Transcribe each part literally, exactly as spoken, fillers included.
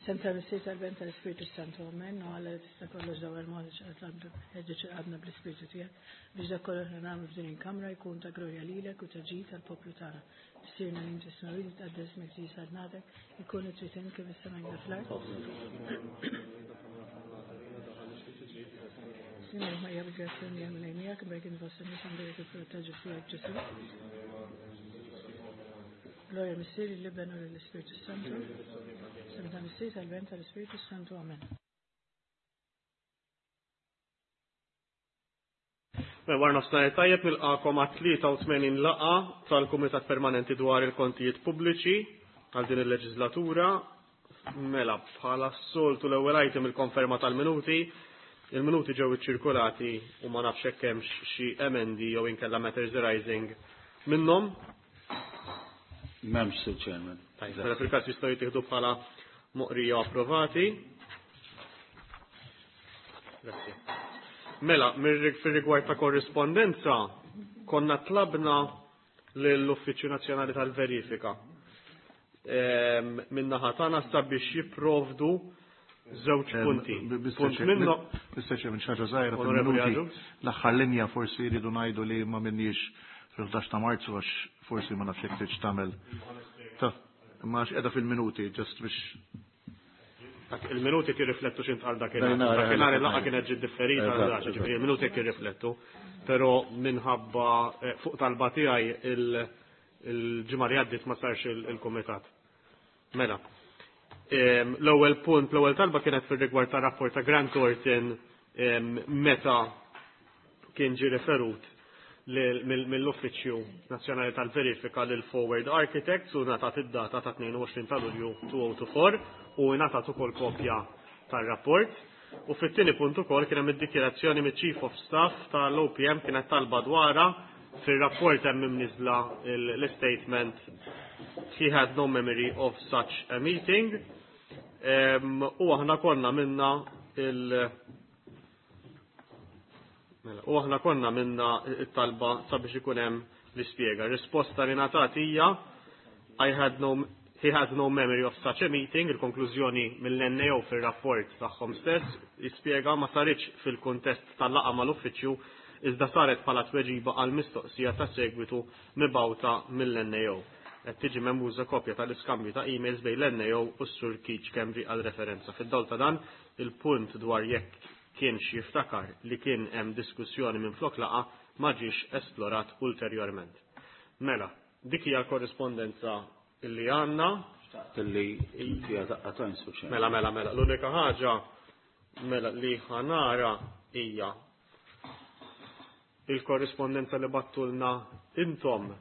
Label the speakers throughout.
Speaker 1: Sem tal-Missier tal-Ben tal-Ispirtu Santu, Amen. U Alla li tista' kollox dawwar mod ħeġġeġ qalbna bl-Ispirtu tiegħek biex dak kollox li nagħmlu f'din il-kamra jkun ta' glorja lilek u ta' ġid tal-poplu tagħna. Missierna li inti fis-smewwiet titqaddes ismek tiġi saltnatek, ikun trid int kif is-sema fl-art. Sinjor Marija bil-grazzja l-Mulej miegħek, imberkin fost in-nisa mbierek il-frott ta' ġuf tiegħek Ġesù. Gloria Missier, l-Iben u l-Ispirtu Santu. Sem tal-Missier, tal-Ben, tal-Ispirtu Santu. Amen.
Speaker 2: Mela, wara nofsinhar tajjeb nilqakom għat-tlieta u tmenin laqgħa tal-Kumitat Permanenti dwar il-Kontijiet Pubbliċi għal din il-leġislatura. Mela, bħala s-soltu l-ewwel item il-konferma tal-minuti. Il-minuti ġew iċċirkulati u ma nafx hekk hemmx xi emendi jew inkella matters arising minnhom.
Speaker 3: M'hemmx, Sir Chairman.
Speaker 2: Tajjeb, mela fil-każ jistgħu jittieħdu bħala moqrija approvati. Grazzi. Mela, fir-rigward ta' korrispondenza, konna tlabna lill-Uffiċċju Nazzjonali tal-Verifika ehm, min-naħa tagħna sabiex jipprovdu żewġ punti. Punt minnu.
Speaker 3: Mister Chairman, xi ħaġa żgħira fil-minuti. L-aħħar linja forsi jridu ngħidu li ma minniex fil-ħdax ta' Marzu għax forsi ma nafx jekk tridx tagħmel. Ta' ma għax qiegħda fil-minuti, just biex.
Speaker 2: Il-minuti kirriflettu x'intqal dakinhar. Dakinhar il-laqgħa kienet ġiet differita, ġifieri il-minuti kirriflettu, però minħabba fuq talba tiegħi il-ġimgħa li għaddiet ma sarx il-kumitat. Mela. L-ewwel punt, l-ewwel talba kienet fir-rigward ta' rapport ta' Grant Thornton meta kien ġie referut mill-Uffiċċju Nazzjonali tal-Verifika lil Forward Architects u ngħatat id-data ta' tnejn u għoxrin ta' Lulju two oh two four u ngħatat ukoll kopja tar-rapport. U fit-tieni punt ukoll kien hemm id-dikjerazzjoni miċ-Chief of Staff tal-O P M kienet talba dwarha fir-rapport hemm imniżla l-statement he had no memory of such a meeting. U aħna konna minna il- Mela, u aħna konna minna it-talba sabiex ikun hemm l-ispjega. Risposta li ngħatat hija I had no, he had no memory of such a meeting, il-konklużjoni mill-N A O fir-rapport tagħhom stess jispjega ma saritx fil-kuntest tal-laqgħa mal-uffiċċju iżda saret bħala tweġiba għal mistoqsija ta' segwitu mibgħuta mill-N A O. Qed tiġi memmuża kopja tal-iskambju ta' emails bejn l-N A O u s-Sur Keith Schembri għal referenza. Fid-dawl ta' dan, il-punt dwar jekk kienx jiftakar li kien hemm diskussjoni minn flok laqa ma ġiex esplorat ulterjorment. Mela, dik hija l-korrispondenza illi għandna.
Speaker 3: Xtaqt illi hija daqqa ta' insuċċess.
Speaker 2: Mela, mela, mela, l-unika ħaġa mela li ħanara hija il-korrispondenza li battulna intom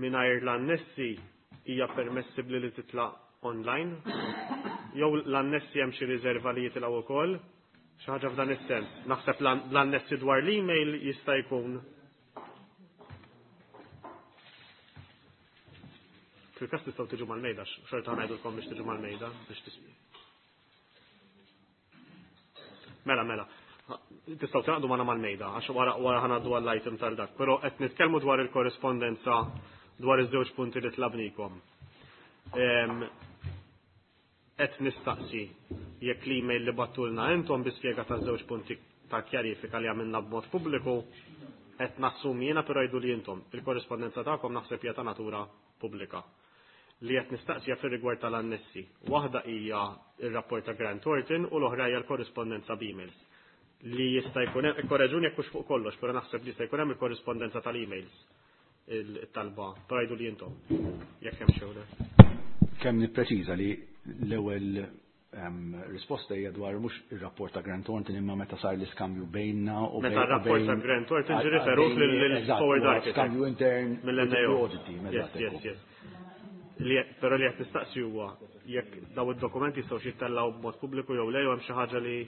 Speaker 2: mingħajr l-annessi hija permessibbli li titla' online jew l-annessi hemm xi riserva li jitilgħu wkoll, xi ħaġa f'dan is-sens. Naħseb l-annessi dwar l-email jista' jkun. Fil-każ tistgħu tiġu mal-mejda, xorta ngħidulkom biex tiġu mal-mejda biex tismi. Mela, mela. Tistgħu taqdu magħna mal-mejda għax wara, wara ħanaddu għall-item tal-dak, però qed nitkellmu dwar il-korrispondenza dwar iż-żewġ punti li tlabnikom. Ehm, qed nistaqsi jekk l-email li battulna intom bi spjega ta' żewġ punti ta' kjarifika li għamilna b'mod pubbliku, qed nassumi jiena però jgħidu li intom il-korrispondenza tagħkom naħseb hija ta' natura pubblika. Li qed nistaqsija fir-rigward tal-annessi. Waħda hija r-rapport ta' Grant Thornton u l-oħra hija l-korrispondenza b'emails. Li jista' jkun hemm, ikkoreġuni jekk hux fuq kollox, però naħseb li jista' jkun hemm il-korrispondenza tal-emails il-talba, però jgħidu li intom jekk hemm xi le.
Speaker 4: Kemm nippreċiża li l-ewwel, ehm, risposta hija dwar mhux ir-rapport ta' Grant Thornton imma meta sar l-iskambju bejnna u
Speaker 2: Meta
Speaker 4: bejn-
Speaker 2: r-rapport ta'
Speaker 4: bejn-
Speaker 2: Grant Thornton ġie
Speaker 4: għal-
Speaker 2: riferut
Speaker 4: bejn-
Speaker 2: lil- lil
Speaker 4: eżatt,
Speaker 2: Forward
Speaker 4: huwa
Speaker 2: Architect.
Speaker 4: Skambju intern
Speaker 2: mill-N A O.
Speaker 4: audit team,
Speaker 2: Yes,
Speaker 4: eżatt,
Speaker 2: yes,
Speaker 4: ekku.
Speaker 2: yes. Li, però li qed nistaqsi huwa jekk daw id-dokumenti jistgħu jittellgħu b'mod pubbliku jew le, jew hemm xi ħaġa li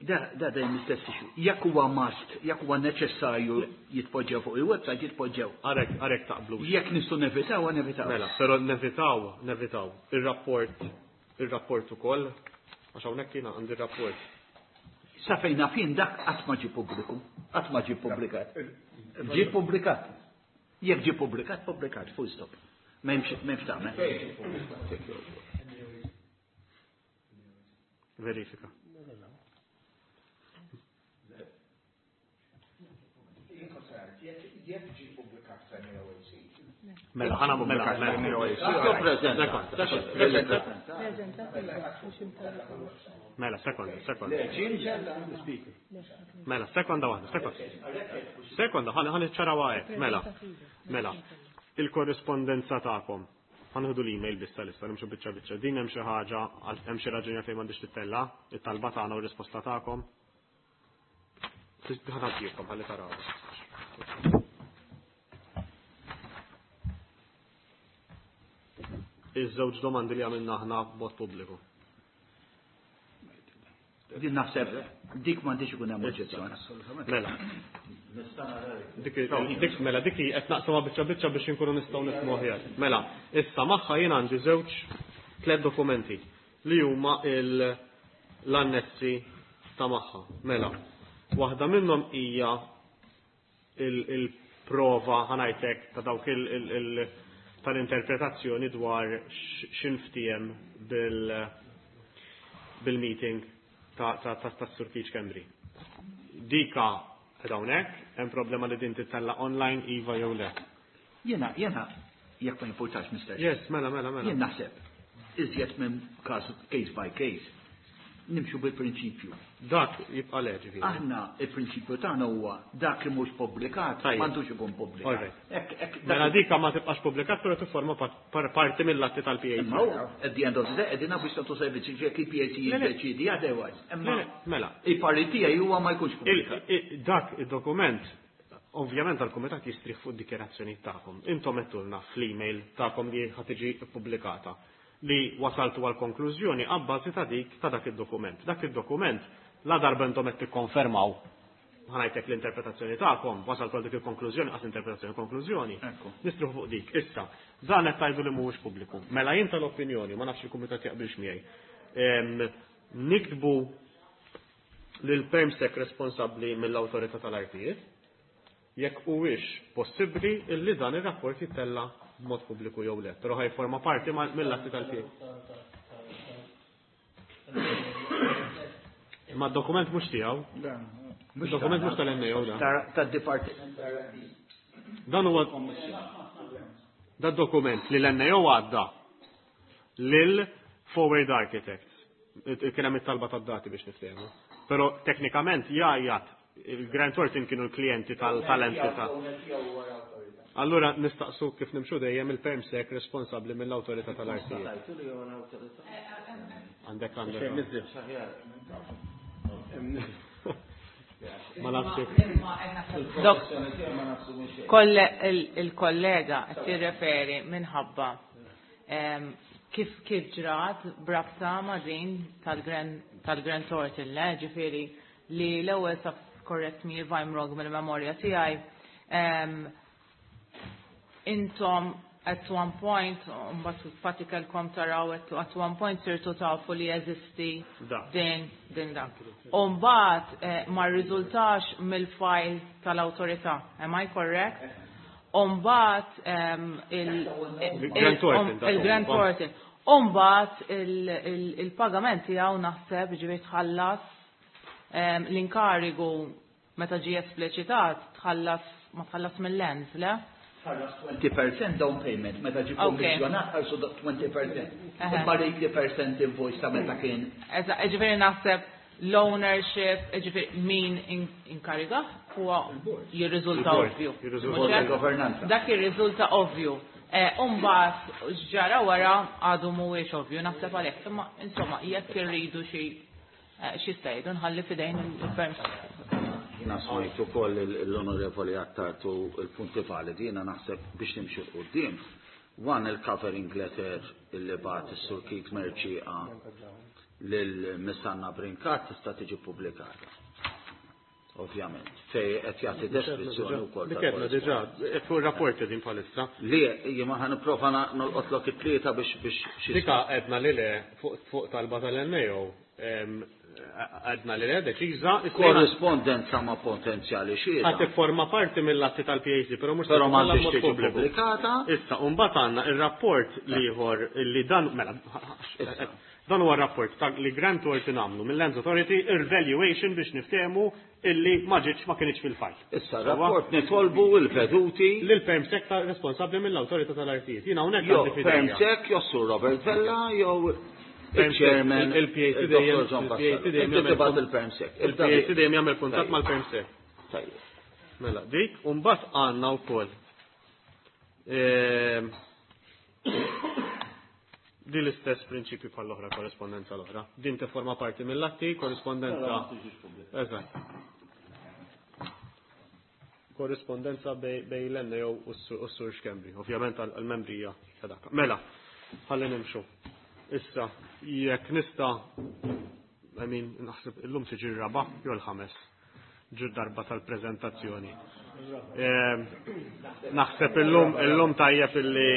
Speaker 5: Da, da dejjem l-istess issue. Jekk huwa must, jekk huwa neċessarju jitpoġġew fuq il-website, jitpoġġew.
Speaker 2: Għarek, għarek taqblu.
Speaker 5: Jekk nistgħu nevitaw, nevitaw.
Speaker 2: Mela, però nevitaw, nevitaw. Ir-rapport, ir-rapport ukoll, għax hawnhekk jiena għandi rapport.
Speaker 5: Sa fejn naf jien dak qatt ma ġie pubbliku, qatt ma ġie ppubblikat. Ġie ppubblikat. Jekk ġie pubblikat, pubblikat, full stop. M'hemmx m'hemmx tagħmel.
Speaker 2: Verifika. Mela, ħana mela, mela. Mela, sekonda, sekonda. Mela, sekonda waħda, sekonda. Sekonda, ħana ħana ċaraw hekk, mela. Mela, il-korrispondenza tagħkom. Ħanħudu l-email bissa lissa, nimxu biċċa biċċa. Din hemm xi ħaġa, hemm xi raġuni fejn m'għandix tittella, it-talba tagħna u r-risposta tagħkom. Ħanagħtikom ħalli taraw. Iż-żewġ domandi li għamilna aħna b'mod pubbliku.
Speaker 5: Din naħseb dik m'għandix ikun hemm oġġezzjoni.
Speaker 2: Mela. Dik dik mela dik qed naqsamha biċċa biċċa biex inkunu nistgħu nifhmu aħjar. Mela, issa magħha jien għandi żewġ tliet dokumenti li huma l-annessi ta' magħha. Mela, waħda minnhom hija il-prova ħanajtek ta' dawk il tal-interpretazzjoni dwar x'inftiem bil bil-meeting ta' ta' ta' ta' Sur Keith Schembri. Dika hawnhekk, hemm problema li din titella online iva jew le.
Speaker 5: Jiena jiena jekk ma jimpurtax Mister
Speaker 2: Yes, mela mela mela.
Speaker 5: Jien naħseb iżjed minn każ case by case nimxu bil-prinċipju.
Speaker 2: Dak jibqa' le ġifieri.
Speaker 5: Aħna il-prinċipju tagħna huwa dak li mhux pubblikat m'għandux ikun pubblikat.
Speaker 2: Mela dika ma tibqax pubblikat però tifforma parti mill-atti tal-P A C.
Speaker 5: Imma at the end of the day qegħdin biex tagħtu servizzi jekk il-P A C jiddeċiedi otherwise. Imma
Speaker 2: mela
Speaker 5: il-parti tiegħi huwa ma jkunx pubblikat.
Speaker 2: Dak id-dokument ovvjament għall-kumitat jistrieħ fuq dikjerazzjoni tagħkom. Intom għedtulna fl-email tagħkom li ħa tiġi ppubblikata li wasaltu għal konklużjoni abbażi ta' dik ta' dak id-dokument. Dak id-dokument la darba intom qed tikkonfermaw ħanajtek l-interpretazzjoni tagħkom, wasaltu għal dik il-konklużjoni, qas interpretazzjoni konklużjoni. Nistruħu fuq dik. Issa, dan qed tgħidu li mhuwiex pubbliku. Mela jien tal-opinjoni, ma nafx il-kumitat jaqbilx miegħi. Niktbu lil permsec responsabbli mill-awtorità tal-artijiet jekk huwiex possibbli illi dan ir-rapport jittella' b'mod pubbliku jew le, però ħajforma parti mill-atti tal-P A. Imma d-dokument mhux tiegħu. Id-dokument mhux tal-N A O da.
Speaker 5: Tad-dipartiment.
Speaker 2: Dan huwa da dokument li l-N A O għadda lil Forward Architects. Kien hemm it-talba tad-dati biex niftehmu. Però teknikament jgħajjat il-Grant Thornton kienu l-klijenti tal-entità. Allura nistaqsu kif nimxu dejjem il-permsec responsabbli mill-awtorità tal-artijiet. Għandek għandek. Ma nafx.
Speaker 6: Il-kollega qed tirreferi minħabba kif kif ġrat brabta ma' din tal-Grant Thornton, le, ġifieri li l-ewwel sa correct me if I'm wrong mill-memorja tiegħi. Intom at one point, mbagħad fatti kellkom taraw at one point sirtu tafu li jeżisti din din dan. U mbagħad ma rriżultax mill-file tal-awtorità. Am I correct? U mbagħad il-Grant Thornton. U mbagħad il-pagament tiegħu naħseb ġifieri tħallas l-inkarigu meta ġie espliċitat tħallas ma tħallas mill-lens, le?
Speaker 5: Tħallas twenty percent down payment, meta ġie kommissjonat ħarsu twenty percent. Imma eighty percent invoice ta' meta kien.
Speaker 6: Eżatt, ġifieri naħseb l-ownership, ġifieri min inkariga huwa jirriżulta ovvju.
Speaker 5: Il-governanza.
Speaker 6: Dak jirriżulta ovvju. U mbagħad x'ġara wara għadu mhuwiex ovvju, naħseb għalhekk. Imma insomma jekk irridu xi xi stajdu nħalli f'idejn il-perms.
Speaker 7: Jiena smajt ukoll l-Onorevoli Attard u l-punti validi, jiena naħseb biex nimxu 'l quddiem. One il-covering letter illi bagħat is-Sur Keith Mercieca lil Miss Anna Brincat tista' tiġi pubblikata. Ovvjament, fej qed jagħti deskrizzjoni wkoll.
Speaker 2: Dik għedna diġà, fuq ir-rapporti din bħalissa.
Speaker 7: Li jien ma ħa nipprova nolqotlok it-tlieta biex biex
Speaker 2: xi. Dika għedna li le fuq talba tal-N A O, għedna li le deċiża.
Speaker 7: Korrispondenza ma' potenzjali xhieda.
Speaker 2: Ħa tifforma parti mill-atti tal-P A C, però mhux
Speaker 7: Però m'għandix tiġi pubblikata.
Speaker 2: Issa, u mbagħad għandna ir-rapport l-ieħor li dan, mela, dan huwa rapport ta' li Grant Thornton għamlu mill-Lands Authority ir-valuation biex niftehmu illi ma ġietx ma kienx fil-fajl.
Speaker 7: Issa, rapport nitolbu l-veduti.
Speaker 2: Lil PermSec ta' responsabbli mill-Awtorità tal-Artijiet. Jiena hawnhekk
Speaker 7: Jew
Speaker 2: għandi f'idejja.
Speaker 7: PermSec jew Sur Robert Vella jew
Speaker 2: PermSec,
Speaker 7: il-Chairman,
Speaker 2: il-P A C
Speaker 7: il-Dottor
Speaker 2: dejjem,
Speaker 7: John
Speaker 2: il-P A C
Speaker 7: Vassallo.
Speaker 2: dejjem
Speaker 7: Inti
Speaker 2: jagħmel
Speaker 7: tibgħat
Speaker 2: kont-
Speaker 7: il-PermSec.
Speaker 2: il-P A C dejjem jagħmel kuntatt
Speaker 7: Tajjeb.
Speaker 2: mal-PermSec.
Speaker 7: Tajjeb.
Speaker 2: Mela, dik, u mbagħad għandna wkoll. Ehm, din l-istess prinċipju bħall-oħra, korrespondenza l-oħra. Din tifforma parti mill-atti, korrespondenza. Eżatt. Korrespondenza bej, bej l-N A O u s-Sur Schembri. Ovvjament għal-membri hija ta' dak. Mela, ħalli nimxu. Issa, jekk nista', I mean, naħseb illum tiġi r-raba' jew l-ħames ġur darba tal-preżentazzjoni. Ehm, naħseb illum, illum tajjeb illi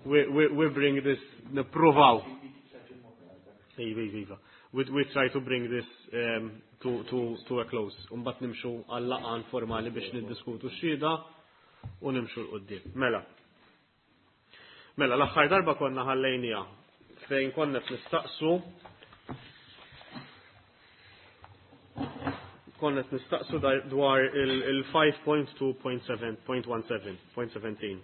Speaker 2: we, we, we bring this, nippruvaw. Iva, iva, iva. We, we try to bring this, um, to, to, to a close. Umbat nimxu għall-laqan formali biex niddiskutu x-xhieda u nimxu l-qoddim. Mela. Mela, l-aħħar darba konna ħallejnija fejn konna qed nistaqsu konna qed nistaqsu dar-, dwar il-, il five point two point seven point one seven point seventeen.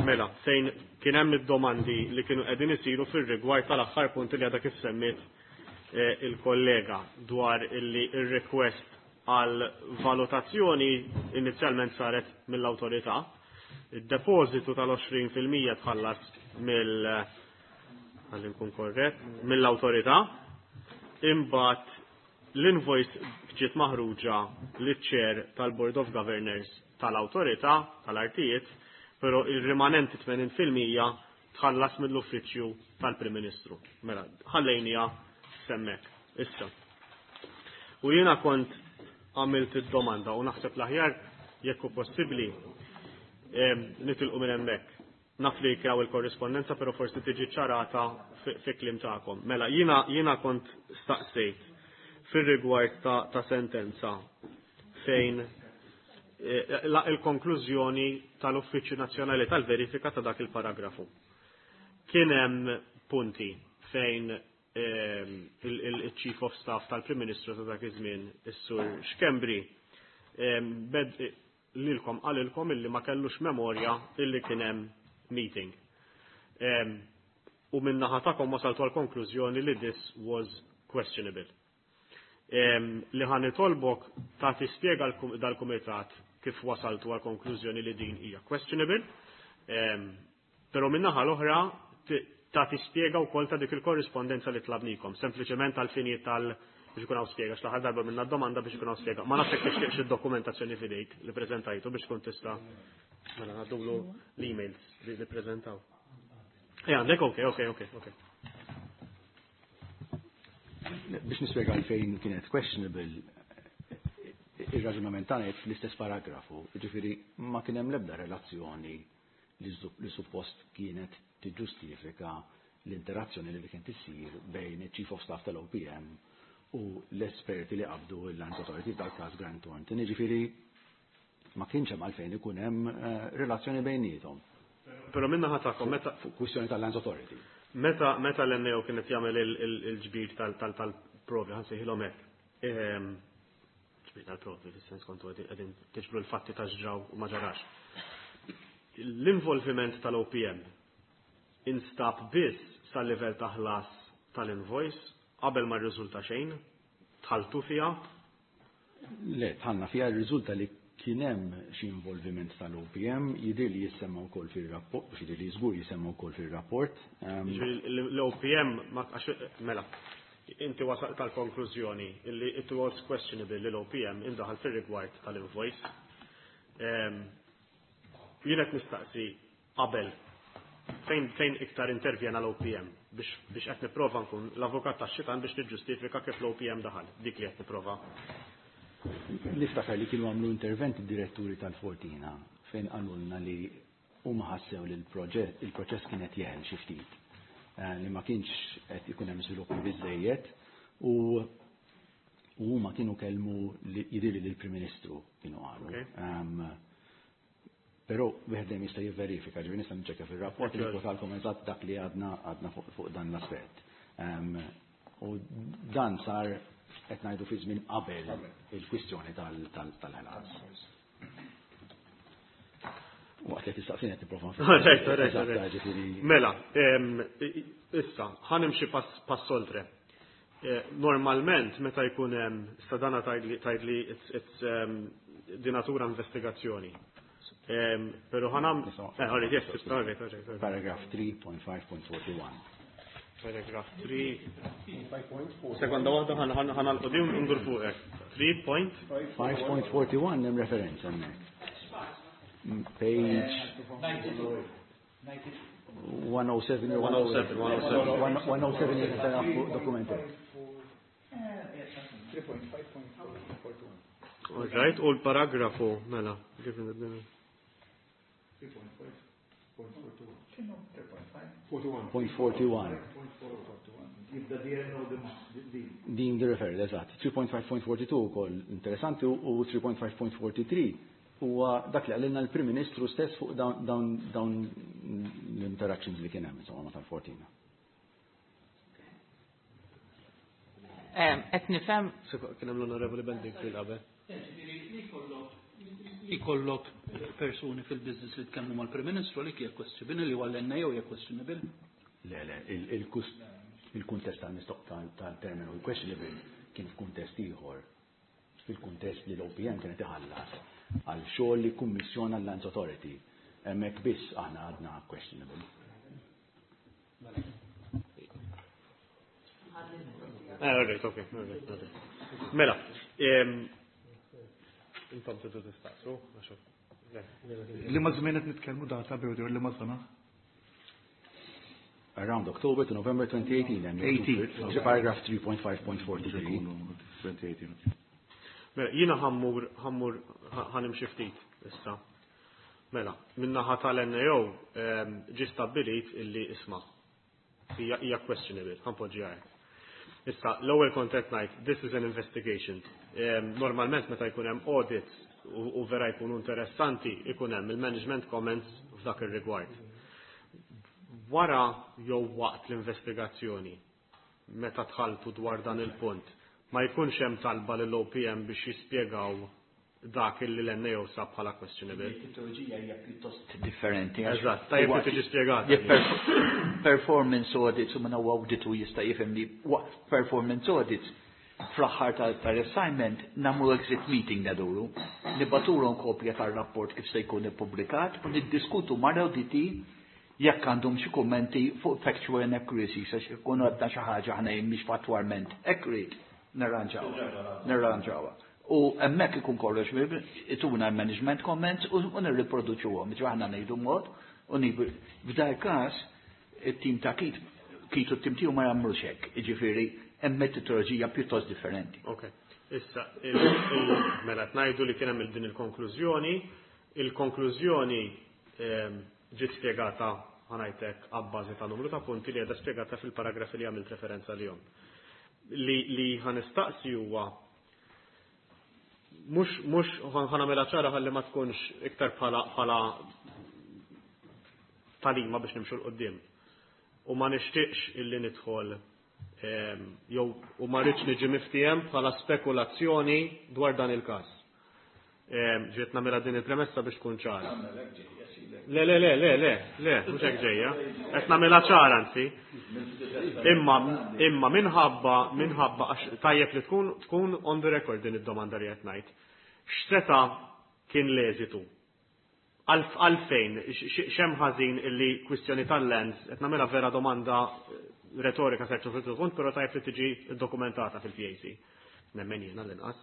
Speaker 2: Mela, fejn kien hemm id-domandi li kienu qegħdin isiru fir-rigward tal-aħħar punt li għadha kif semmiet, eh, il-kollega dwar illi ir-request għal valutazzjoni inizjalment saret mill-awtorità. Id-depożitu tal-għoxrin fil-mija tħallas mill, ħalli nkun korrett, mill-awtorità. Imbagħad l-invoice ġiet maħruġa liċ-chair tal-Board of Governors tal-awtorità tal-artijiet, però il-rimanenti tmenin fil-mija tħallas mill-uffiċċju tal-Prim Ministru. Mela, ħallejnija semmek. Issa. U jiena kont għamilt id-domanda u naħseb l-aħjar jekk hu possibbli, em, nitilqu minn hemmhekk. Naf li kraw il-korrispondenza, però forsi tiġi ċarata fi, fi kliem tagħkom. Mela, jiena, jiena kont staqsejt fir-rigward ta', ta' sentenza fejn, eh, la il-konklużjoni tal-Uffiċċju Nazzjonali tal-Verifika ta' dak il-paragrafu. Kien hemm punti fejn, ehm, il-, il-, il-Chief of Staff tal-Prim Ministru ta' dak iż-żmien, is-Sur Schembri, ehm, bed lilkom qalilkom illi ma kellux memorja illi kien hemm meeting. Ehm, u min-naħa tagħkom wasaltu għal konklużjoni li this was questionable. Ehm, li ħa nitolbok ta' tispjega l-kum-, dal-kumitat kif wasaltu għal konklużjoni li din hija questionable, ehm, però min-naħa l-oħra t-, ta' tispjega wkoll ta' dik il-korrispondenza li tlabnikom, sempliċement għal finijiet tal biex ikun hawn spjega, x'l-aħħar darba minna domanda biex ikun hawn spjega. Ma nafx jekk tixtieqx id-dokumentazzjoni f'idejk li preżentajtu biex tkun tista' mela ngħaddulu l-emails li li preżentaw. Ej, għandek, ok, ok, ok, ok.
Speaker 4: Biex nispjega għalfejn kienet questionable, ir-raġunament tagħna jgħid fl-istess paragrafu, jiġifieri ma kien hemm l-ebda relazzjoni li zu-, li suppost kienet tiġġustifika l-interazzjoni li kien tissir bejn il-Chief of Staff tal-O P M u l-esperti li qabdu l-Lands Authority tal-każ Grant Thornton. Jiġifieri ma kienx hemm għalfejn ikun hemm, eh, relazzjoni bejniethom.
Speaker 2: Però minna ħa tagħkom, meta
Speaker 4: Fuq kwistjoni tal-Lands Authority.
Speaker 2: Meta, meta l-N A O kienet jagħmel il-, il-, il-ġbir tal-, tal-, tal-provi, ħansejħilhom hekk. Ehm, ġbir tal-provi, fis-sens kontu qegħdin, qegħdin tiġbru l-fatti ta' x'ġraw u ma ġarax. L-involviment tal-O P M instab biss sal-livell ta' ħlas tal-invoice qabel ma rriżulta xejn, tħaltu fiha?
Speaker 4: Le, tħallna fiha, rriżulta li kien hemm xi involviment tal-O P M, jidher li jissemma wkoll fir-rapport, jidher li żgur jissemma wkoll fir-rapport. Ehm,
Speaker 2: Jiġifieri l-O P M ma għax, mela, inti wasalt tal-konklużjoni illi it was questionable li l-O P M indaħal fir-rigward tal-invoice. Ehm, jien qed nistaqsi qabel fejn, fejn iktar intervjena l-O P M biex, biex qed nipprova nkun l-avukat tax-xitan biex niġġustifika kif l-O P M daħal, dik li qed nipprova.
Speaker 4: Niftakar li kienu għamlu interventi diretturi tal-Fortina fejn qalulna li huma ħassew li l-proġett il-proċess kienet jeħel xi ftit, li ma kienx qed ikun hemm żviluppi biżejjed u u huma kienu kellmu jidhirli lill-Prim Ministru kienu qalu. Però wieħed dejjem jista' jivverifika, ġifieri nista' niċċekkja fir-rapport li kwotalkom eżatt dak li għadna għadna fuq dan l-aspett. U dan sar qed ngħidu fi żmien qabel il-kwistjoni tal-ħlas. Waqt li tistaqsini qed nipprova.
Speaker 2: Mela, issa, ħa nimxi pass oltre. Normalment meta jkun hemm issa dana tgħidli it's di natura investigazzjoni. Però ħa nam
Speaker 4: Paragraph three point five point forty-one.
Speaker 2: Paragraph three. Sekonda waħda ħa nagħlqu ndur fuqek. three point
Speaker 4: five point forty-one hemm referenza hemmhekk. Page one oh seven
Speaker 2: one oh seven
Speaker 4: one oh seven fuq dokumenti.
Speaker 2: All right, u l-paragrafu mela kif
Speaker 4: Point forty-one. Din the referred, eżatt. three point five point forty-two ukoll interessanti u three point five point forty-three huwa dak li qalilna l-Prim Ministru stess fuq dawn dawn l-interactions li kien hemm insomma ma tal-Fortina.
Speaker 6: Qed nifhem
Speaker 2: kien hemm l-Onorevoli Bending fil-qabel.
Speaker 8: Li kollok persuni fil-business li tkellmu mal-Prim Ministru li hija questionable li huwa l-N A O hija questionable?
Speaker 4: Le, le, il-kuntest tal-mistoq tal-terminu questionable kien f'kuntest ieħor, fil-kuntest li l-O P M kienet iħallas għal xogħol li kummissjona l-Lands Authority. Hemmhekk biss aħna għadna questionable.
Speaker 2: Eh, all right, okay, all right, all right. Mela, intom tridu tistaqsu, għax
Speaker 3: Li ma żmien qed nitkellmu data bejn li ma sena?
Speaker 4: Around October to November twenty eighteen.
Speaker 3: eighteen.
Speaker 4: Paragraph three point five point forty-three.
Speaker 3: twenty eighteen.
Speaker 2: Mela, jiena ħammur, ħammur, ħanimxi ftit issa. Mela, min-naħa tal-N A O ġie stabbilit illi isma' hija, hija questionable, ħanpoġġi hekk. Issa, l-ewwel kont qed ngħid, this is an investigation. Normalment meta jkun hemm audit u, u vera jkunu interessanti, ikun hemm il-management comments f'dak ir-rigward. Wara jew waqt l-investigazzjoni, meta tħaltu dwar dan il-punt, ma jkunx hemm talba lill-O P M biex jispjegaw dak illi l-N A O sab bħala questionable.
Speaker 5: Il-metodoloġija hija pjuttost differenti, għax
Speaker 2: Eżatt, tajjeb li tiġi spjegata.
Speaker 5: Jekk perf-, performance audits u minn huwa awditu jista' jifhem li waqt performance audits fl-aħħar tal-assignment nagħmlu exit meeting naduru, nibatulhom kopja tar-rapport kif se jkun ippubblikat u niddiskutu mal-awditi jekk għandhom xi kummenti fuq factual inaccuracies għax ikunu għadna xi ħaġa aħna mhix fattwalment accurate, nirranġawha, nirranġawha. U hemmhekk ikun kollox ituna management comments u, u nirriproduċuhom, ġo aħna ngħidu mod u nibu. F'dal każ it-tim ta' Kit, Kit u t-tim tiegħu ma jagħmlux hekk, jiġifieri hemm metodoloġija pjuttost differenti.
Speaker 2: Ok. Issa, il-, il-, mela qed ngħidu li kien hemm din il-konklużjoni, il-konklużjoni, ehm, ġiet spjegata ħanajtek abbażi ta' numru ta' punti li qiegħda spjegata fil-paragrafi li għamilt referenza lihom. Li, li ħanistaqsi huwa mhux, mhux ħanamela ċara ħalli ma tkunx iktar bħala, bħala talima biex nimxu l-qoddim. U ma nixtieqx illi nidħol, ehm, jew u ma rridx niġi miftiem bħala spekulazzjoni dwar dan il-każ. Ehm, ġiet nagħmilha din il-premessa biex tkun ċara. Le, le, le, le, le, le, mhux hekk ġejja. Qed nagħmilha ċara anzi. Imma, imma minħabba, minħabba għax tajjeb li tkun, tkun on the record din id-domanda li qed ngħid. X'seta' kien l-eżitu? Għalf-, għalfejn, x-, x-, x'hemm ħażin illi kwistjoni tal-lands, qed nagħmilha vera domanda retorika serċu fil-punt, però tajjeb li tiġi dokumentata fil-P A C. Nemmen jiena l-inqas.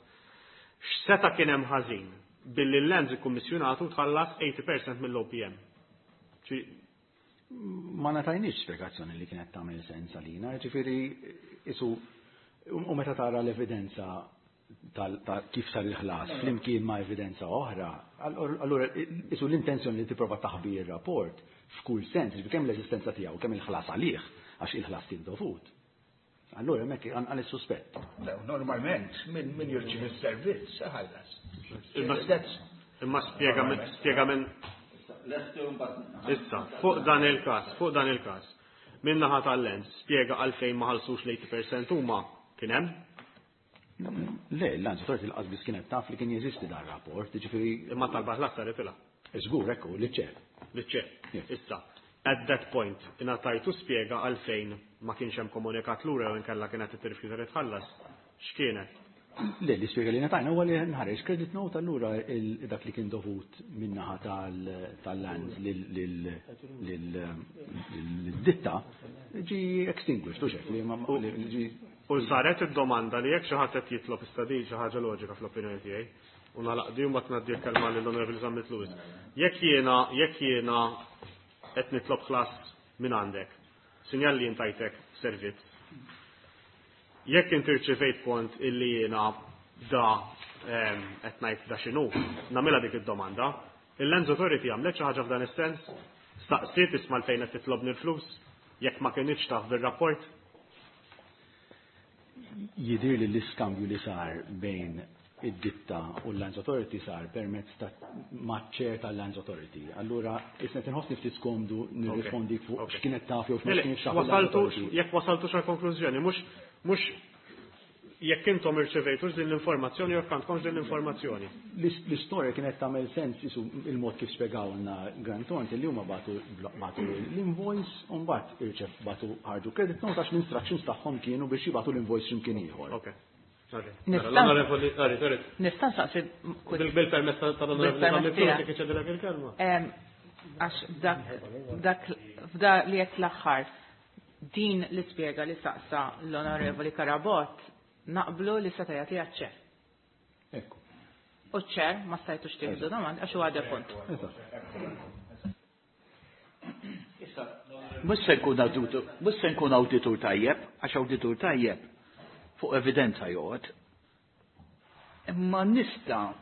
Speaker 2: X'seta' kien hemm ħażin billi l-lands ikkummissjonatu tħallas eighty percent mill-O P M? Ċi-
Speaker 4: Ma ngħatajniex spjegazzjoni li kienet tagħmel sens għalina, ġifieri isu u meta tara l-evidenza ta' kif sar il-ħlas flimkien ma' evidenza oħra, allura isu l-intenzjoni li tipprova taħbi ir-rapport f'kull sens, jiġifieri kemm l-eżistenza tiegħu, kemm il-ħlas għalih, għax il-ħlas kien dovut. Allura hemmhekk għal is-suspett.
Speaker 5: Normalment min min jirċievi s-servizz iħallas.
Speaker 2: Imma spjega minn spjega minn Issa, fuq dan il-każ, fuq dan il-każ. Min naħa tal-Lands, spjega għalfejn ma ħallsux l-eighty percent huma kien hemm?
Speaker 4: Le, l-Lands Authority l-qas biss kienet taf li kien jeżisti dan rapport, jiġifieri
Speaker 2: Imma talba ħlas saret ilha.
Speaker 4: Żgur, ekku, li ċer.
Speaker 2: Li ċer. Issa, at that point, ingħatajtu spjega għalfejn ma kienx hemm komunikat lura jew inkella kienet tirrifjuta li tħallas. X'kienet?
Speaker 4: Le, l-ispjega li ngħatajna huwa li nħareġ credit note allura dak li kien dovut min-naħa tal-Lands lil-ditta ġi extinguished, u xek li ma ġi.
Speaker 2: U saret id-domanda li jekk xi ħadd qed jitlob issa di xi ħaġa loġika fl-opinjoni tiegħi, u nagħlaq di u mbagħad ngħaddi l-kelma lill-Onorevoli Zammit Lewis. Jekk jiena, jekk jiena qed nitlob ħlas minn għandek, sinjal li intajtek servizz. Jekk inti rċevejt kont illi jiena da qed ngħid da x'inhu, nagħmilha dik id-domanda. Il-Lands Authority għamlet xi ħaġa f'dan is-sens? Staqsiet isma' l-fejn qed titlobni l-flus jekk ma kinitx taf bir-rapport?
Speaker 4: Jidhir li l-iskambju li sar bejn id-ditta u l-Lands Authority sar permezz ta' maċ-chair tal-Lands Authority. Allura, isna tinħossni ftit skomdu nirrispondi fuq x'kienet taf jew x'ma kienx taf.
Speaker 2: Wasaltu, jekk wasaltu xi konklużjoni, mhux mhux jekk intom irċevejtux din l-informazzjoni jew għandkomx din l-informazzjoni.
Speaker 4: L-istorja kienet tagħmel sens isu il-mod kif spjegawlna Grant Thornton li huma bagħtu bagħtu l-invoice u mbagħad irċev bagħtu ħarġu credit note għax l-instructions tagħhom kienu biex jibgħatu l-invoice x'imkien ieħor.
Speaker 2: Ok. L-Onorevoli, sorry, sorry.
Speaker 6: Nista' nsaqsi
Speaker 2: Bil-permess tal-Onorevoli Zammit Lewis jekk iċedilek il-kelma.
Speaker 6: Għax dak dak f'da li qed l-aħħar din l-ispjega li saqsa l-Onorevoli Carabott naqblu li seta' jagħtiha ċ-chair.
Speaker 4: Ekku.
Speaker 6: U ċ-chair ma stajtux tieħdu domanda għax huwa defunt.
Speaker 5: Issa, mhux se nkun awditur, mhux se nkun awditur tajjeb, għax awditur tajjeb fuq evidenza joqgħod. Imma nista'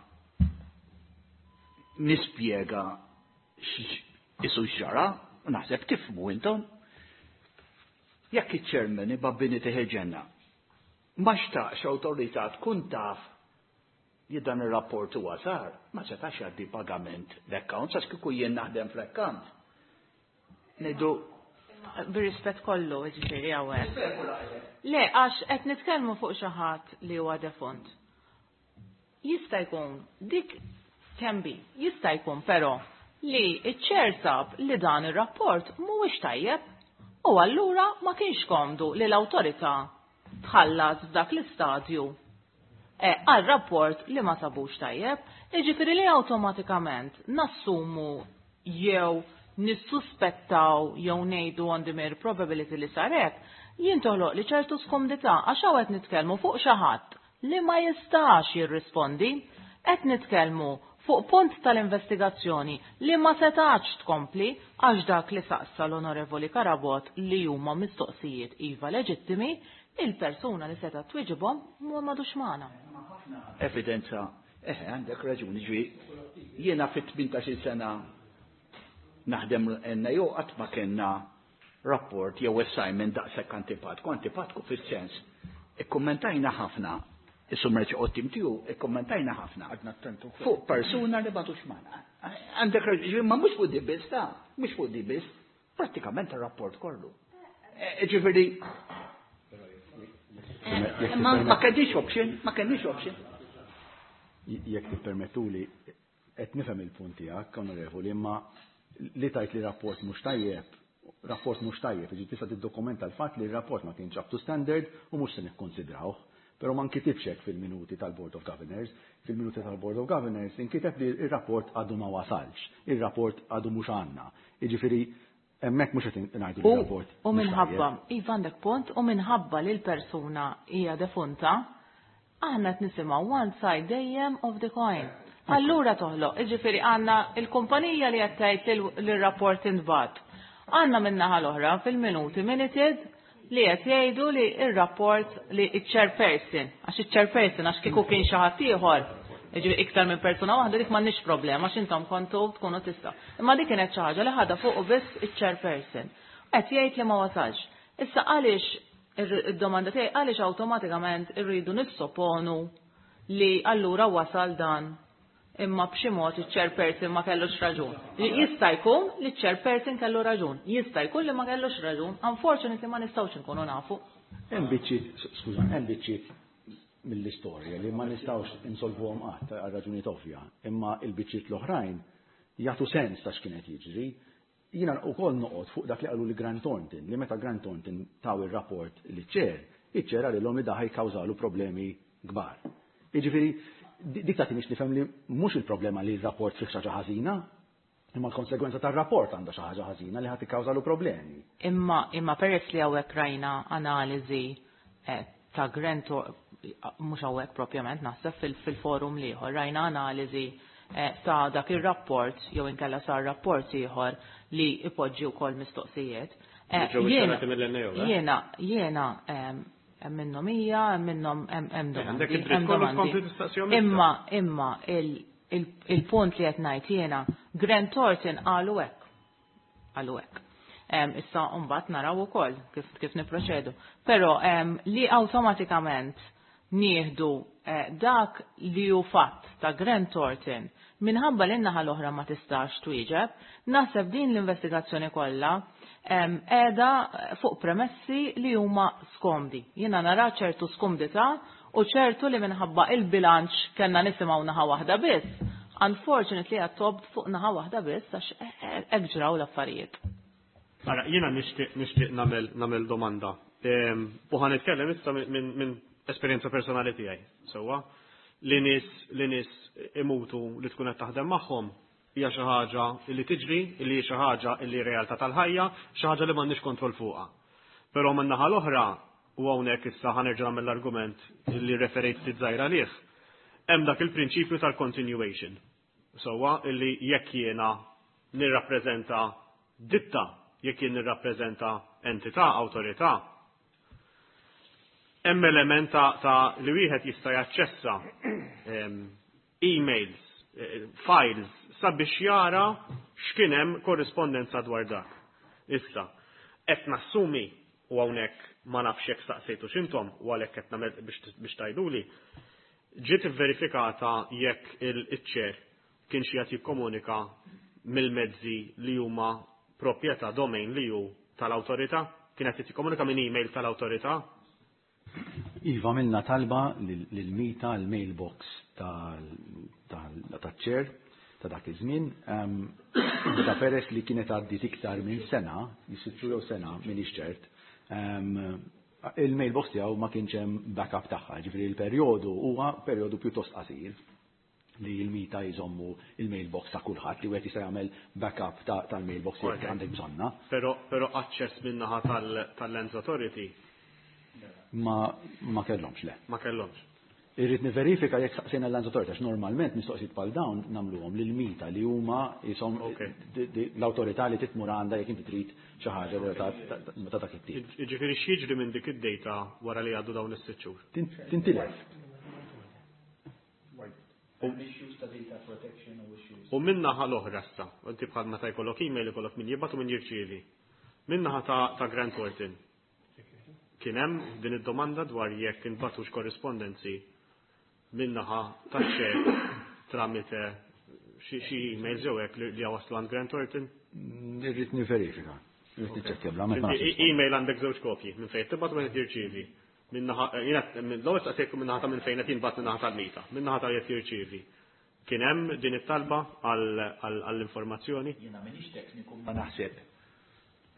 Speaker 5: nispjega isu x'ġara, u naħseb tifhmu intom. Jekk iċ-chairman ibabbini teħeġenna, ma xtaqx awtorità tkun taf li dan ir-rapport huwa sar, ma setax jgħaddi pagament l-account, għax kieku jien naħdem fl-account. Ngħidu
Speaker 6: bir-rispett kollu, jiġifieri hawnhekk. Le, għax qed nitkellmu fuq xi ħadd li huwa defunt. Jista' jkun dik can be, jista' jkun però li ċ-chair sab li dan ir-rapport mhuwiex tajjeb u allura ma kienx komdu li l-awtorità tħallas f'dak l-istadju għal rapport li ma sabux tajjeb, jiġifieri li awtomatikament nassumu jew nissuspettaw jew ngħidu on the mere probability li sarek, jien toħloq li ċertu skomdità għax hawn qed nitkellmu fuq xi ħadd li ma jistax jirrispondi, qed nitkellmu fuq punt tal-investigazzjoni li ma setax tkompli għax dak li saqsa l-Onorevoli Carabott li huma mistoqsijiet iva leġittimi, il-persuna li seta' twiġibhom ma madux magħna.
Speaker 5: Evidenza, eħe, għandek raġuni, ġwi, jiena fit tmintax-il sena naħdem N A O qatt ma kellna rapport jew assignment daqshekk antipatku, antipatku fis-sens. Ikkummentajna ħafna, is-summerċ qottim tiegħu ikkummentajna ħafna.
Speaker 3: Għadna attentu.
Speaker 5: Fuq persuna li m'għadux magħna. Għandek raġuni, ma mhux fuq di biss, ta' mhux fuq di biss, prattikament ir-rapport kollu. Ġifieri, ma ma kellix option, ma kellix option.
Speaker 4: Jekk tippermettuli, qed nifhem il-punt tiegħek, Onorevoli, imma li tajt li rapport mhux tajjeb, rapport mhux tajjeb, jiġi tista' tiddokumenta l-fatt li r-rapport ma kienx up to standard u mhux se nikkonsidrawh. Però ma nkitibx hekk fil-minuti tal-Board of Governors. Fil-minuti tal-Board of Governors inkiteb li r-rapport għadu ma wasalx, ir-rapport għadu mhux għandna. Jiġifieri hemmhekk mhux qed ngħidu li r-rapport
Speaker 6: U
Speaker 4: mhux
Speaker 6: minħabba,
Speaker 4: tajjeb.
Speaker 6: Iva għandek punt, u minħabba li l-persuna hija defunta, aħna qed nisimgħu one side dejjem of the coin. Allura toħloq, jiġifieri għandna il-kumpanija li qed tgħid li r-rapport intbagħat. Għandna min-naħa l-oħra fil-minuti minuted li qed jgħidu li r-rapport li ċ-chairperson, għax iċ-chairperson għax kieku kien xi ħadd ieħor, jiġifieri iktar minn persuna waħda dik m'għandniex problema għax intom kontu tkunu tista'. Imma dik kienet xi ħaġa li ħadha fuq biss iċ-chairperson. Qed jgħid li ma wasalx. Issa għaliex id-domanda tiegħi għaliex awtomatikament irridu nissoponu li allura wasal dan imma b'xi mod iċ-chairperson ma kellux raġun. Jista' jkun li ċ-chairperson kellu raġun, jista' jkun li ma kellux raġun, unfortunately ma nistgħux inkunu nafu.
Speaker 4: Hemm biċċiet, skuża, hemm biċċiet mill-istorja li ma nistgħux insolvuhom qatt għal raġunijiet ovvja, imma il-biċċiet l-oħrajn jagħtu sens ta' x'kienet jiġri. Jiena wkoll noqgħod fuq dak li qalu li Grant Thornton, li meta Grant Thornton taw ir-rapport li ċer, iċ-chair qalilhom li daħ jikkawżalu problemi kbar. Jiġifieri dik tagħtini nifhem li mhux il-problema li r-rapport fih xi ħaġa ħażina, imma l-konsegwenza tar-rapport għandha xi ħaġa ħażina li ħadd ikkawżalu problemi.
Speaker 6: Imma imma peress li hawnhekk rajna analiżi ta' Grant, mhux hawnhekk propjament naħseb fil-forum ieħor, rajna analiżi ta' dak ir-rapport jew inkella sar rapport ieħor li ipoġġi wkoll mistoqsijiet. Jiena jiena hemm minnhom hija, hemm minnhom hemm domandi. Imma imma il-punt li qed ngħid jiena, Grant Thornton qalu hekk. Qalu hekk. Issa mbagħad naraw ukoll kif kif niproċedu. Però li awtomatikament nieħdu dak li hu fatt ta' Grant Thornton minħabba li n-naħa l-oħra ma tistax twieġeb, naħseb din l-investigazzjoni kollha qiegħda fuq premessi li huma skomdi. Jiena nara ċertu skomdità u ċertu li minħabba il-bilanċ kellna nisimgħu naħa waħda biss. Unfortunately għattob fuq naħa waħda biss għax hekk ġraw l-affarijiet.
Speaker 2: Ara, jiena nixtieq nixtieq nagħmel nagħmel domanda. U ħa nitkellem issa minn esperjenza personali tiegħi. Sewwa, li nies li nies imutu li tkun qed taħdem magħhom hija xi ħaġa li tiġri, li hi xi ħaġa li realtà tal-ħajja, xi ħaġa li m'għandniex kontroll fuqha. Però min-naħa l-oħra, u hawnhekk issa ħa nerġa' nagħmel l-argument li referejt ftit żgħira għalih, hemm dak il-prinċipju tal-continuation. Sewwa, illi jekk jiena nirrappreżenta ditta, jekk jien nirrappreżenta entità, awtorità, hemm element ta' li wieħed jista' jaċċessa emails, files, sabiex jara x'kien hemm korrispondenza dwar dak. Issa, qed nassumi u hawnhekk ma nafx jekk staqsejtu x'intom u għalhekk qed nagħmel biex tgħiduli, ġiet ivverifikata jekk il-chair kien xi qed jikkomunika mill-mezzi li huma proprjetà domain li hu tal-awtorità, kien qed jikkomunika minn email tal-awtorità?
Speaker 4: Iva, għamilna talba lil-MITA, l-mailbox tal-chair ta' dak iż-żmien. Ta' peress li kienet għaddit iktar minn sena, jisitxu jew sena minn ċert, il-mailbox tiegħu ma kienx hemm backup tagħha, ġifieri l-perjodu huwa perjodu pjuttost qasir li l-MITA jżommu il-mailbox ta' kulħadd li wieħed jista' jagħmel backup tal-mailbox jekk għandek bżonna.
Speaker 2: Però però aċċess min-naħa tal-Lands Authority
Speaker 4: ma ma kellhomx, le.
Speaker 2: Ma kellhomx.
Speaker 4: Irrid niverifika jekk saqsejna l-Lands Authority, għax normalment mistoqsijiet bħal dawn nagħmluhom lil MITA li huma jisom l-awtorità li titmur għandha jekk inti trid xi ħaġa ta' dak it-tip.
Speaker 2: Jiġifieri x'jiġri minn dik id-data wara li jgħaddu dawn is-sitt xhur?
Speaker 4: Tintilef.
Speaker 2: U min-naħa l-oħra issa, inti bħal meta jkollok email ikollok min jibgħat u min jirċievi. Min-naħa ta' Grant Thornton. Kien hemm din id-domanda dwar jekk inbatux korrispondenzi min-naħa taċ-chair tramite xi emails jew hekk li waslu għand Grant Thornton?
Speaker 4: Irrid niverifika. Irrid niċċekkja bla ma
Speaker 2: Email għandek żewġ kopji minn fejn tibgħat u minn jirċievi. Min-naħa l-ewwel staqsejtkom min-naħa ta' minn fejn qed jinbagħat min-naħa tal-MITA, min-naħa ta' qed jirċievi. Kien hemm din it-talba għall-informazzjoni?
Speaker 5: Jiena m'iniex tekniku ma naħseb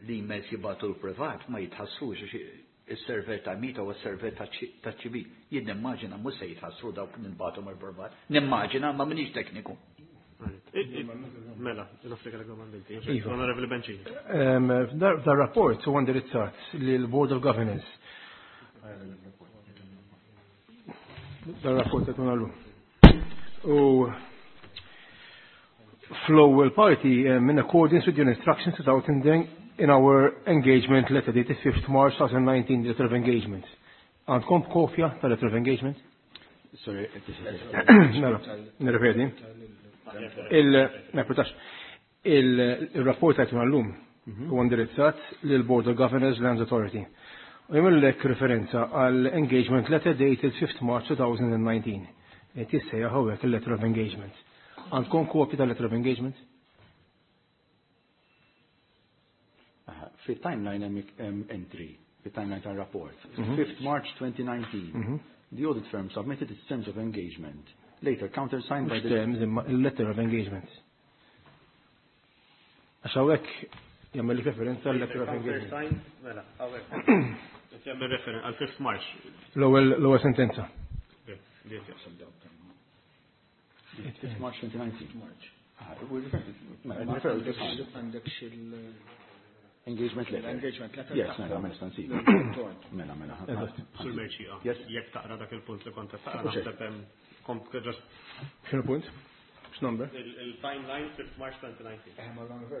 Speaker 5: li emails jibgħatu l-privat ma jitħassrux is-server ta' MITA u s-server ta' ċivi. Jien nimmaġina mhux se jitħassru dawk ninbagħtu mill-privat. Nimmaġina ma m'iniex tekniku.
Speaker 2: Mela, nofri kellek domanda inti. Onorevoli Bencini.
Speaker 9: Dar rapport huwa indirizzat lil Board of Governance. Dar rapport qed nagħmlu. U fl-ewwel parti in accordance with your instructions without in our engagement letter dated fifth March twenty nineteen, letter of engagement. Għandkom kopja tal-letter of engagement?
Speaker 4: Sorry,
Speaker 9: mela, nirrepeti. Il-rapport għajtuna l-lum huwa indirizzat lil-Board of Governors Lands Authority. U jagħmellek referenza għal engagement letter dated fifth March twenty nineteen. Tissejjaħ hawnhekk il-letter of engagement. Għandkom kopja tal-letter of engagement?
Speaker 4: Fit-timeline hemm entry, fit-timeline tal-rapport. fifth March twenty nineteen. The audit firm submitted its terms of engagement. Later countersigned by the
Speaker 9: terms imma il-letter of engagement. Għax hawnhekk jagħmel referenza għal letter of engagement.
Speaker 2: Mela, hawnhekk. Qed jagħmel referenza għal fifth March.
Speaker 9: L-ewwel l-ewwel sentenza.
Speaker 4: fifth March twenty nineteen.
Speaker 10: Għandek xil
Speaker 4: engagement letter.
Speaker 10: Engagement letter.
Speaker 4: Yes, mela, mela, stansi. Mela, mela.
Speaker 2: Sur Merċija. Jekk taqra dak il-punt li kont taqra naħseb hemm just.
Speaker 9: X'inhu punt? X'number?
Speaker 2: Il-timeline fifth March twenty nineteen.
Speaker 10: Eh, ma l-number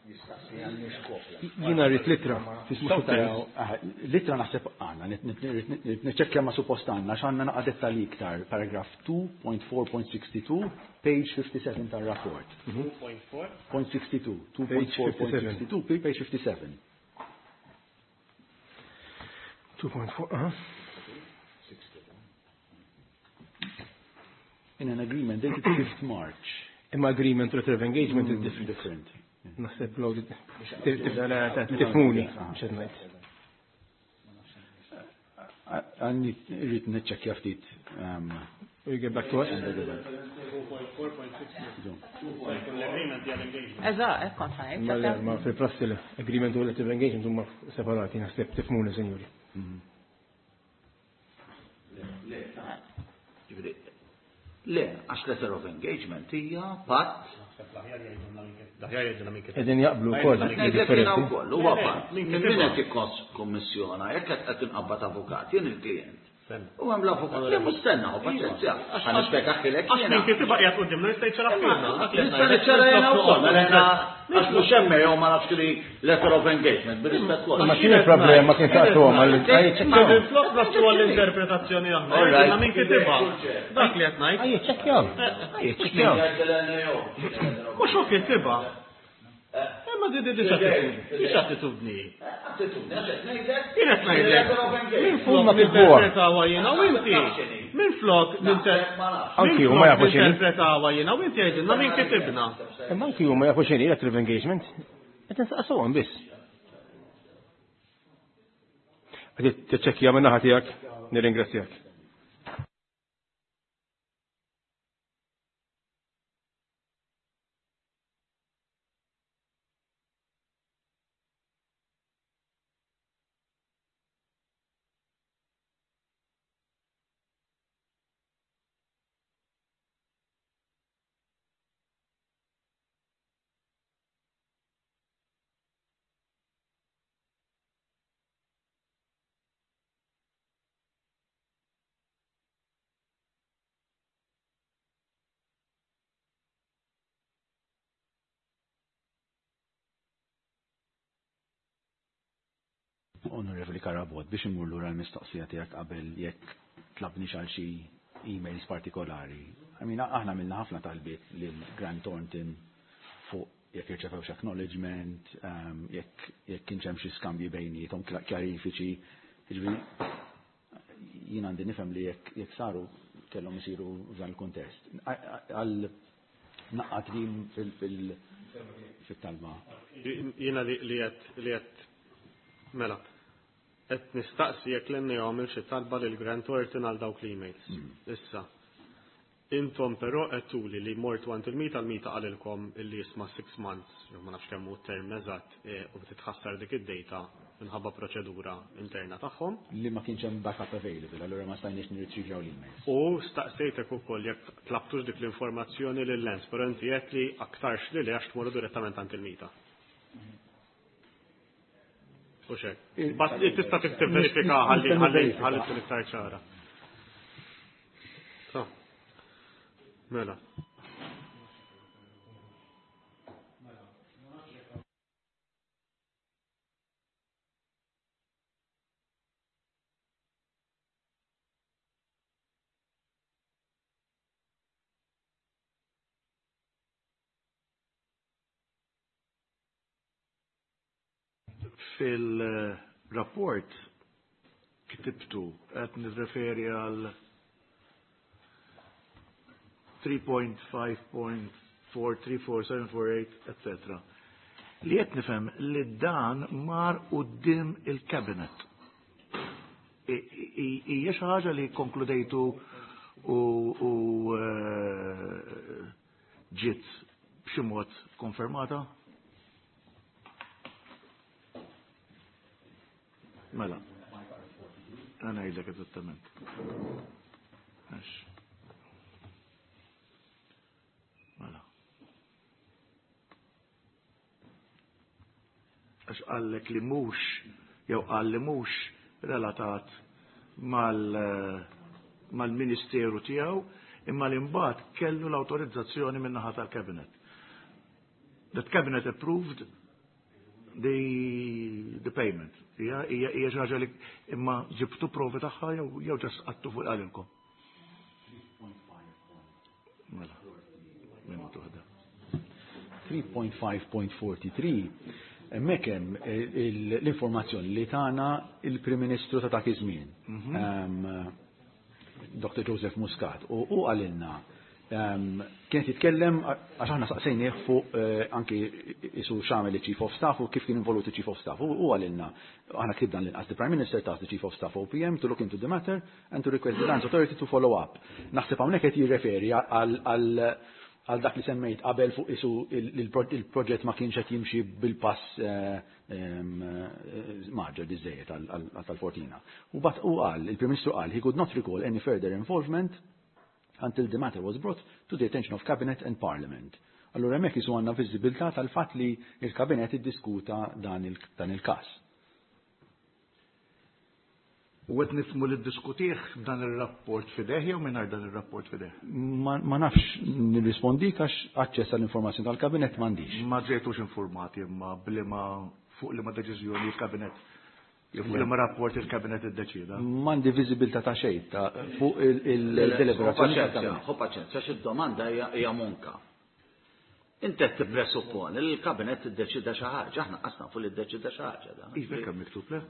Speaker 10: jistaqsi għandix kopja.
Speaker 9: Jiena rrid litra.
Speaker 4: Litra naħseb għandna, niċċekkja ma suppost għandna x'għandna naqa' dettalji iktar, paragraph two point four point sixty-two, page fifty-seven tar-rapport.
Speaker 2: two point four?
Speaker 4: Point sixty-two, two point four point sixty-two, page fifty-seven.
Speaker 9: two point four, uh-huh.
Speaker 4: In an agreement dated fifth March.
Speaker 9: Imma agreement letter of engagement is different.
Speaker 4: Different.
Speaker 9: Naħseb tifmuni, xed ngħid.
Speaker 4: Għandi rrid niċċekkja ftit.
Speaker 9: You get back to us?
Speaker 6: Eżatt, hekk kont ngħid.
Speaker 9: Ma fil-prassi l-agreement u letter of engagement huma separati, naħseb tifmuni, sinjuri.
Speaker 7: Le, għax letter of engagement hija patt.
Speaker 9: Qegħdin jaqblu wkoll.
Speaker 7: Ngħidlek wkoll, huwa patt. Min qed jikkommissjona, jekk qed inqabbad avukat, jien il-klient. U hemm l-avukat, le mhux stenna, u paċenzja. Ħa nispjegaħilek.
Speaker 2: Għax min kitibha qiegħed qudiemna jista' jċara fina.
Speaker 7: Nista' niċċara jiena wkoll, mela jiena għax mhux hemm jew ma nafx li letter of engagement bir-rispett kollu.
Speaker 9: Ma x'inhi il-problema kien saqsuhom għal
Speaker 2: Ma minflok naslu għall-interpretazzjoni aħna. Għidilna min kitibha. Dak li qed ngħid.
Speaker 9: Ejja ċekkjaw. Ejja ċekkjaw.
Speaker 2: Mhux hu kitibha. Imma di di di x'attitudni.
Speaker 7: Attitudni, għax qed ngħidlek.
Speaker 2: Jien qed ngħidlek. Minflok ninterpretawha jiena u inti. Minflok
Speaker 9: Anki huma jafu x'inhi.
Speaker 2: ninterpretawha jiena u inti jgħidilna min kitibna.
Speaker 9: Imma anki huma jafu x'inhi letter of engagement. Qed insaqsuhom biss. Qed tiċċekkja minn naħa tiegħek, nirringrazzjak.
Speaker 4: Onorevoli Carabott, biex imur lura l-mistoqsija tiegħek qabel jekk tlabni għal xi emails partikolari. I mean, aħna għamilna ħafna talbiet lil Grant Thornton fuq jekk irċevewx acknowledgement, jekk jekk kienx hemm xi skambji bejniethom kjarifiċi. Jiġifieri jien għandi nifhem li jekk jekk saru kellhom isiru f'dan il-kuntest. Għal naqqat din fil-talba.
Speaker 2: Jiena li qed li qed mela. Qed nistaqsi jekk l-N A għamel xi talba lil Grant Thornton għal dawk l-emails. Issa, intom però qed tuli li mortu għand il-mita, l-mita qalilkom illi jisma' six months, jew ma nafx kemm hu term eżatt, u titħassar dik id-data minħabba proċedura interna tagħhom.
Speaker 4: Li ma kienx hemm backup available, allura ma stajniex nirritrivjaw l-emails.
Speaker 2: U staqsejtek ukoll jekk tlabtux dik l-informazzjoni lil Lens, però inti qed li aktarx li li għax tmorru direttament għand il-mita. U xek. Bas tista' tivverifika ħalli ħalli ħalli tkun iktar ċara. So. Mela.
Speaker 3: Fil-rapport ktibtu qed nirreferi għal three point five point four three four seven four eight, et cetera. Li qed nifhem li dan mar quddiem il-cabinet. Hija xi ħaġa li konkludejtu u, u ġiet b'xi mod konfermata? Mela. Għana ngħidlek eżattament. Għax. Mela. Għax qallek li mhux jew qal li mhux relatat mal, mal-ministeru tiegħu, imma li mbagħad kellu l-awtorizzazzjoni min-naħa tal-cabinet. That cabinet approved the, the payment. Hija, hija, hija xi ħaġa li imma ġibtu provi tagħha jew, jew ġast qattu fuq qalilkom. Mela. Minuta waħda.
Speaker 4: three point five point forty-three hemmhekk hemm l-informazzjoni li tagħna il-Prim Ministru ta' dak iż-żmien,
Speaker 3: Mhm.
Speaker 4: ehm, Doctor Joseph Muscat, u hu qalilna, ehm, kien jitkellem għax aħna saqsejnieh fuq, eh, anki isu x'għamel il-Chief of Staff u kif kien involut il-Chief of Staff. U hu qalilna, aħna ktibna l-inqas the Prime Minister tasked the Chief of Staff O P M to look into the matter and to request the Lands Authority to follow up. Naħseb hawnhekk qed jirreferi għal, għal, għal dak li semmejt qabel fuq isu il-, il-, il-proġett ma kienx qed jimxi bil-pass, eh, ehm, eh, maġġor biżejjed għal, għal, għal tal-Fortina. U bat u qal, il-Prim Ministru qal, he could not recall any further involvement until the matter was brought to the attention of Cabinet and Parliament. Allura hemmhekk isu għandna viżibilità tal-fatt li il-Kabinet iddiskuta dan il-, dan il-każ.
Speaker 3: U qed nifhmu li ddiskutih dan ir-rapport fideh jew mingħajr dan ir-rapport fideh?
Speaker 4: Ma, ma nafx nirrispondik għax aċċess għall-informazzjoni tal-Kabinet m'għandix.
Speaker 3: Ma ġejtux informati imma bliema fuq liema deċiżjoni il-Kabinet jew fuq liema rapport il-Kabinet iddeċieda.
Speaker 4: M'għandi viżibilità ta' xejn ta' fuq il-, il-deliberazzjoni
Speaker 7: Ħu paċenzja,
Speaker 4: tal-Kabinet.
Speaker 7: ħu paċenzja, għax id-domanda hija, hija monka. Inti qed tippresupponi li l-Kabinet iddeċida xi ħaġa, aħna qas nafu li ddeċida xi ħaġa dan.
Speaker 3: Iva, kemm miktub le?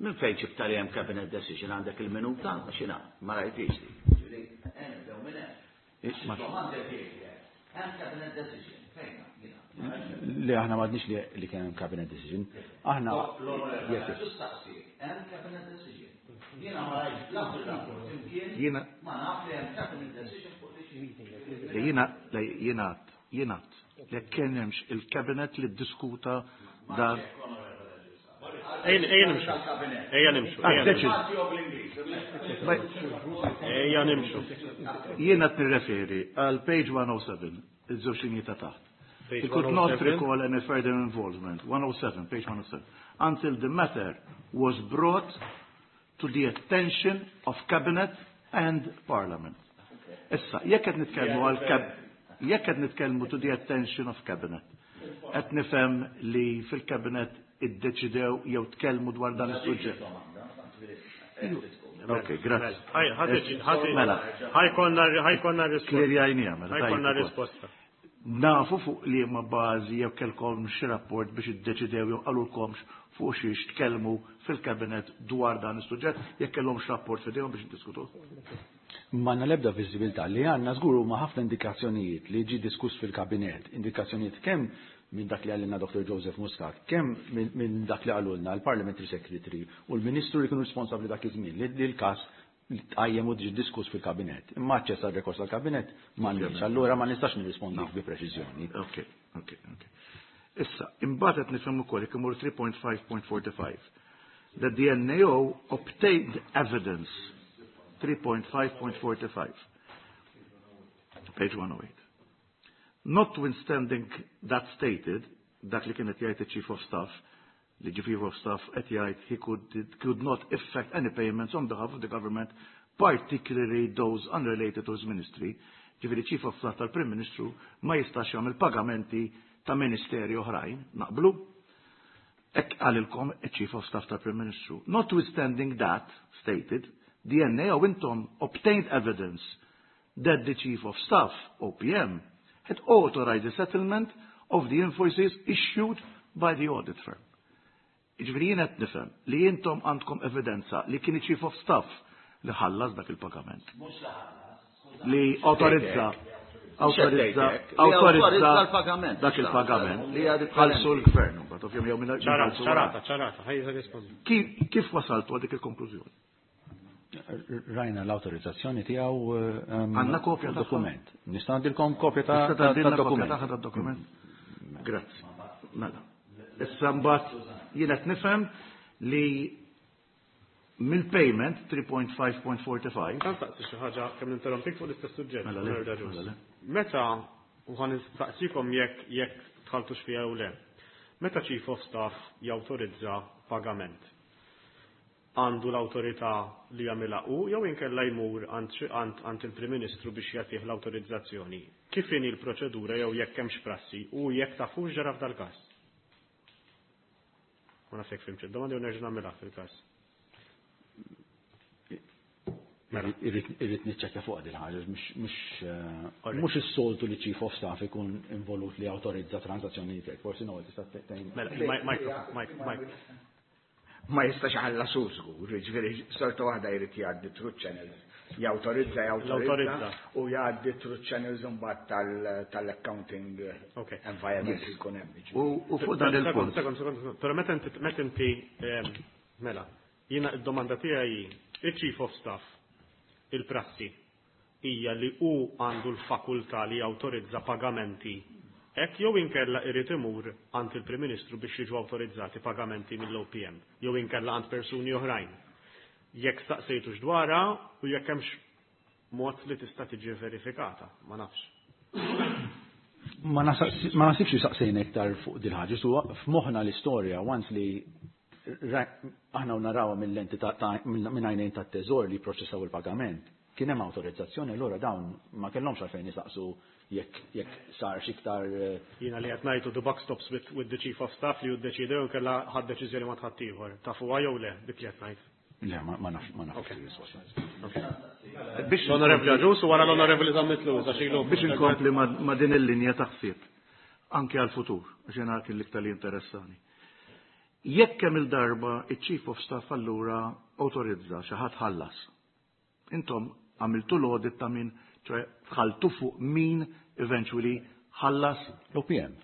Speaker 7: Minn fejn ġibta li hemm cabinet decision għandek il-minuta? X'inha, ma rajtix li. Ġifieri, eh, nibdew minn hemm.
Speaker 3: Ma-
Speaker 7: Domanda tiegħi, hemm cabinet decision, fejn jiena?
Speaker 4: Le, aħna m'għadniex li, li kien hemm cabinet decision. Aħna
Speaker 7: L-onorevoli,
Speaker 4: Yes, yes.
Speaker 7: ġustaqsi, hemm cabinet decision. Jiena ma rajtx la fil-rapport imkien,
Speaker 3: Jiena
Speaker 7: ma naf li hemm cabinet decision fuq li xi.
Speaker 3: Le, jiena, le, jiena, jiena, le kien hemmx il-cabinet li ddiskuta dan.
Speaker 2: Ejja nimxu. Ejja nimxu.
Speaker 3: Ah, deċiż.
Speaker 2: Ejja nimxu.
Speaker 3: Jiena qed nirreferi għal page one oh seven, iż-żewġ linji ta' taħt.
Speaker 2: Page
Speaker 3: He could not
Speaker 2: one oh seven.
Speaker 3: recall any further involvement, one oh seven, page one oh seven, until the matter was brought to the attention of Cabinet and Parliament. Issa, jekk qed nitkellmu għal kab-, jekk qed nitkellmu to the attention of Cabinet, qed nifhem li fil-Cabinet iddeċidew jew tkellmu dwar dan is-suġġett. Ok, grazzi.
Speaker 2: Ħaj, ħadd ħadd
Speaker 3: Mela.
Speaker 2: ħajkonna, ħajkonna risposta.
Speaker 3: Klirjajnija, mela, tajjeb
Speaker 2: Ħajkonna
Speaker 3: ukoll.
Speaker 2: risposta.
Speaker 3: Nafu fuq li ma bażi jew kellkom xi rapport biex iddeċidew jew qalulkomx fuq xiex tkellmu fil-kabinet dwar dan is-suġġett, jekk kellhomx rapport f'idejhom biex iddiskutuh.
Speaker 4: M'għandna l-ebda viżibilità li għandna żgur huma ħafna indikazzjonijiet li ġi diskuss fil-kabinet, indikazzjonijiet kemm minn dak li għalilna Doctor Joseph Muscat, kemm minn, minn dak li qalulna l-Parliamentary Secretary u l-Ministru li kienu responsabbli dak iż-żmien li, li l-każ tqajjem u ġi diskuss fil-kabinet. Imma aċċess għal rekors tal-kabinet m'għandniex, allura ma nistax nirrispondik bi preċiżjoni.
Speaker 3: Ok, ok, ok. Issa, imbagħad qed nifhem ukoll jekk imur three point five point forty-five. The D N A O obtained evidence three point five point forty-five. Page one oh eight. Notwithstanding that stated, dak li kienet jgħid il-Chief of Staff, li Chief of Staff qed jgħid he could, could not effect any payments on behalf of the government, particularly those unrelated to his ministry. Ġifieri Chief of Staff tal-Prim Ministru ma jistax jagħmel pagamenti ta' ministeri oħrajn, naqblu? Hekk qalilkom il-Chief of Staff tal-Prim Ministru. Notwithstanding that stated, the N A O intom obtained evidence that the Chief of Staff, O P M, had authorized the settlement of the invoices issued by the audit firm. Jiġifieri jien qed nifhem li intom għandkom evidenza li kien chief of staff li ħallas dak il-pagament. Li autorizza autorizza autorizza
Speaker 7: l-pagament.
Speaker 3: Dak il-pagament li ħallsu l-gvern mbagħad ovvjament jew minn
Speaker 2: ċarata, ċarata, ħajja rispondi.
Speaker 3: Kif wasaltu għal dik il-konklużjoni?
Speaker 4: Rajna l-autorizzazzjoni tiegħu
Speaker 3: għandna kopja
Speaker 4: dokument. Nista' ngħidilkom kopja ta'
Speaker 3: dokument. Dokument. Grazzi. Mela. Issa mbagħad jien qed nifhem li mill-payment three point five point forty-five.
Speaker 2: Kan staqsi xi ħaġa kemm ninterrompik fuq l-istess suġġett. Mela, meta u ħan nistaqsikom jekk jekk tħaltux fiha jew le. Meta Chief of Staff jawtorizza pagament, għandu l-awtorità li jagħmilha hu jew inkella jmur għand il-Prim Ministru biex jagħtih l-awtorizzazzjoni. Kif inhi l-proċedura jew jekk hemmx prassi u jekk tafux ġara f'dal-każ? Ma nafx jekk fimx id-domanda jew nerġa' nagħmilha fil-każ.
Speaker 4: Irrid niċċekkja fuq din ħaġa, mhux is-soltu li Chief of Staff ikun involut li awtorizza transazzjonijiet hekk, forsi no tista' tgħin.
Speaker 2: Mela, Mike, Mike.
Speaker 11: Ma jistax ħallas hu żgur, jiġifieri sorta waħda jrid jgħaddi through channels. Jawtorizza, jawtorizza u jgħaddi through channels imbagħad tal-accounting environment li jkun hemm.
Speaker 3: U fuq dan il-punt.
Speaker 2: Sekond, sekond, però meta inti mela, jiena d-domanda tiegħi il-Chief of Staff il-prassi hija li hu għandu l-fakultà li jawtorizza pagamenti hekk jew inkella irid imur għand il-Prim Ministru biex jiġu awtorizzati pagamenti mill-O P M jew inkella għand persuni oħrajn. Jekk staqsejtux dwarha u jekk hemmx mod li tista' tiġi verifikata, ma nafx.
Speaker 4: Ma nasibx li saqsejna iktar fuq din ħaġa, su f'moħħna l-istorja once li aħna narawha mill-lenti ta' minn għajnejn tat-teżor li jipproċessaw il-pagament. Kien hemm awtorizzazzjoni, allura dawn ma kellhomx għalfejn jisaqsu jekk jekk sar xi iktar.
Speaker 2: Jiena li qed ngħidu the buck stops with, with the chief of staff li jiddeċidew kellha ħadd deċiżjoni ma tħadd ieħor. Tafuha jew le dik li qed ngħid.
Speaker 4: Le, ma nafx, ma nafx.
Speaker 3: Biex
Speaker 2: l-Onorevoli Agius u wara l-Onorevoli Zammit Lewis għax ilu.
Speaker 3: Biex inkompli ma' din il-linja ta' ħsieb anke għall-futur, għax jiena kien l-iktar li interessani. Jekk kemm il-darba iċ-Chief of Staff allura autorizza xi ħadd ħallas. Intom għamiltu l-audit ta' min, ċoħe tħaltu fuq min eventually ħallas
Speaker 4: l-O P M.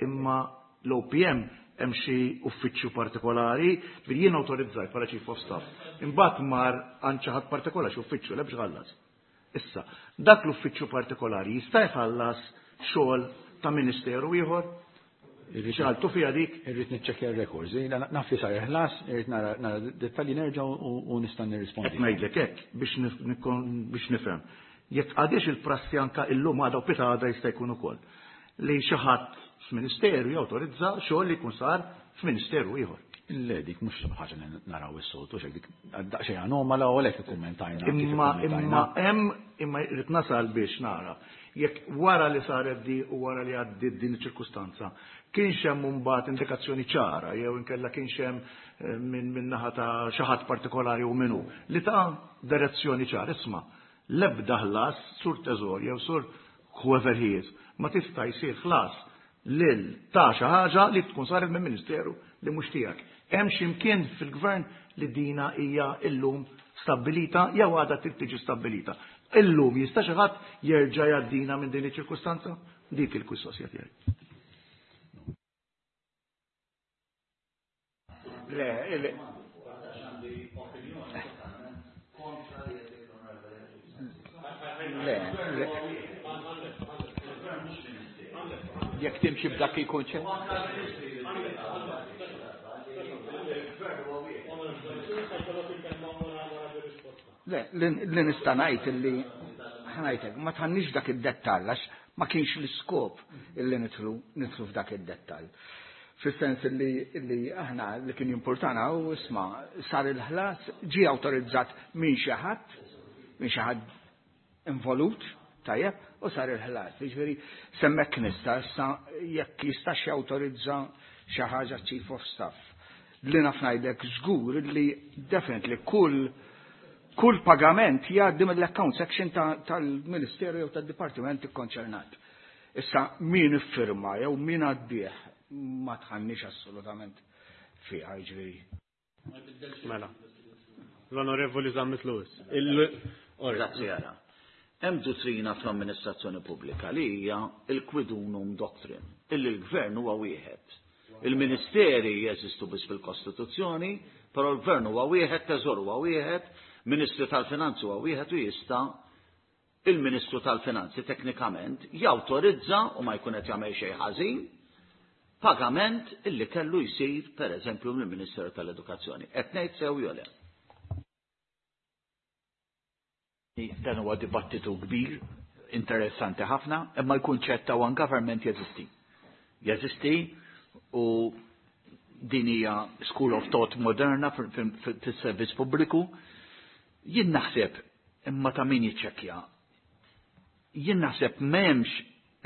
Speaker 3: Imma l-O P M hemm xi uffiċċju partikolari, ġifieri jien awtorizzajt bħala Chief of Staff. Imbagħad mar għand xi ħadd partikolari, xi uffiċċju le biex ħallas. Issa, dak l-uffiċċju partikolari jista' jħallas xogħol ta' ministeru ieħor? Xaltu fija dik?
Speaker 4: Irrid niċċekkja r-records. Naf li sar ħlas, irrid nara, nara dettalji nerġa' u nista' nirrispondi.
Speaker 3: Qed ngħidlek hekk biex biex nifhem. Jekk għadix il-prassi anka illum għadha u pita għadha jista' jkun ukoll li xi ħadd f'ministeru jawtorizza xogħol li jkun sar f'ministeru ieħor.
Speaker 4: Le, dik mhux ħaġa li naraw is-soltu, xejn dik daqsxejn anomala u għalhekk ikkummentajna kif
Speaker 3: Imma,
Speaker 4: ikkummentajna.
Speaker 3: imma hemm, imma rrid nasal biex nara. Jekk wara li saret di u wara li għaddiet din iċ-ċirkustanza, kienx hemm imbagħad indikazzjoni ċara jew inkella kienx hemm, eh, minn, minn naħa ta' xi ħadd partikolari u minnu li ta' direzzjoni ċara, isma' l-ebda ħlas sur teżor jew sur whoever he is, ma tista' jsir ħlas lil ta' xi ħaġa li tkun saret minn ministeru li mhux tiegħek. Hemm xi mkien fil-gvern li dina hija illum stabbilita jew għadha trid tiġi stabbilita. Illum jista' xi ħadd jerġa' jgħaddina minn din iċ-ċirkustanza? Dik il-kwistosja tiegħi.
Speaker 11: Le, le. Le, le.
Speaker 5: Jekk timxi b'dak il-kunċett.
Speaker 11: Le, li nista' ngħid illi ħanajtek, ma tħannix dak id-dettall għax ma kienx l-iskop illi nidħlu, nidħlu f'dak id-dettall. Fis-sens illi, illi aħna li kien jimpurtana u isma' sar il-ħlas ġie awtorizzat minn xi ħadd, minn xi ħadd involut, tajjeb, u sar il-ħlas. Jiġifieri semmek nista' issa jekk jistax jawtorizza xi ħaġa Chief of Staff. Li naf ngħidlek żgur li definitely kull, kull pagament jgħaddi mill-account section ta-, tal-Ministeru jew tad-Dipartiment ikkonċernat. Issa min iffirma jew min għaddih ma tħannix assolutament
Speaker 5: fiha, jiġifieri.
Speaker 2: Mela. L-Onorevoli Zammit Lewis.
Speaker 7: Grazzi għara. Hemm dottrina fl-amministrazzjoni pubblika li hija il-quid unum doctrine, illi l-gvern huwa wieħed. Il-ministeri jeżistu biss fil-Kostituzzjoni, però l-gvern huwa wieħed, teżor huwa wieħed, Ministru tal-Finanzi huwa wieħed u jista' il-Ministru tal-Finanzi teknikament jawtorizza u ma jkun qed jagħmel xejn ħażin pagament illi kellu jsir pereżempju mill-Ministeru tal-Edukazzjoni. Qed ngħid sew jew le?
Speaker 5: Dan huwa dibattitu kbir, interessanti ħafna, imma l-kunċett ta' one government jeżisti. Jeżisti u din hija school of thought moderna fis-servizz pubbliku. Jien naħseb imma ta' min jiċċekkja. Jien naħseb m'hemmx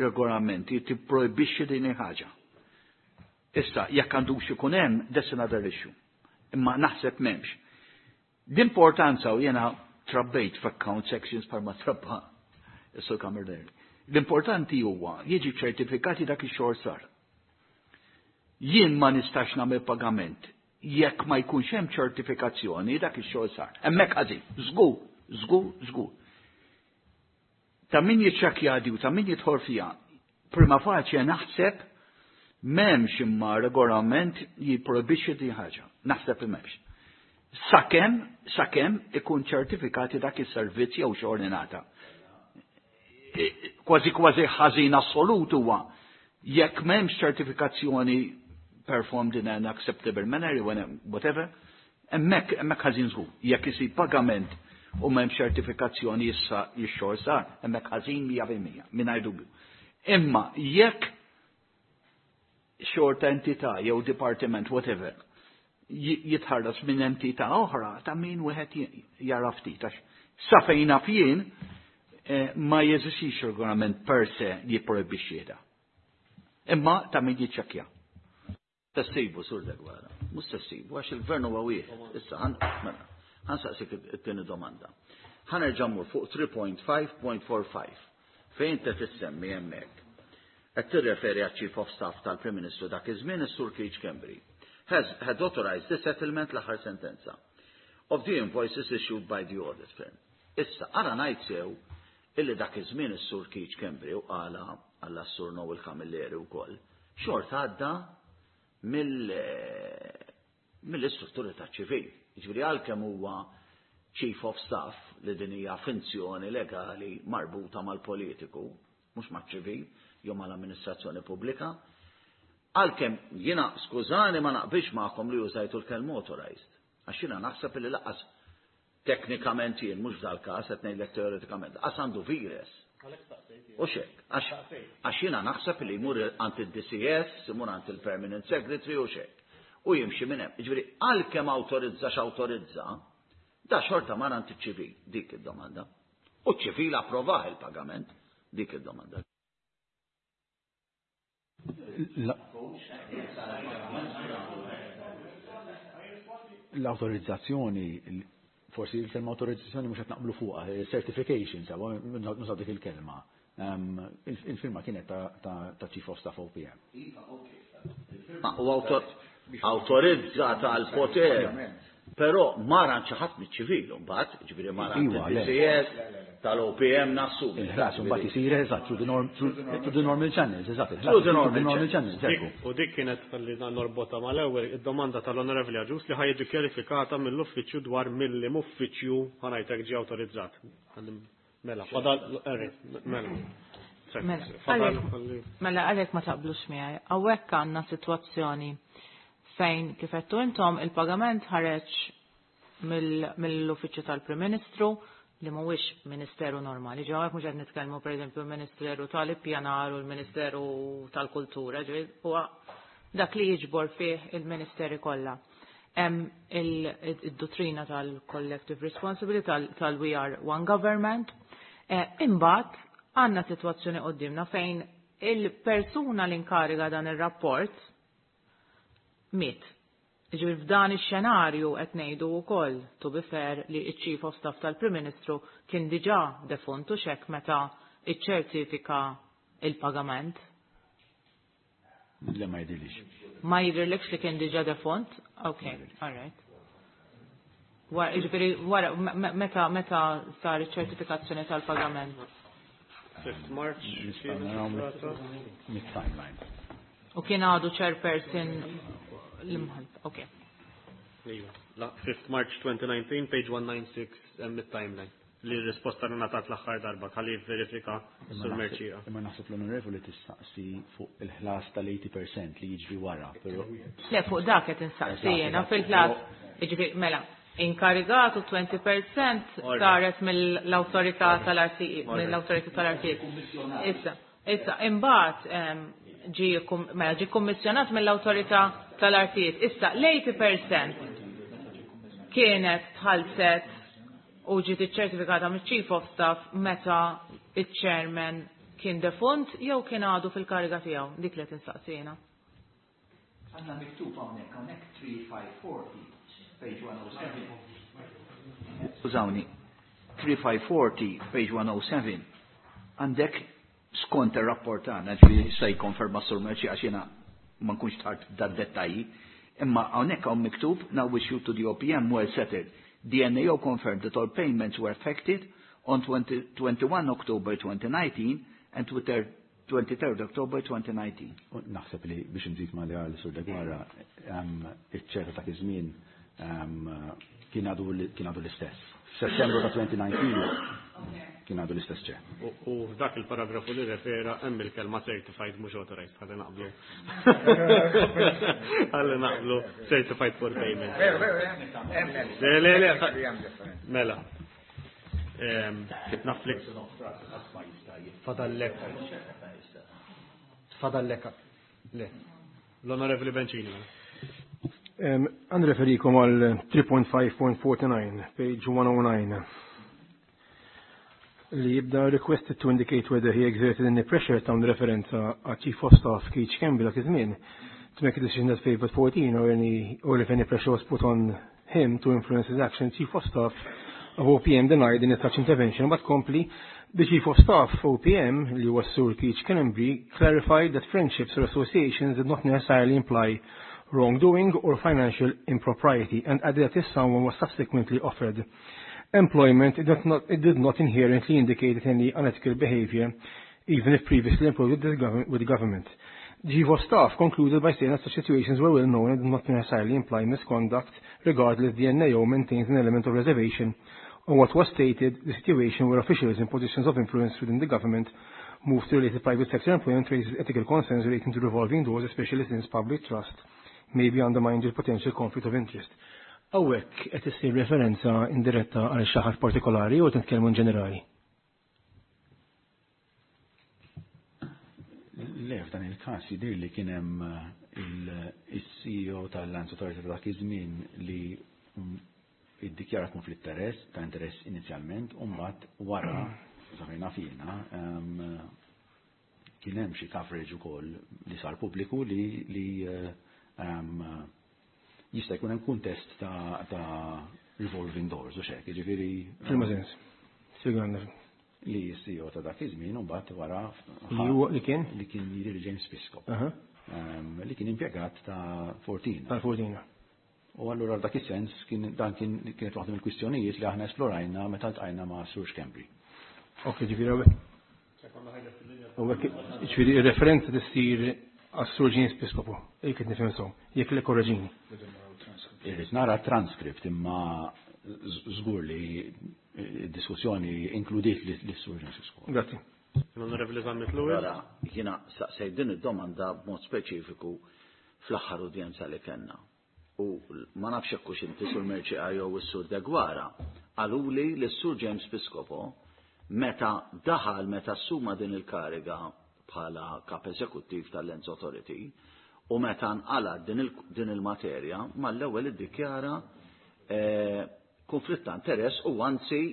Speaker 5: regolamenti tipprojbixxi din il-ħaġa. Issa, jekk għandux ikun hemm, that's another issue. Imma naħseb m'hemmx. L-importanza u jiena trabbejt f'account sections par ma trabba is-Sur Camilleri. L-importanti huwa jiġi ċertifikati dak ix-xogħol sar. Jien ma nistax nagħmel pagament jekk ma jkunx hemm ċertifikazzjoni dak ix-xogħol sar. Hemmhekk ħażin, żgur, żgur, żgur. Ta' min jiċċekkja u ta' min jidħol fiha, prima facie naħseb m'hemmx imma regolament jipprojbixxi din ħaġa. Naħseb li m'hemmx. Sakemm, sakemm ikun ċertifikati dak is-servizz jew xogħol ingħata. Kważi kważi ħażin assolut huwa jekk m'hemmx ċertifikazzjoni performed in an acceptable manner, whatever, hemmhekk hemmhekk ħażin żgur. Jekk isir pagament u m'hemmx ċertifikazzjoni issa x-xogħol sar, hemmhekk ħażin mija fil-mija, mingħajr dubju. Imma jekk xorta entità jew department, whatever, jitħarras minn entità oħra ta' min wieħed jara ftit għax sa fejn naf jien ma jeżistix regolament per se li jipprojbixxi da. Imma ta' min jiċċekkja.
Speaker 7: Tessibu sur Deguara, mhux tessibu għax il-gvern huwa wieħed. Issa mela, ħansaqsik it-tieni domanda. Ħa nerġa' mmur fuq three point five point four five fejn inti tissemmi hemmhekk. Qed tirreferi għaċ-Chief of Staff tal-Prim Ministru dak iż-żmien is-Sur Keith Schembri. Has had authorized the settlement l-aħħar sentenza of the invoices issued by the audit firm. Issa, ara ngħid sew illi dak iż-żmien is-Sur Keith Schembri u qala għalla s-Sur Noel Camilleri wkoll, xorta għadda mill-, mill-istrutturi ta' ċivil. Jiġifieri għalkemm huwa Chief of Staff li din hija finzjoni legali marbuta mal-politiku, mhux maċ-ċivil jew mal-amministrazzjoni pubblika, għalkemm jiena skużani ma naqbilx magħkom li użajtu l-kelma authorized. Għax jiena naħseb li laqas teknikament jien mhux dal-każ qed ngħidlek teoretikament, laqas għandu vires. U xek, għax jiena naħseb li jmur għand il-D C S, imur għand il-Permanent Secretary u xek. U jimxi minn hemm. Jiġifieri għalkemm awtorizza x'awtorizza, da xorta mar għand iċ-ċivil, dik id-domanda. U ċ-ċivil approvah il-pagament, dik id-domanda.
Speaker 4: L-autorizzazzjoni, forsi il-kelma autorizzazzjoni mhux qed naqblu fuqha, certification, sawa, nużaw dik il-kelma. Il-firma kienet ta' Chief of Staff O P M.
Speaker 7: Ma u autorizza tal-poter, però mara xi ħadd miċ-ċivil mbagħad, ġifieri mara
Speaker 4: Iwa, le.
Speaker 7: D C S tal-O P M nassumi.
Speaker 4: Il-ħlas mbagħad isir eżatt through the norm, through the normal channels, eżatt, il-ħlas
Speaker 7: Through the
Speaker 4: through the
Speaker 7: normal
Speaker 4: normal channels,
Speaker 2: Dik,
Speaker 4: ekku.
Speaker 2: u dik kienet tal-li norbota mal-ewwel id-domanda tal-Onorevoli Agius li ħajġi kjarifikata mill-uffiċċju dwar mill-uffiċċju ħanajtek ġie awtorizzat. Mela, fadal, erri, mela.
Speaker 6: Mela,
Speaker 2: Fadal,
Speaker 6: għalek,
Speaker 2: ħalli.
Speaker 6: mela, għalek ma taqblux miegħi. Hawnhekk għandna sitwazzjoni fejn kif għedtu intom il-pagament ħareġ mill-, mill-uffiċċju tal-Prim Ministru li mhuwiex ministeru normali. Ġew hawnhekk mhux qed nitkellmu pereżempju l-Ministeru tal-Ippjanar u l-Ministeru tal-Kultura, ġifieri huwa dak li jiġbor fih il-ministeri kollha. Hemm il-, id-dottrina tal-Collective Responsibility tal-, tal-We Are One Government. Eh, imbagħad għandna sitwazzjoni qudiemna fejn il-persuna li nkariga dan ir-rapport miet. Ġifieri f'dan ix-xenarju qed ngħidu wkoll, to be fair, li ċ-Chief of Staff tal-Prim Ministru kien diġà defuntu x'hekk meta iċċertifika il-pagament.
Speaker 4: Le ma jidhirlix.
Speaker 6: Ma jidhirlekx li kien diġà defunt? Ok, all right. Wara, jiġifieri, wara, meta meta sar iċ-ċertifikazzjoni tal-pagament?
Speaker 2: fifth March.
Speaker 4: Mid-timeline.
Speaker 6: U kien għadu chairperson l-imħalfet, ok.
Speaker 2: Iva, fifth March twenty nineteen, page one nine six, hemm it-timeline. Li r-risposta li ngħatat l-aħħar darba, ħalli verifika sur Mercieca.
Speaker 4: Imma naħseb l-onorevoli tistaqsi fuq il-ħlas tal-eighty percent li jiġri wara. Però
Speaker 6: Le, fuq dak qed insaqsi jiena fil-ħlas, jiġifieri, mela, inkarigatu twenty percent saret mill-awtorità tal-R T E, mill-awtorità tal-R T E. Issa, issa, imbagħad, ehm, ġie kum-, mela, ġie kummissjonat mill-awtorità tal-R T E. Issa, l-eighty percent kienet tħallset u ġiet iċċertifikata mill-Chief of Staff meta iċ-chairman kien defunt jew kien għadu fil-kariga tiegħu, dik li tinsaqsina.
Speaker 5: Għandna miktub hawnhekk, hawnhekk three five forty, page one oh seven. Skużawni, three five forty, page one oh seven. Għandek skont ir-rapport tagħna, ġifieri se jikkonferma Sur Mercieca għax jiena ma nkunx tard dad-dettalji, imma hawnhekk hawn miktub now issue to the O P M well settled. The N A O confirmed that all payments were affected on twenty, twenty-one October twenty nineteen and twenty-third October twenty nineteen.
Speaker 4: U naħseb li biex nżid ma li għal Sur Deguara, ehm, iċ-ċerta ta' iż-żmien, ehm, kien għadu li-, kien għadu l-istess. F'Settembru ta' twenty nineteen kien għadu l-istess ċer.
Speaker 2: U, u f'dak il-paragrafu li refera hemm il-kelma certified mhux authorized, ħalli naqblu. Ħalli naqblu certified for payment.
Speaker 11: Veru, veru, hemm, hemm, hemm.
Speaker 2: Le, le, le,
Speaker 11: Hemm differenza.
Speaker 2: Mela. Ehm, naflik. Fadallek. Fadallek. Le. L-Onorevoli Bencini.
Speaker 9: Ehm, għan referikom għal three point five point forty-nine, page one oh nine. Li jibda requested to indicate whether he exerted any pressure ta' referenza għal Chief of Staff Keith Schembri dak iż-żmien to make a decision that favored fourteen or any or if any pressure was put on him to influence his action. Chief of Staff of O P M denied any such intervention, but compli the Chief of Staff O P M, li huwa Sur Keith Schembri, clarified that friendships or associations did not necessarily imply wrongdoing or financial impropriety, and added that if someone was subsequently offered employment, it did not, it did not inherently indicate any unethical behavior, even if previously employed with the, gov-, with the government. The Chief of Staff concluded by saying that such situations were well known and did not necessarily imply misconduct, regardless the N A O maintains an element of reservation on what was stated, the situation where officials in positions of influence within the government move to related private sector employment raises ethical concerns relating to revolving doors, especially since public trust may be undermined with potential conflict of interest. Hawnhekk qed issir referenza indiretta għal xi ħadd partikolari jew titkellmu in ġenerali?
Speaker 4: Le, f'dan il-każ jidhir li kien hemm il-C E O tal-Lands Authority ta' dak iż-żmien li iddikjara konflitt interess, ta' interess inizjalment, u mbagħad wara, sa fejn naf jiena, ehm, kien hemm xi coverage ukoll li sar pubbliku li, li, ehm, jista' jkun hemm kuntest ta', ta' revolving doors u xek, jiġifieri,
Speaker 9: Fil-ma sens. Spjegana.
Speaker 4: Li S C E O ta' dak iż-żmien u mbagħad wara
Speaker 9: Li huwa li kien?
Speaker 4: Li kien jidher James Piscopo.
Speaker 9: Aha.
Speaker 4: Ehm, li kien impjegat ta' Fortina.
Speaker 9: Ta' Fortina.
Speaker 4: U allura f'dak is-sens kien dan kien kienet waħda mill-kwistjonijiet li aħna esplorajna meta ltqajna ma' Sur Schembri.
Speaker 9: Ok, ġifieri hawnhekk. Hawnhekk, ġifieri ir-referenza tissir għas-Sur James Piscopo, jekk qed nifhem sew, jekk le korreġini.
Speaker 4: Irrid nara transcript imma żgur li d-diskussjoni inkludiet li s-Sur James Piscopo.
Speaker 9: Grazzi.
Speaker 2: L-Onorevoli Zammit Lewis.
Speaker 7: Allora, jiena staqsejt din id-domanda b'mod speċifiku fl-aħħar udjenza li kellna. U ma nafx hekk hux inti Sur Mercieca jew is-Sur Deguara, qaluli li s-Sur James Piscopo meta daħal, meta assuma din il-kariga bħala kap eżekuttiv tal-Lands Authority u meta nqala din il-, din il-materja, mal-ewwel iddikjara, eh, konflitt ta' interess u anzi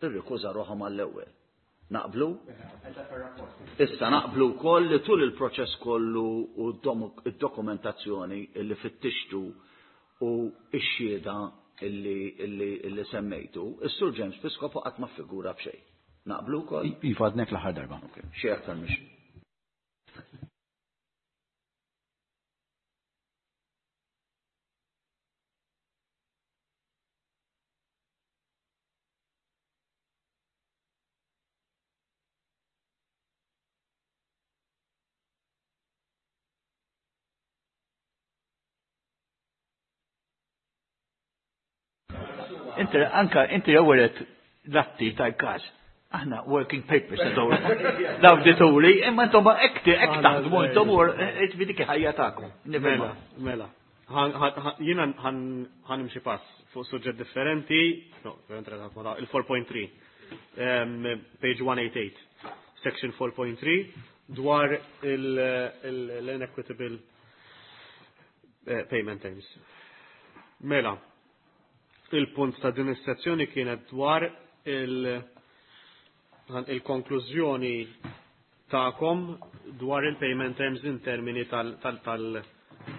Speaker 7: irrikuża ruħu mal-ewwel. Naqblu? Issa naqblu wkoll li tul il-proċess kollu u d-domu-, id-dokumentazzjoni illi fittixtu u x-xhieda illi, illi, illi semmejtu, is-Sur James Piscopo qatt ma ffigura b'xejn. Naqblu wkoll?
Speaker 4: Iva, għadnek l-aħħar darba.
Speaker 7: Ok, xi aktar mhix.
Speaker 5: Inti anka inti ewwel l-atti tal-każ. Aħna working papers l-awdituri, imma intom hekk hekk taħdmu intom u dik ħajja tagħkom.
Speaker 2: Mela, mela. Jiena ħa nimxi pass fuq suġġett differenti, no, il four point three, page one eight eight, section four point three, dwar l-inequitable payment terms. Mela, il-punt ta' din is-sezzjoni kienet dwar il-konklużjoni ta'kom dwar il-payment terms in termini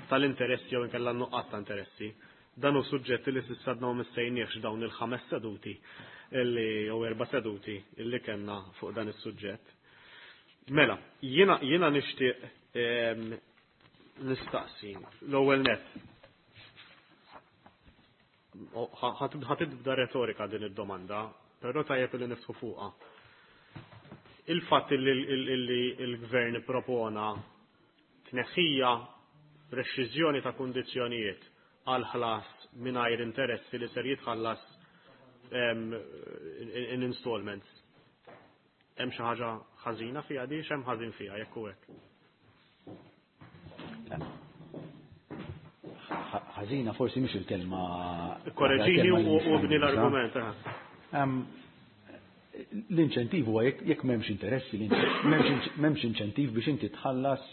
Speaker 2: tal-interessi jew inkella nuqqas ta' interessi. Dan hu suġġetti li s'issa għadna ma missejniex dawn il-ħames seduti illi jew erba' seduti illi kellna fuq dan is-suġġett. Mela, jiena, jiena nixtieq nistaqsi l-ewwel nett. Ħa tibda retorika din id-domanda, però tajjeb li niftħu fuqha. Il-fatt li l-gvern propona tneħħija reċiżjoni ta' kundizzjonijiet għal ħlas mingħajr interessi li ser jitħallas in installments. Hemm xi ħaġa ħażina fiha di, x'hemm ħażin fiha jekk hu hekk?
Speaker 4: Ħażina forsi mhix il-kelma.
Speaker 2: Korreġini u bni l-argument.
Speaker 4: L-inċentiv huwa jekk m'hemmx interessi, m'hemmx inċentiv biex inti tħallas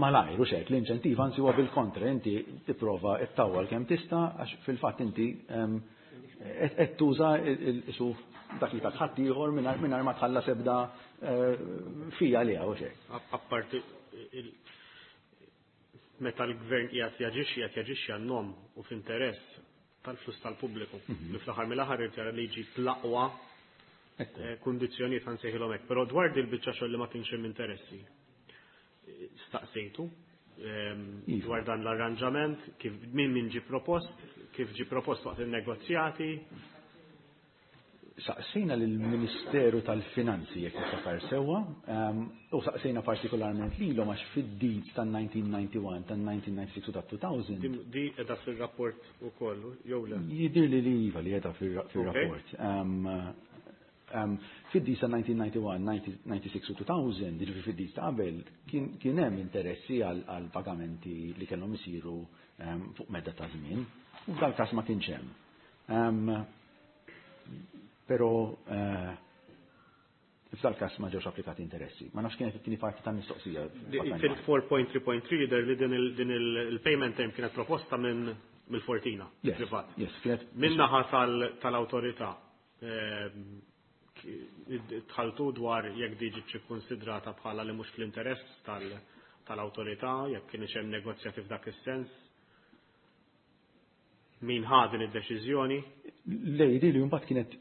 Speaker 4: malajr u xek, l-inċentiv anzi huwa bil-kontra, inti tipprova ttawwal kemm tista' għax fil-fatt inti qed tuża isu dak li ħadd ieħor mingħajr ma tħallas ebda fija għaliha u xek.
Speaker 2: Apparti meta l-gvern qiegħed jaġixxi, qiegħed jaġixxi għan-nom u f'interess tal-flus tal-pubbliku. Li fl-aħħar mill-aħħar irid jara li jġib l-aqwa kundizzjonijiet ħa nsejħilhom hekk, però dwar dil biċċa xogħol li ma kienx hemm interessi. Staqsejtu dwar dan l-arranġament, kif min min ġi propost, kif ġi propost waqt il-negozjati.
Speaker 4: Saqsejna lill-Ministeru tal-Finanzi jekk niftakar sewwa, u saqsejna partikolarment lilhom għax fid-deeds tan-nineteen ninety-one, tan-nineteen ninety-six u tat-two thousand.
Speaker 2: Di qiegħda fir-rapport ukoll, jew le?
Speaker 4: Jidhirli li iva li qiegħda fir-rapport. Fid-deeds ta' nineteen ninety-one, nineteen ninety-six u two thousand, jiġifieri fid-deeds ta' qabel, kien hemm interessi għal pagamenti li kellhom isiru fuq medda ta' żmien, u f'dal każ ma kienx hemm. Però f'dal każ ma ġewx applikati interessi. Ma nafx kienet it-tieni parti tal-mistoqsija.
Speaker 2: Fil-four point three point three jidher li din il-payment term kienet proposta minn mill-Fortina, privat.
Speaker 4: Yes, kienet
Speaker 2: Min-naħa tal-awtorità tħaltu dwar jekk di ġietx ikkunsidrata bħala li mhux fl-interess tal-awtorità, jekk kienx hemm negozjati f'dak is-sens. Min ħa din id-deċiżjoni?
Speaker 4: Le, di li mbagħad kienet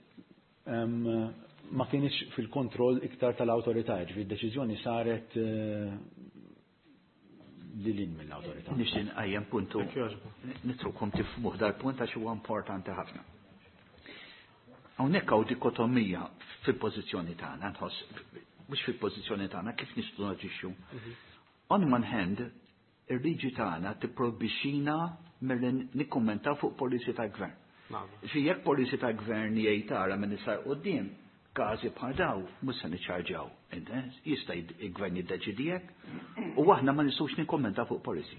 Speaker 4: ma kienx fil-kontroll iktar tal-awtorità, ġifieri d-deċiżjoni saret lil hinn mill-awtorità.
Speaker 5: Nixtieq nqajjem puntu, nitrukom tifhmuh dal-punt għax huwa importanti ħafna. Hawnhekk hawn dikotomija fil-pożizzjoni tagħna, nħoss mhux fil-pożizzjoni tagħna kif nistgħu naġixxu. On one hand, ir-liġi tagħna tipprojbixxina milli nikkummentaw fuq policy tal-gvern. Xi jekk policy tal-gvern jgħid tara minn issa quddiem, każi bħal daw mhux se niċċarġaw. Jista' il-gvern jiddeċidi hekk u aħna ma nistgħux nikkommentaw fuq policy.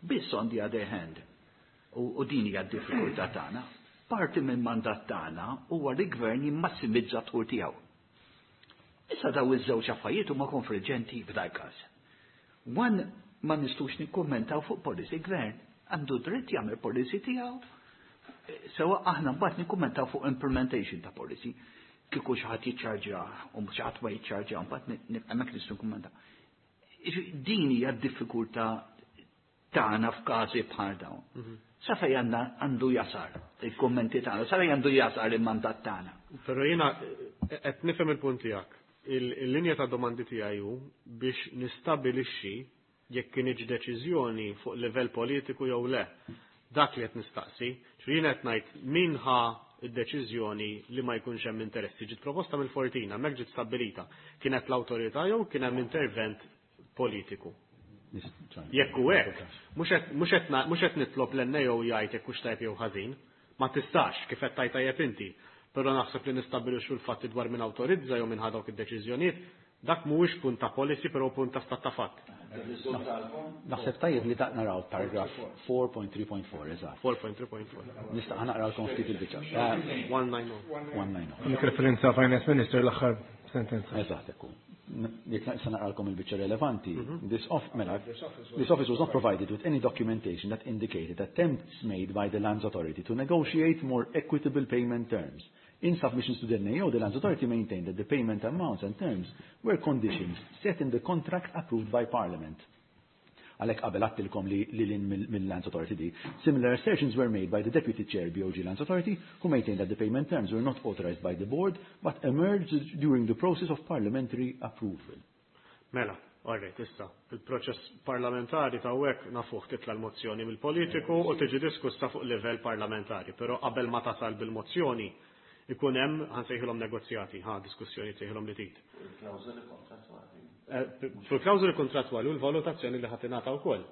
Speaker 5: Biss on the other hand, u din hija d-diffikultà tagħna, parti minn mandat tagħna huwa li gvern jimmassimizza d-dħul tiegħu. Issa daw iż-żewġ affarijiet huma konfliġġenti f'dal każ. One, ma nistgħux nikkummentaw fuq policy, gvern għandu dritt jagħmel policy tiegħu. Sewa aħna mbagħad nikkummentaw fuq implementation ta' policy. Kieku xi ħadd jiċċarġja u xi ħadd ma jiċċarġja, mbagħad hemmhekk nistgħu nikkummentaw. Din hija d-diffikultà tagħna f'każi bħal dawn. Sa fejn għandna għandu jasar il-kummenti tagħna, sa fejn għandu jasar il-mandat tagħna.
Speaker 2: Però jiena qed nifhem il-punt tiegħek. Il-linja ta' domandi tiegħi hu biex nistabilixxi jekk kienx deċiżjoni fuq livell politiku jew le. Dak li qed nistaqsi, ġifieri jiena qed ngħid min ħa id-deċiżjoni li ma jkunx hemm interessi. Ġiet proposta mill-Fortina, hemmhekk ġiet stabbilita. Kienet l-awtorità jew kien hemm intervent politiku? Jekk hu hekk, mhux qed nitlob l-N A O jgħid jekk hux tajjeb jew ħażin, Ma tistax kif qed tgħid tajjeb inti, però naħseb li nistabbilixxu l-fatti dwar min awtorizza jew min ħa dawk id-deċiżjonijiet, dak mhuwiex punt ta' policy però punt ta' stat ta' fatt.
Speaker 4: Naħseb tajjeb li naraw paragraph four point three point four, eżatt.
Speaker 2: four point three point four.
Speaker 4: Nista' naqralkom ftit il-biċċa.
Speaker 2: one nine oh.
Speaker 4: one nine oh.
Speaker 9: Għandek referenza Finance Minister l-aħħar sentenza.
Speaker 4: Eżatt, ekku. Jekk naqsa naqralkom il-biċċa relevanti, this off, mela, this office was not provided with any documentation that indicated attempts made by the Lands Authority to negotiate more equitable payment terms. In submissions to the N A O, the Lands Authority maintained that the payment amounts and terms were conditions set in the contract approved by Parliament. Għalhekk qabel għattilkom li lil mill-Lands Authority di. Similar assertions were made by the Deputy Chair B O G Lands Authority, who maintained that the payment terms were not authorized by the board, but emerged during the process of parliamentary approval.
Speaker 2: Mela, all right, issa, il-proċess parlamentari ta' hekk nafuh titla' l-mozzjoni mill-politiku u tiġi diskussa fuq livell parlamentari, però qabel ma tasal bil-mozzjoni ikun hemm ħansejħilhom negozjati, ħa diskussjoni tsejħilhom li trid.
Speaker 7: Il-klawżoli kontrattwali.
Speaker 2: Fuq klawżoli kontrattwali u l-valutazzjoni li ħadd ingħata wkoll.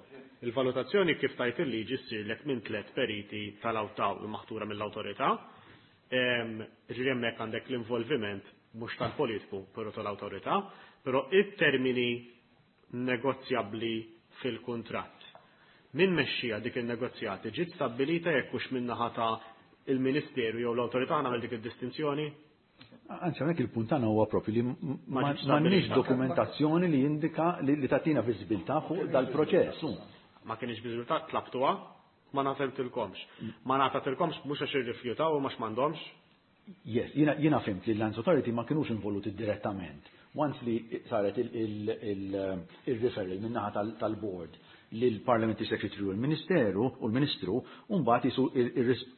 Speaker 2: Il-valutazzjoni kif tajt il-liġi ssirlek minn tliet periti tal-awtaw maħtura mill-awtorità. Ġifieri hemmhekk għandek l-involviment mhux tal-politiku, però tal-awtorità, però it-termini negozjabbli fil-kuntratt. Min mexxija dik il-negozjati ġiet stabbilita jekk hux min-naħa ta' il-Ministeru jew l-awtorità nagħmel dik id-distinzjoni?
Speaker 4: Anzi, hawnhekk il-punt tagħna huwa propju li
Speaker 2: Ma
Speaker 4: ma
Speaker 2: ġietx
Speaker 4: m'għandniex
Speaker 2: stabbilita.
Speaker 4: dokumentazzjoni li jindika li, li tagħtina viżibilità fuq dal-proċess.
Speaker 2: Ma kienx viżibilità, tlabtuha, ma nagħtilkomx. Ma nagħtilkomx mhux għax irrifjutaw u mhux m'għandhomx.
Speaker 4: Yes, jiena, jiena fimt li l-Lands Authority ma kinux involuti direttament. Once li saret il-referral min-naħa tal-board lill-Parliamentary Secretary u l-Ministeru u l-Ministru, u mbagħad jisu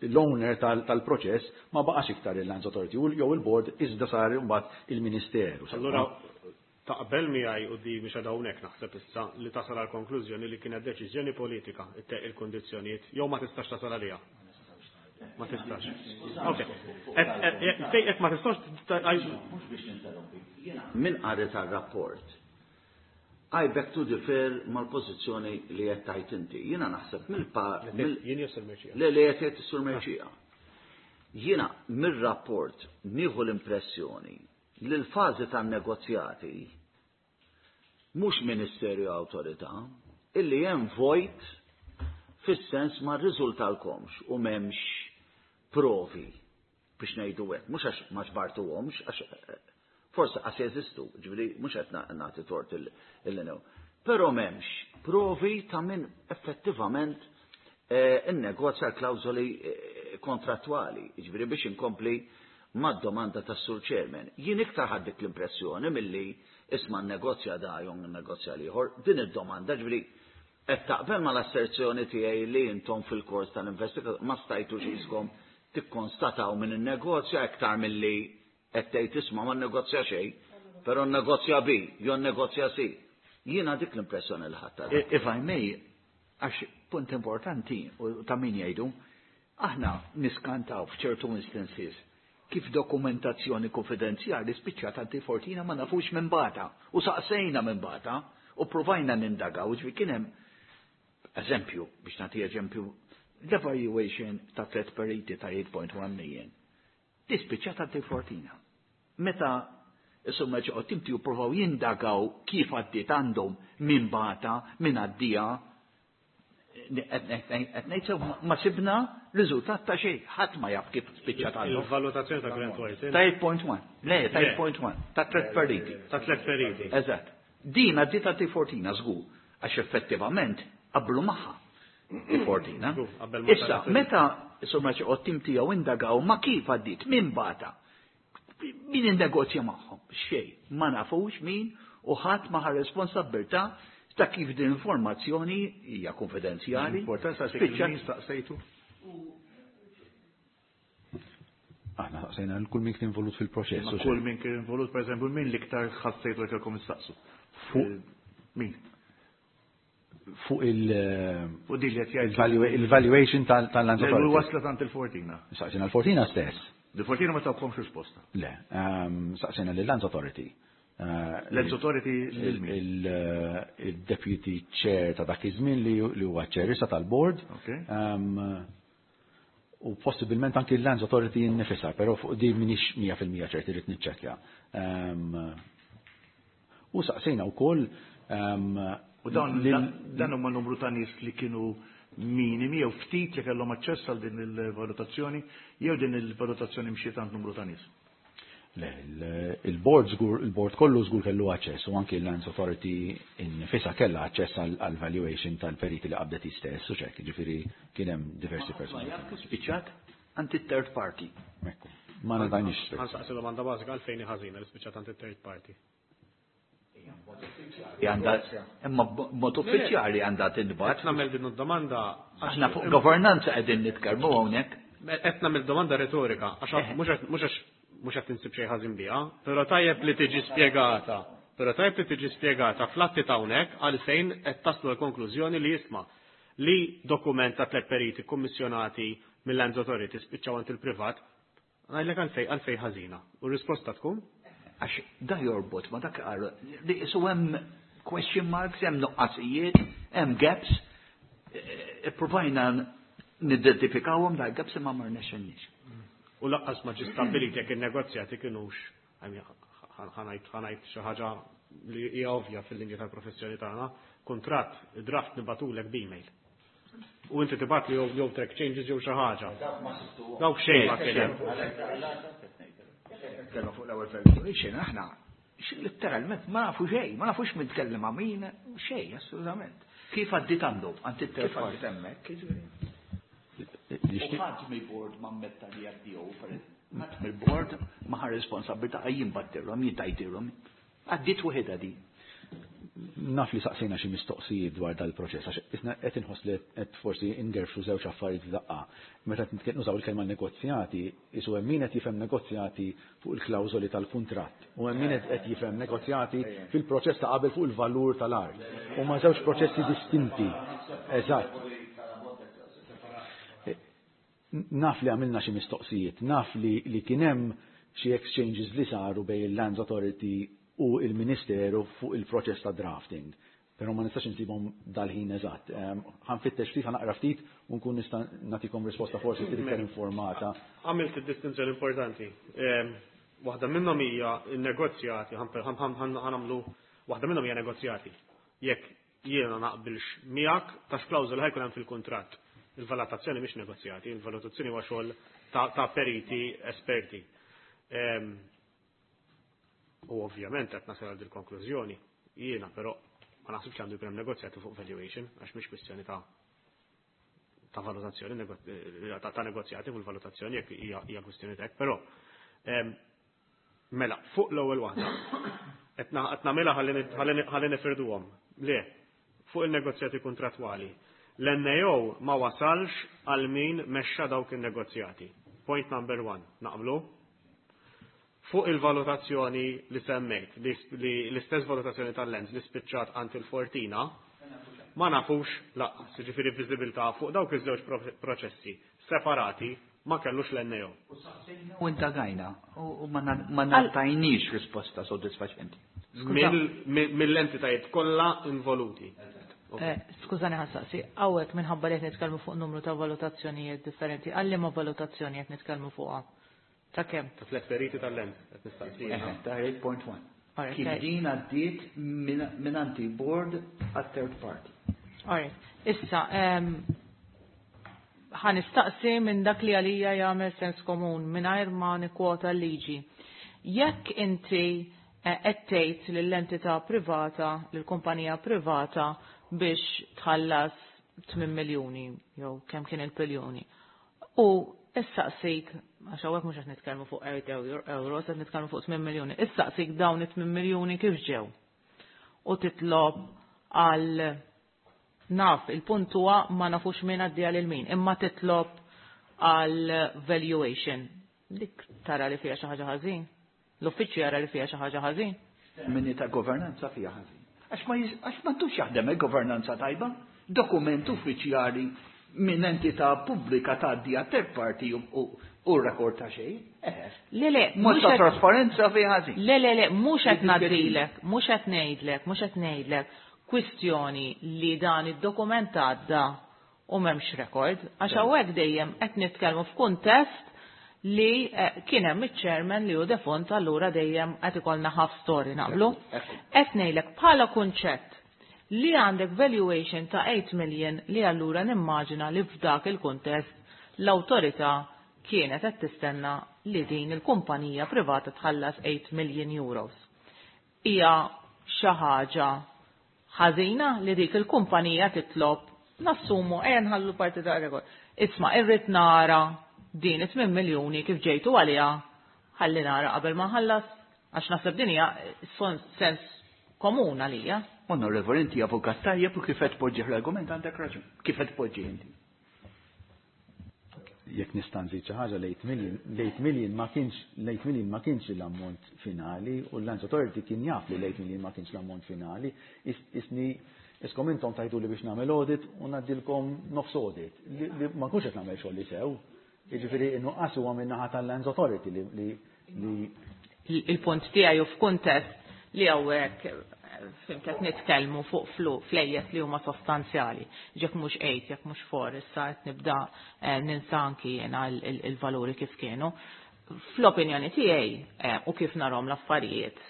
Speaker 4: l-owner tal-proċess ma baqax iktar il-Lands Authority u jew il-board iżda sar mbagħad il-Ministeru.
Speaker 2: Allura taqbel miegħi u di mhix hawnhekk naħseb issa li tasal għal konklużjoni li kienet deċiżjoni politika il-kondizzjonijiet jew ma tistax tasal għaliha. Ma tistax. Ok. Jekk ma tistax
Speaker 7: Mhux biex ninterrompi. Jiena min qari tar-rapport I beg to differ mal-pożizzjoni li qed tajt inti. Jiena naħseb mill-pa-, mill-
Speaker 2: Jien jew Sur Mercieca?
Speaker 7: Le, li qed jgħid is-Sur Mercieca. Jiena mir-rapport nieħu l-impressjoni li l-fażi tan-negozjati mhux Ministerju Awtorità illi hemm vojt fis-sens ma rriżultalkomx u m'hemmx provi biex ngħidu hekk, mhux għax ma ġbartuhomx, għax forse qas jeżistu, ġifieri mhux qed nagħti tort il-new. Però m'hemmx provi ta' min effettivament innegozja l-klawżoli kontrattwali, ġifieri biex inkompli mad-domanda tas-Sur Chairman. Jien iktar ħadd dik l-impressjoni milli isma' nnegozja da jew nnegozja l-ieħor, din id-domanda ġifieri qed taqbel mal-asserzjoni tiegħi li intom fil-kors tal-investigazzjoni ma stajtux iskom tikkonstataw minn in-negozja iktar milli qed tgħid isma' ma nnegozja xejn, però nnegozja B jew nnegozja C. Jiena dik l-impressjoni li ħadd għadha.
Speaker 5: If I may, għax punt importanti u ta' min jgħidu, aħna niskantaw f'ċertu instances kif dokumentazzjoni konfidenzjali spiċċat għand il-Fortina ma nafux minn bata u saqsejna minn bata u provajna nindagaw, ġifieri kien hemm eżempju, biex nagħti eżempju, l-evaluation ta' tliet periti ta' eight point one million. Tispiċċat għand il-Fortina. Meta insomma ġew timti u provaw jindagaw kif għaddiet għandhom minn bata, minn għaddija, qed ngħid sew ma sibna riżultat ta' xejn, ħadd ma jaf kif spiċċat għandhom.
Speaker 2: Il-valutazzjoni ta' Grant Thornton.
Speaker 5: Ta' eight point one. Le, ta' eight point one, ta' tliet periti.
Speaker 2: Ta' tliet periti.
Speaker 5: Eżatt. Din għaddiet għand il-Fortina żgur, għax effettivament qablu magħha il-Fortina.
Speaker 2: Żgur, qabel ma
Speaker 5: Issa,
Speaker 2: saret il-
Speaker 5: meta insomma ġew tim tiegħu indagaw ma kif għaddiet, min bata, min innegozja magħhom, xejn, ma nafux min u ħadd ma ħa responsabbiltà ta' kif din informazzjoni hija konfidenzjali.
Speaker 3: Importanza għax
Speaker 5: Spiċċa-
Speaker 3: min staqsejtu?
Speaker 4: Aħna staqsejna lil kull min kien involut fil-proċess,
Speaker 3: Ma
Speaker 4: u
Speaker 3: kull
Speaker 4: xejn.
Speaker 3: min kien involut, per eżempju, min l-iktar ħassejtu li kellkom issaqsu?
Speaker 4: Fuq
Speaker 3: Min?
Speaker 4: Fuq il-
Speaker 3: Fuq din li qed jgħid.
Speaker 4: il-valua-, il-valuation tal-, tal-Lands
Speaker 3: Le,
Speaker 4: Authority.
Speaker 3: waslet għand il-Fortina.
Speaker 4: Saqsejna l-Fortina stess.
Speaker 3: Il-Fortina ma tawkomx risposta.
Speaker 4: Le, ehm, saqsejna lill-Lands Authority. Eh,
Speaker 3: Lands Authority lil min?
Speaker 4: il-, eh, il-Deputy Chair ta' dak iż-żmien li, li huwa Chair issa tal-Board.
Speaker 3: Ok.
Speaker 4: Ehm, U possibilment anki l-Lands Authority innifisha, però fuq di m'iniex mija fil-mija ċert irrid niċċekkja. U saqsejna wkoll.
Speaker 3: U dan dan huma numru ta' nies li kienu minimi jew ftit li kellhom aċċess għal din il-valutazzjoni jew din il-valutazzjoni mxiet għand numru ta' nies?
Speaker 4: Le, il-board żgur, il-board kollu żgur kellu aċċess u anki l-Lands Authority innifisha kellha aċċess għal valuation tal-periti li qabdet stess u ċek, ġifieri kien hemm diversi persuni.
Speaker 5: Spiċċat għand it-third party.
Speaker 4: Ekku. Ma ngħidniex.
Speaker 2: Ħa nsaqsi domanda bażika għalfejn ħażina li spiċċat għand it-third party.
Speaker 5: Imma b'mod uffiċjali għandha tintbagħat.
Speaker 2: Qed nagħmel din id-domanda
Speaker 5: aħna fuq governanza qegħdin nitkellmu hawnhekk.
Speaker 2: Qed nagħmel domanda retorika għax mhux għax mhux qed insib xejn ħażin biha, però tajjeb li tiġi spjegata. Però tajjeb li tiġi spjegata fl-atti ta' hawnhekk għalfejn qed taslu l-konklużjoni li jisma' li dokument ta' tliet periti kummissjonati mill-Lands Authority spiċċaw għand il-privat, ngħidlek għalfejn għalfejn ħażina. U r-risposta tkun?
Speaker 5: Għax da jorbot ma dak qal li isu hemm question marks, hemm nuqqasijiet, hemm gaps, ippruvajna nidentifikawhom da gaps imma ma rnexxinniex.
Speaker 2: U laqqas ma ġie stabbilit jekk in-negozjati kinux, ħa ngħid xi ħaġa li hija ovvja fil-linja tal-professjoni tagħna, kuntratt draft nibatulek b'email. U inti tibgħat li jew track changes jew xi ħaġa. Dawk xejn ma kien hemm.
Speaker 11: Nitkellmu fuq l-ewwel valuation aħna letteralment ma nafu xejn, ma nafux min tkellem ma' min, xejn assolutament.
Speaker 5: Kif għaddit għandu għand it-third
Speaker 11: Kif għaddit hemmhekk, jiġifieri.
Speaker 5: U ħadd mill-board ma ammetta li għaddew, ħadd mill-board ma ħa responsabilità jien battirhom, jien tajtirhom. Għaddiet waħedha di.
Speaker 4: Naf li saqsejna xi mistoqsijiet dwar dal-proċess, għax isna qed inħoss li qed forsi ingerfxu żewġ affarijiet f'daqqa. Meta qed nużaw il-kelma negozjati, isu hemm min qed jifhem negozjati fuq il-klawżoli tal-kuntratt u hemm min qed jifhem negozjati fil-proċess ta' qabel fuq il-valur tal-art. Huma żewġ proċessi distinti. Eżatt. Naf li għamilna xi mistoqsijiet, naf li, li kien hemm xi exchanges li saru bejn il-Lands Authority u il-Ministeru fuq il-proċess ta' drafting. Però ma nistax insibhom dal-ħin eżatt. Ħa nfittex ftit, ħa naqra ftit u nkun nista' nagħtikom risposta forsi ftit iktar informata.
Speaker 2: Għamilt id-distinzjoni importanti. Waħda minnhom hija n-negozjati, ħa nagħmlu waħda minnhom hija negozjati. Jekk jiena naqbilx miegħek ta' x'klawżola ħa jkun hemm fil-kuntratt. Il-valutazzjoni mhix negozjati, il-valutazzjoni huwa xogħol ta' periti esperti. U ovvjament qed nasal għal dil-konklużjoni, jiena però ma naħsibx għandu jkun hemm negozjati fuq valuation għax mhix kwistjoni ta' ta' valutazzjoni, ta' negozjati fuq il-valutazzjoni jekk hija kwistjoni tek, però mela fuq l-ewwel waħda qed nagħmilha ħalli nifirduhom. Le, fuq il-negozjati kontrattwali. L-N A O ma wasalx għal min mexxa dawk il-negozjati. Point number one, naqblu? Fuq il-valutazzjoni li semmejt, li l-istess valutazzjoni tal-Lands li spiċċat għand il-Fortina, ma nafux laqqas, jiġifieri viżibilità fuq dawk iż-żewġ proċessi separati ma kellux l-N A O.
Speaker 5: U indagajna, u ma ngħatajniex risposta soddisfaċenti.
Speaker 2: Mill-entitajiet kollha involuti.
Speaker 6: Skużani ħa nsaqsi, hawnhekk minħabba li qed nitkellmu fuq numru ta' valutazzjonijiet differenti, għal liema valutazzjoni qed nitkellmu fuqha? Ta' kemm?
Speaker 2: Ta' tliet periti tal-Lands qed nistaqsi.
Speaker 5: Ta' eight point one. Kif din għaddiet minn anti-board għat third party.
Speaker 6: Alright. Issa, ħa nistaqsi minn dak li għalija jagħmel sens komun mingħajr ma nikkwota l-liġi. Jekk inti qed tgħid lill-entità privata, lill-kumpanija privata biex tħallas tmien miljuni jew kemm kien il-biljuni. U issaqsik, għax hawnhekk mhux qed nitkellmu fuq eight euro, qed nitkellmu fuq tmien miljuni, issaqsik dawn it-tmien miljuni kif ġew. U titlob għal naf, il-punt huwa ma nafux min għaddija lil min, imma titlob għal valuation. Dik tara li fiha xi ħaġa ħażin. L-uffiċċju jara li fiha xi ħaġa ħażin.
Speaker 5: Termini ta' governanza fiha ħażin. Għax ma jiz-, għax m'għandux jaħdem il-governanza tajba, dokument uffiċjali minn entità pubblika tgħaddi għat third party u, u, u rekord ta' xejn. Eh.
Speaker 6: Le, le,
Speaker 5: Mod
Speaker 6: mhux
Speaker 5: ta'
Speaker 6: qed
Speaker 5: trasparenza fiha ħażin.
Speaker 6: Le, le, le, mhux qed
Speaker 5: Li
Speaker 6: ngħaddilek, mhux qed ngħidlek, mhux qed ngħidlek kwistjoni li dan id-dokument għadda u m'hemmx rekord, għax hawnhekk dejjem qed nitkellmu f'kuntest li kien hemm iċ-chairman li hu defunt, allura dejjem qed ikollna half story naqblu. Qed ngħidlek bħala kunċett li għandek valuation ta' eight million li allura nimmaġina li f'dak il-kuntest l-awtorità kienet qed tistenna li din il-kumpanija privata tħallas eight million euros. Hija xi ħaġa ħażina li dik il-kumpanija titlob, nassumu ejja nħallu parti ta' rekord. Isma' irrid nara din it-tmien miljuni kif ġejtu għaliha, ħalli nara qabel ma nħallas, għax naħseb din hija sens komun għalija.
Speaker 5: Onorevoli, inti avukat tajjeb u kif qed tpoġġi l-argument għandek raġun. Kif qed tpoġġi inti?
Speaker 4: Jekk nista' nżid xi ħaġa, l-eight million, l-eight million ma kienx, l-eight million ma kienx l-ammont finali u l-Lands Authority kien jaf li l-eight million ma kienx l-ammont finali. Isni iskom intom tajtu li biex nagħmel audit u ngħaddilkom nofs audit li, li ma nkunx qed nagħmel xogħol li sew. Jiġifieri innuqqas huwa min-naħa tal-Lands Authority li, li, li
Speaker 6: Il-punt tiegħi hu f'kuntest li hawnhekk fim qed nitkellmu fuq flu flejjes li huma sostanzjali. Jekk mhux eight, jekk mhux four, issa qed nibda ninsa anki jiena il-valuri kif kienu. Fl-opinjoni tiegħi u kif narhom l-affarijiet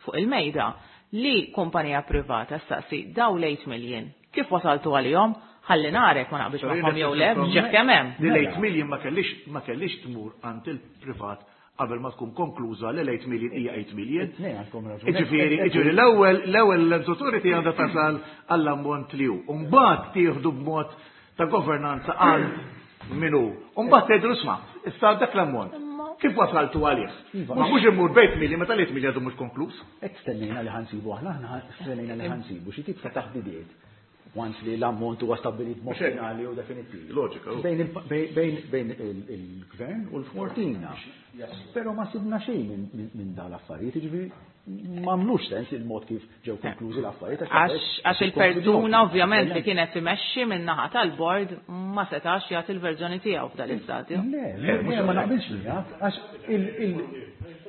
Speaker 6: fuq il-mejda li kumpanija privata staqsi daw l-eight million kif wasaltu għalihom, ħalli narek ma naqbilx magħhom jew le, ġef kemm hemm.
Speaker 3: Li l-eight million ma kellix, ma kellix tmur għand il-privat qabel ma tkun konkluża li l-eight million hija eight million.
Speaker 4: Ne, għandkom raġun.
Speaker 3: Jiġifieri, jiġifieri l-ewwel, l-ewwel l-Lands Authority għandha tasal għall-ammont li hu. U mbagħad tieħdu b'mod ta' governanza għand min hu. U mbagħad tgħidu isma', issa dak l-ammont. Kif wasaltu għalih? Ma mhux immur b'eight million meta l-eight million għadu mhux konkluż.
Speaker 4: Hekk stennejna li ħansibu aħna, aħna stennejna li ħansibu xi tip ta' taħdidiet. Once li l-ammont huwa stabbilit b'mod finali u definittiv.
Speaker 3: Loġika.
Speaker 4: Bejn il-, bejn, bejn il-gvern u l-Fortina. Però ma sibna xejn minn, minn, minn dawn l-affarijiet, jiġifieri m'għamlux sens il-mod kif ġew konklużi l-affarijiet.
Speaker 6: Għax, għax il-persuna ovvjament li kienet imexxi minn naħa tal-bord ma setax jagħti l-verżjoni tiegħu f'dan l-istadju.
Speaker 4: Le, le, le, ma naqbilx miegħek, għax il-, il-,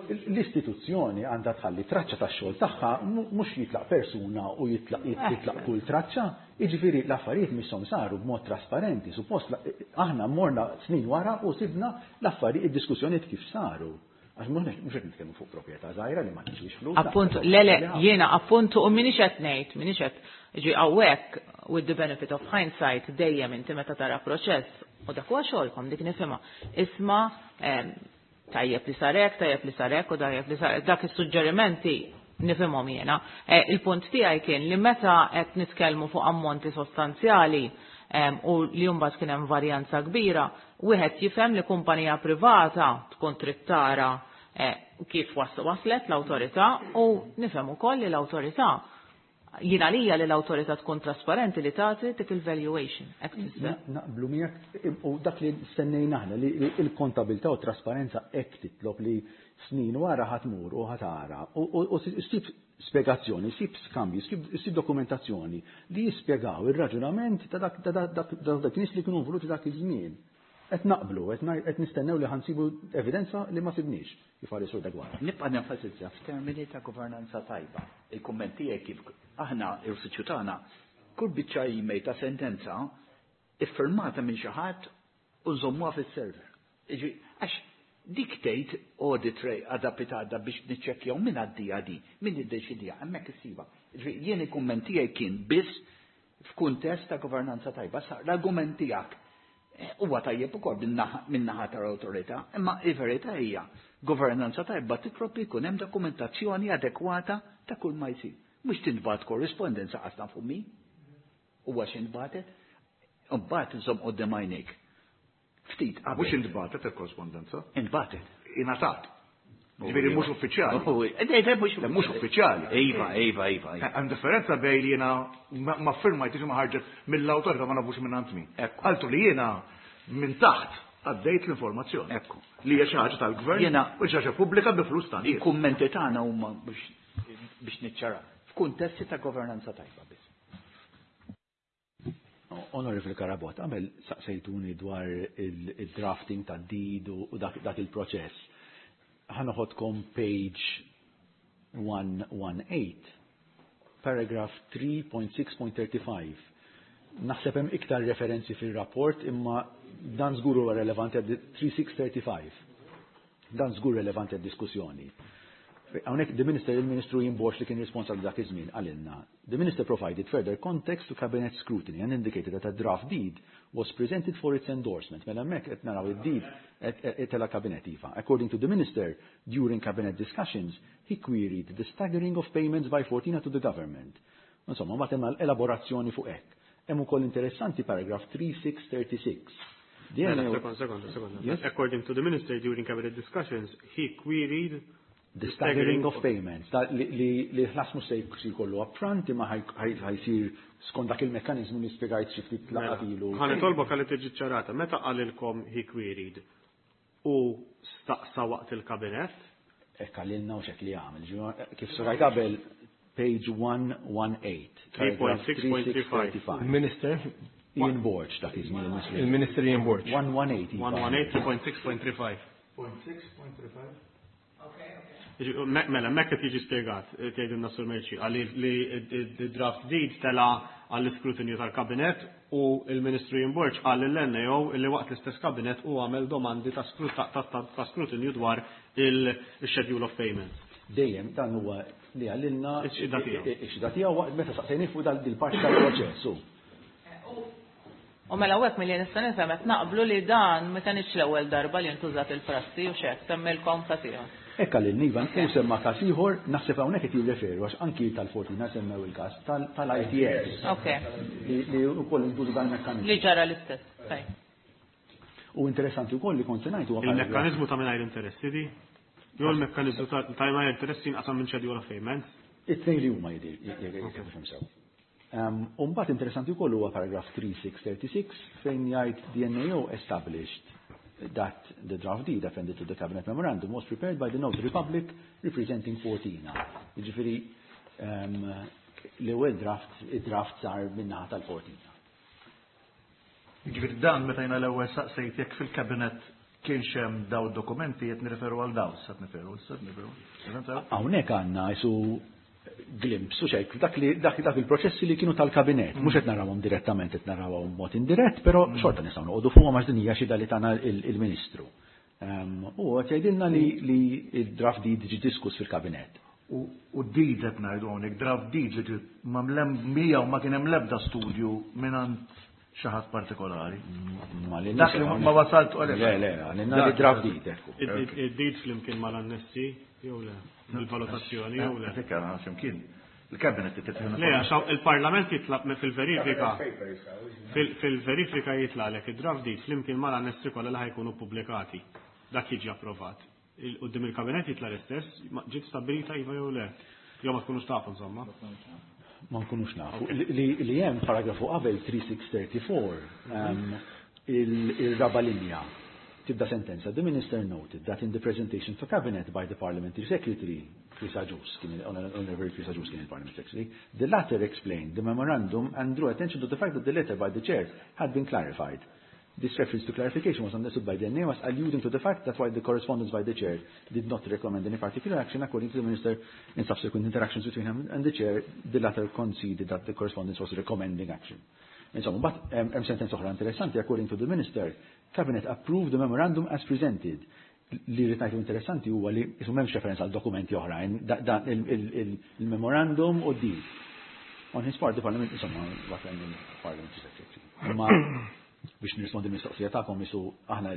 Speaker 4: l-istituzzjoni għandha tħalli traċċa tax-xogħol tagħha, mhux jitlaq persuna u jitlaq, jitlaq kull traċċa. Jiġifieri l-affarijiet misshom saru b'mod trasparenti, suppost aħna morna snin wara u sibna l-affarijiet, id-diskussjonijiet kif saru. Għax mhux mhux qed nitkellmu fuq proprjetà żgħira li ma tiswix flus.
Speaker 6: Appuntu, le, le, jiena appuntu u minix qed ngħid, minix qed ġi hawnhekk with the benefit of hindsight dejjem inti meta tara proċess u dak huwa xogħolkom dik nifhimha. Isma' tajjeb li sarek, tajjeb li sarek u tajjeb li sarek, dak is-suġġerimenti nifhimhom jiena. Il-punt tiegħi kien li meta qed nitkellmu fuq ammonti sostanzjali u li mbagħad kien hemm varjanza kbira, wieħed jifhem li kumpanija privata tkun trid tara kif waslet l-awtorità u nifhem ukoll li l-awtorità jiena lija li l-awtorità tkun trasparenti li tagħti dik il-valuation. Hekk tfisser.
Speaker 4: Naqblu miegħek u dak li stennejna aħna li l-kontabilità u trasparenza hekk titlob li snin wara ħa tmur u ħa tara u ssib spjegazzjoni, ssib skambju, ssib dokumentazzjoni li jispjegaw ir-raġunament ta' dak, ta' dak, dak, dak nies li kienu involuti dak iż-żmien. Qed naqblu, qed nistennew li ħansibu evidenza li ma sibniex, kif qal is-Sur Degwara.
Speaker 5: Nibqa' nenfasizza f'termini ta' governanza tajba. Il-kumment tiegħek kif aħna l-uffiċċju tagħna kull biċċa email ta' sentenza iffirmata minn xi ħadd u nżommuha fis-server. Jiġifieri, għax dik tgħid audit trail għadha pitada biex niċċekkjaw min għaddija di, min iddeċidija, hemmhekk issiba. Jiġifieri, jien il-kumment tiegħi kien biss f'kuntest ta' governanza tajba. Sa l-argument tiegħek huwa tajjeb ukoll min-naħa tal-awtorità, imma il-verità hija governanza tajba titlob li jkun hemm dokumentazzjoni adekwata ta' kull ma jsir. Mhux tintbagħat korrispondenza qas nafu min huwa x'intbagħtet, imbagħad inżomm quddiem għajnejk. Ftit qabel.
Speaker 3: Mhux intbagħtet il-korrispondenza?
Speaker 5: Intbagħtet.
Speaker 3: Ingħatat. Ġifieri mhux uffiċjali.
Speaker 5: Oh, eh, eh, mhux
Speaker 3: Le, mhux uffiċjali.
Speaker 5: Iva, iva, iva, iva.
Speaker 3: Hemm differenza bejn li jiena ma firmajtx ma ħarġet mill-awtorità ma nafux minn għand min.
Speaker 5: Ekku.
Speaker 3: Qaltu li jiena minn taħt għaddejt l-informazzjoni.
Speaker 5: Ekku.
Speaker 3: Li hija xi ħaġa tal-gvern
Speaker 5: Jiena
Speaker 3: u xi ħaġa pubblika bi flus tan-nies.
Speaker 5: Il-kummenti tagħna huma biex, biex niċċara f'kuntesti ta' governanza tajba biss.
Speaker 4: Onorevoli Carabott, għamel saqsejtuni dwar il-drafting ta' deed u dak, dak il-proċess. Ħa noħodkom page one one eight, paragraph three point six point thirty-five. Naħseb hemm iktar referenzi fil-rapport imma dan żgur huwa relevanti għad three six thirty-five. Dan żgur relevanti għad-diskussjoni. Hawnhekk the minister, il-Ministru Ian Borg li kien responsabbli dak iż-żmien qalilna: "The minister provided further context to cabinet scrutiny and indicated that a draft deed was presented for its endorsement." Mela hemmhekk qed naraw id-deed tela' cabinet, iva. "According to the minister, during cabinet discussions, he queried the staggering of payments by Fortina to the government." Insomma, ma hemm elaborazzjoni fuq hekk. Hemm ukoll interessanti paragraph three six thirty-six. The
Speaker 2: Mela,
Speaker 4: N A O
Speaker 2: Second, second, second.
Speaker 4: Yes?
Speaker 2: "According to the minister, during cabinet discussions, he queried
Speaker 4: the staggering of payments, ta' li li li ħlas mhux se jsir kollu upfront imma ħaj jsir skont dak il-mekkaniżmu li spjegajt xi ftit laqgħat ilu.
Speaker 2: Ħa nitolbok għalli tiġi ċarata. Meta qalilkom "he queried" u staqsa waqt il-kabinet?
Speaker 4: Hekk qalilna u xek li għamel. Ġifieri, kif spjegajt qabel, page one eighteen.
Speaker 2: three point six point three five.
Speaker 9: Il-Minister,
Speaker 4: Ian Borg dak iż-żmien il-Ministru.
Speaker 9: Il-Minister Ian Borg.
Speaker 4: one eighteen. Iva.
Speaker 2: one eighteen three point six point three five.
Speaker 1: Okay.
Speaker 2: Me- Mela, hemmhekk qed jiġi spjegat, tgħidilna Sur Merċi, għalli li d-draft deed tela għall-iskrutinju tal-kabinet u il-Ministru Ian Borg qal l-N A O li waqt l-istess kabinet u għamel domandi ta' skru- ta' ta' ta' ta' skrutinju dwar il-schedule of payments.
Speaker 4: Dejjem dan huwa li qalilna
Speaker 2: Ix-xhieda tiegħu.
Speaker 4: Ix-xhieda tiegħu waqt meta saqsejni fuq dal il-parti tal-proċess. u.
Speaker 6: U mela hekk milli nista' nifhem qed naqblu li dan ma kienx l-ewwel darba li ntużat il-prassi u xek semmilkom każ ieħor.
Speaker 4: Hekk qalilna, iva, u semma każ ieħor, naħseb hawnhekk qed jirreferu għax anki tal-Fortina semmew il-każ tal-I T S.
Speaker 6: Ok.
Speaker 4: Li li wkoll intuża dan il-mekkaniżmu.
Speaker 6: Li ġara l-istess. Tajb.
Speaker 4: U interessanti wkoll li kont se ngħid huwa
Speaker 2: Il-mekkanizmu ta' mingħajr interessi di? Jew il-mekkanizmu ta' ta' mingħajr interessi jinqasam minn schedule of payments?
Speaker 4: It-tnejn li huma jidir, jekk nifhem sew. U mbagħad interessanti wkoll huwa paragraph three six thirty-six fejn jgħid the N A O established that the draft deed appended to the cabinet memorandum was prepared by the notary public representing Fortina. Jiġifieri um, l-ewwel draft, id-draft sar min-naħa tal-Fortina.
Speaker 3: Ġifieri dan meta jiena l-ewwel saqsejt jekk fil-kabinet kienx hemm daw dokumenti qed nirreferu għal daw, sa niferu, sa niferu.
Speaker 4: Hawnhekk għandna isu glimpse u xejk dak li dak dak il-proċessi li kienu tal-kabinet, mhux qed narawhom direttament, qed narawhom mod indirett, però xorta nistgħu noqogħdu fuqhom għax din hija xhieda li tana il-Ministru. U qed jgħidilna li li il-draft deed ġi diskuss fil-kabinet.
Speaker 3: U deed qed ngħidu hawnhekk, draft deed li ġi mamlem mija u ma kien hemm l-ebda studju mingħand xi ħadd partikolari. Dak li ma wasalt u
Speaker 4: Le, le, għalina li draft deed, ekku.
Speaker 2: Id-deed flimkien mal-annessi, jew le? Il-valutazzjoni, jew le?
Speaker 3: Dik għana x'imkien. Il-kabinet titħin.
Speaker 2: Le, għax il-Parlament jitlaq fil-verifika. Fil-verifika jitlaqlek id-draft deed flimkien mal-annessi kollha li ħa jkunu pubblikati. Dak jiġi approvat. Quddiem il-kabinet jitla l-istess, ġiet stabbilita iva jew le? Jew ma tkunux tafu, insomma.
Speaker 4: Ma nkunux nafu. Li hemm paragrafu qabel three six thirty-four, il-raba linja tibda sentenza. "The minister noted that in the presentation to cabinet by the parliamentary secretary, Chris Agius, kien Honorable Chris Agius kien il-parliamentary secretary, the latter explained the memorandum and drew attention to the fact that the letter by the chair had been clarified. This reference to clarification was understood by the N A O as alluding to the fact that while the correspondence by the chair did not recommend any particular action, according to the minister, in subsequent interactions between him and the chair, the latter conceded that the correspondence was recommending action." Insomma, but hemm sentenza oħra interessanti: "According to the minister, cabinet approved the memorandum as presented." Li rrid ngħidu interessanti huwa li isu m'hemmx referenza għal dokumenti oħrajn, dan il-memorandum u d. "On his part, the parliament," insomma, what parliament secretary. Ma biex nirrispondi mistoqsija tagħkom isu aħna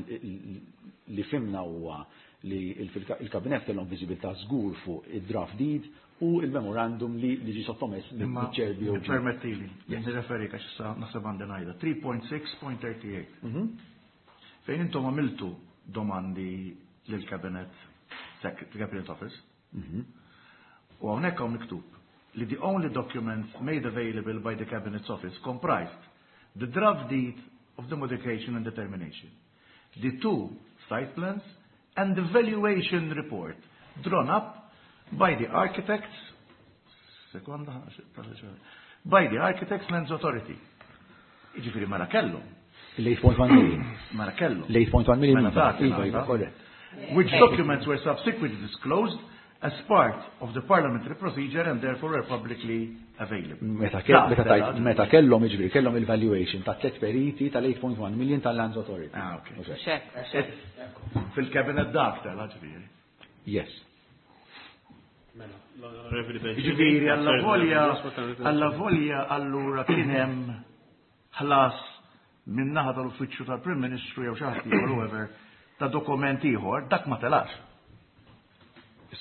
Speaker 4: li fhimna huwa li il-kabinet kellhom viżibilità żgur fuq id-draft deed u il-memorandum li li ġi sottomess mill-chair B O G.
Speaker 3: Permettili, nirreferi għax issa naħseb għandi ngħidha. three point six point thirty-eight.
Speaker 4: Mhm.
Speaker 3: Fejn intom għamiltu domandi lill-cabinet cabinet office.
Speaker 4: Mhm.
Speaker 3: U hawnhekk hawn miktub li the only documents made available by the cabinet's office comprised the draft deed of the modification and determination, the two site plans, and the valuation report drawn up by the architects, sekonda, by the Architects Lands Authority. Jiġifieri mela kellhom.
Speaker 4: L-eight point one million.
Speaker 3: Mela kellhom.
Speaker 4: L-eight point one million.
Speaker 3: Mela ta'
Speaker 4: Iva, iva, correct.
Speaker 3: Which documents were subsequently disclosed as part of the parliamentary procedure and therefore were publicly available.
Speaker 4: Meta kellhom jiġifieri kellhom il-valuation ta' tliet periti tal-eight point one million tal-Lands Authority.
Speaker 3: Ah, okay. Fil-cabinet dak tal ġifieri.
Speaker 4: Yes.
Speaker 3: Ġifieri alla volja alla volja allura kien hemm ħlas minn naħa tal-uffiċċju tal-Prim Ministru jew xi ħadd ieħor whoever ta' dokument ieħor, dak ma telax.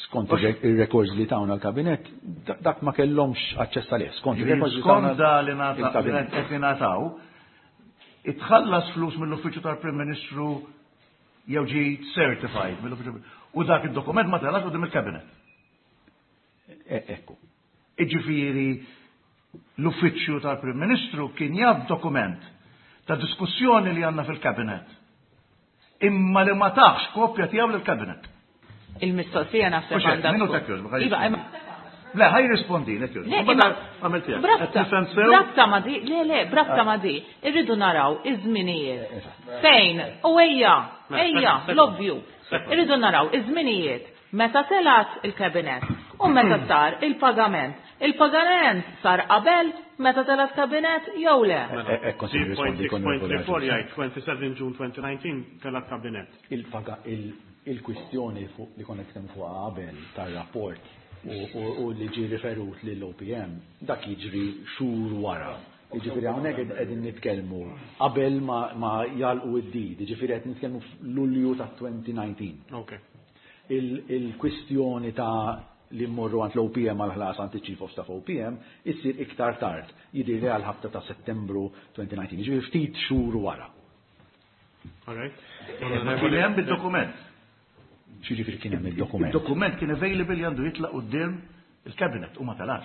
Speaker 4: Skont ir-records li tawna l-kabinet, dak ma kellhomx aċċess għalih. Skont ir-records li
Speaker 3: tawna li qed ingħataw, itħallas flus mill-uffiċċju tal-Prim Ministru jew ġie certified mill-uffiċċju. U dak id-dokument ma telax quddiem il-kabinet.
Speaker 4: Ekku.
Speaker 3: Iġifieri l-uffiċċju tal-Prim Ministru kien jaf dokument ta' diskussjoni li għandna fil-kabinet. Imma li ma taħx kopja tiegħu lill-kabinet.
Speaker 6: Il-mistoqsija naħseb għandha.
Speaker 3: Minuta kjoż. Iva, le, ħaj rispondi, le kjoż.
Speaker 6: Brabta ma di, le, le, brabta ma di, irridu naraw iż-żminijiet. Fejn, u ejja, ejja, l-ovvju. Irridu naraw iż-żminijiet meta telat il-kabinet u meta sar il-pagament. Il-pagament sar qabel meta telat kabinet jew le?
Speaker 2: three point six point three four jgħid twenty-seven June twenty nineteen telat kabinet.
Speaker 4: Il-paga il-kwistjoni fuq li konna nitkellmu fuqha qabel tar-rapport u li ġie riferut lill-O P M dak jiġri xhur wara. Jiġifieri hawnhekk qegħdin nitkellmu qabel ma jalqu id-did, jiġifieri qed nitkellmu f'Lulju ta' twenty nineteen.
Speaker 2: Okay.
Speaker 4: Il-kwistjoni ta' li mmorru għand l-O P M għal-ħlas għand il-Chief of Staff O P M issir iktar tard, jidhirli għal ħabta ta' Settembru twenty nineteen, jiġifieri ftit xhur wara.
Speaker 2: All right.
Speaker 3: Kien hemm id-dokument.
Speaker 4: Xiġifieri kien hemm id-dokument?
Speaker 3: Id-dokument kien available li għandu jitlaq quddiem il-cabinet u ma telax.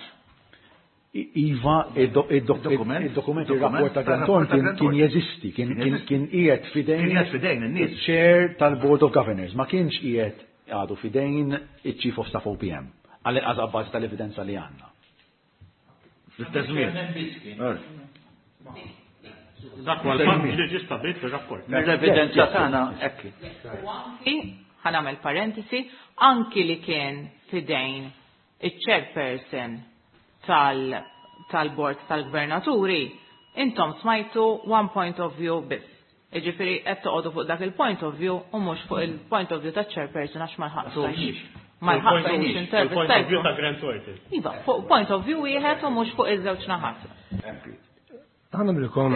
Speaker 4: Iva, id-dokument, il-rapport ta' Grant Thornton kien jeżisti, kien qiegħed fidejn.
Speaker 3: Kien qiegħed fidejn in-nies.
Speaker 4: Chair tal-Board of Governors, ma kienx qiegħed għadu fidejn il-Chief of Staff O P M, għal-inqas abbażi tal-evidenza li għandna.
Speaker 3: L-istess żmien.
Speaker 2: Dak huwa l-fatt li ġie stabbilit fir-rapport.
Speaker 7: L-evidenza tagħna hekk.
Speaker 6: Ħa nagħmel parentesi, anki li kien fidejn iċ-chairperson tal-bord tal-gvernaturi, intom smajtu one point of view biss. Jiġifieri qed toqgħodu fuq dak il-point of view u mhux fuq il-point of view taċ-chairperson għax ma lħaqtux. Ma lħaqtux intervista.
Speaker 2: Il-point of view ta' Grant Thornton.
Speaker 6: Iva, fuq point of view wieħed u mhux fuq iż-żewġ naħat.
Speaker 9: Ħa nagħmilkom.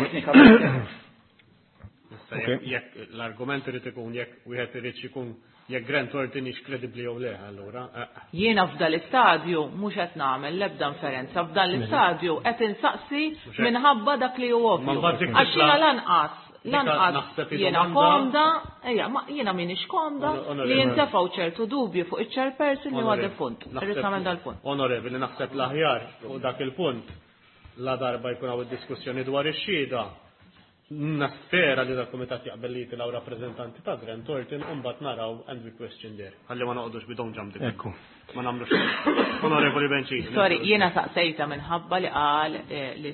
Speaker 2: Jekk l-argument irid ikun jekk wieħed irid ikun jekk Grant Thornton hix kredibbli jew le, allura.
Speaker 6: Jiena f'dan l-istadju mhux qed nagħmel l-ebda inferenza, f'dan l-istadju qed insaqsi minħabba dak li hu ovvju. Għax jiena lanqas lanqas jiena komda, ejja, ma jiena m'iniex komda li jintefgħu ċertu dubju fuq iċ-chairperson li huwa defunt. Irrid nagħmel dal-punt.
Speaker 2: Onorevoli, naħseb l-aħjar fuq dak il-punt la darba jkun hawn id-diskussjoni dwar ix-xhieda. Naspera li dal-kumitat jaqbel li jitilgħu rappreżentanti ta' Grant Thornton u mbagħad naraw and we question there. Ħalli ma noqogħdux bidon ġam dik.
Speaker 9: Ekku.
Speaker 2: Ma nagħmlux. Onorevoli Bencini.
Speaker 6: Sorry, jiena saqsejta minħabba li qal li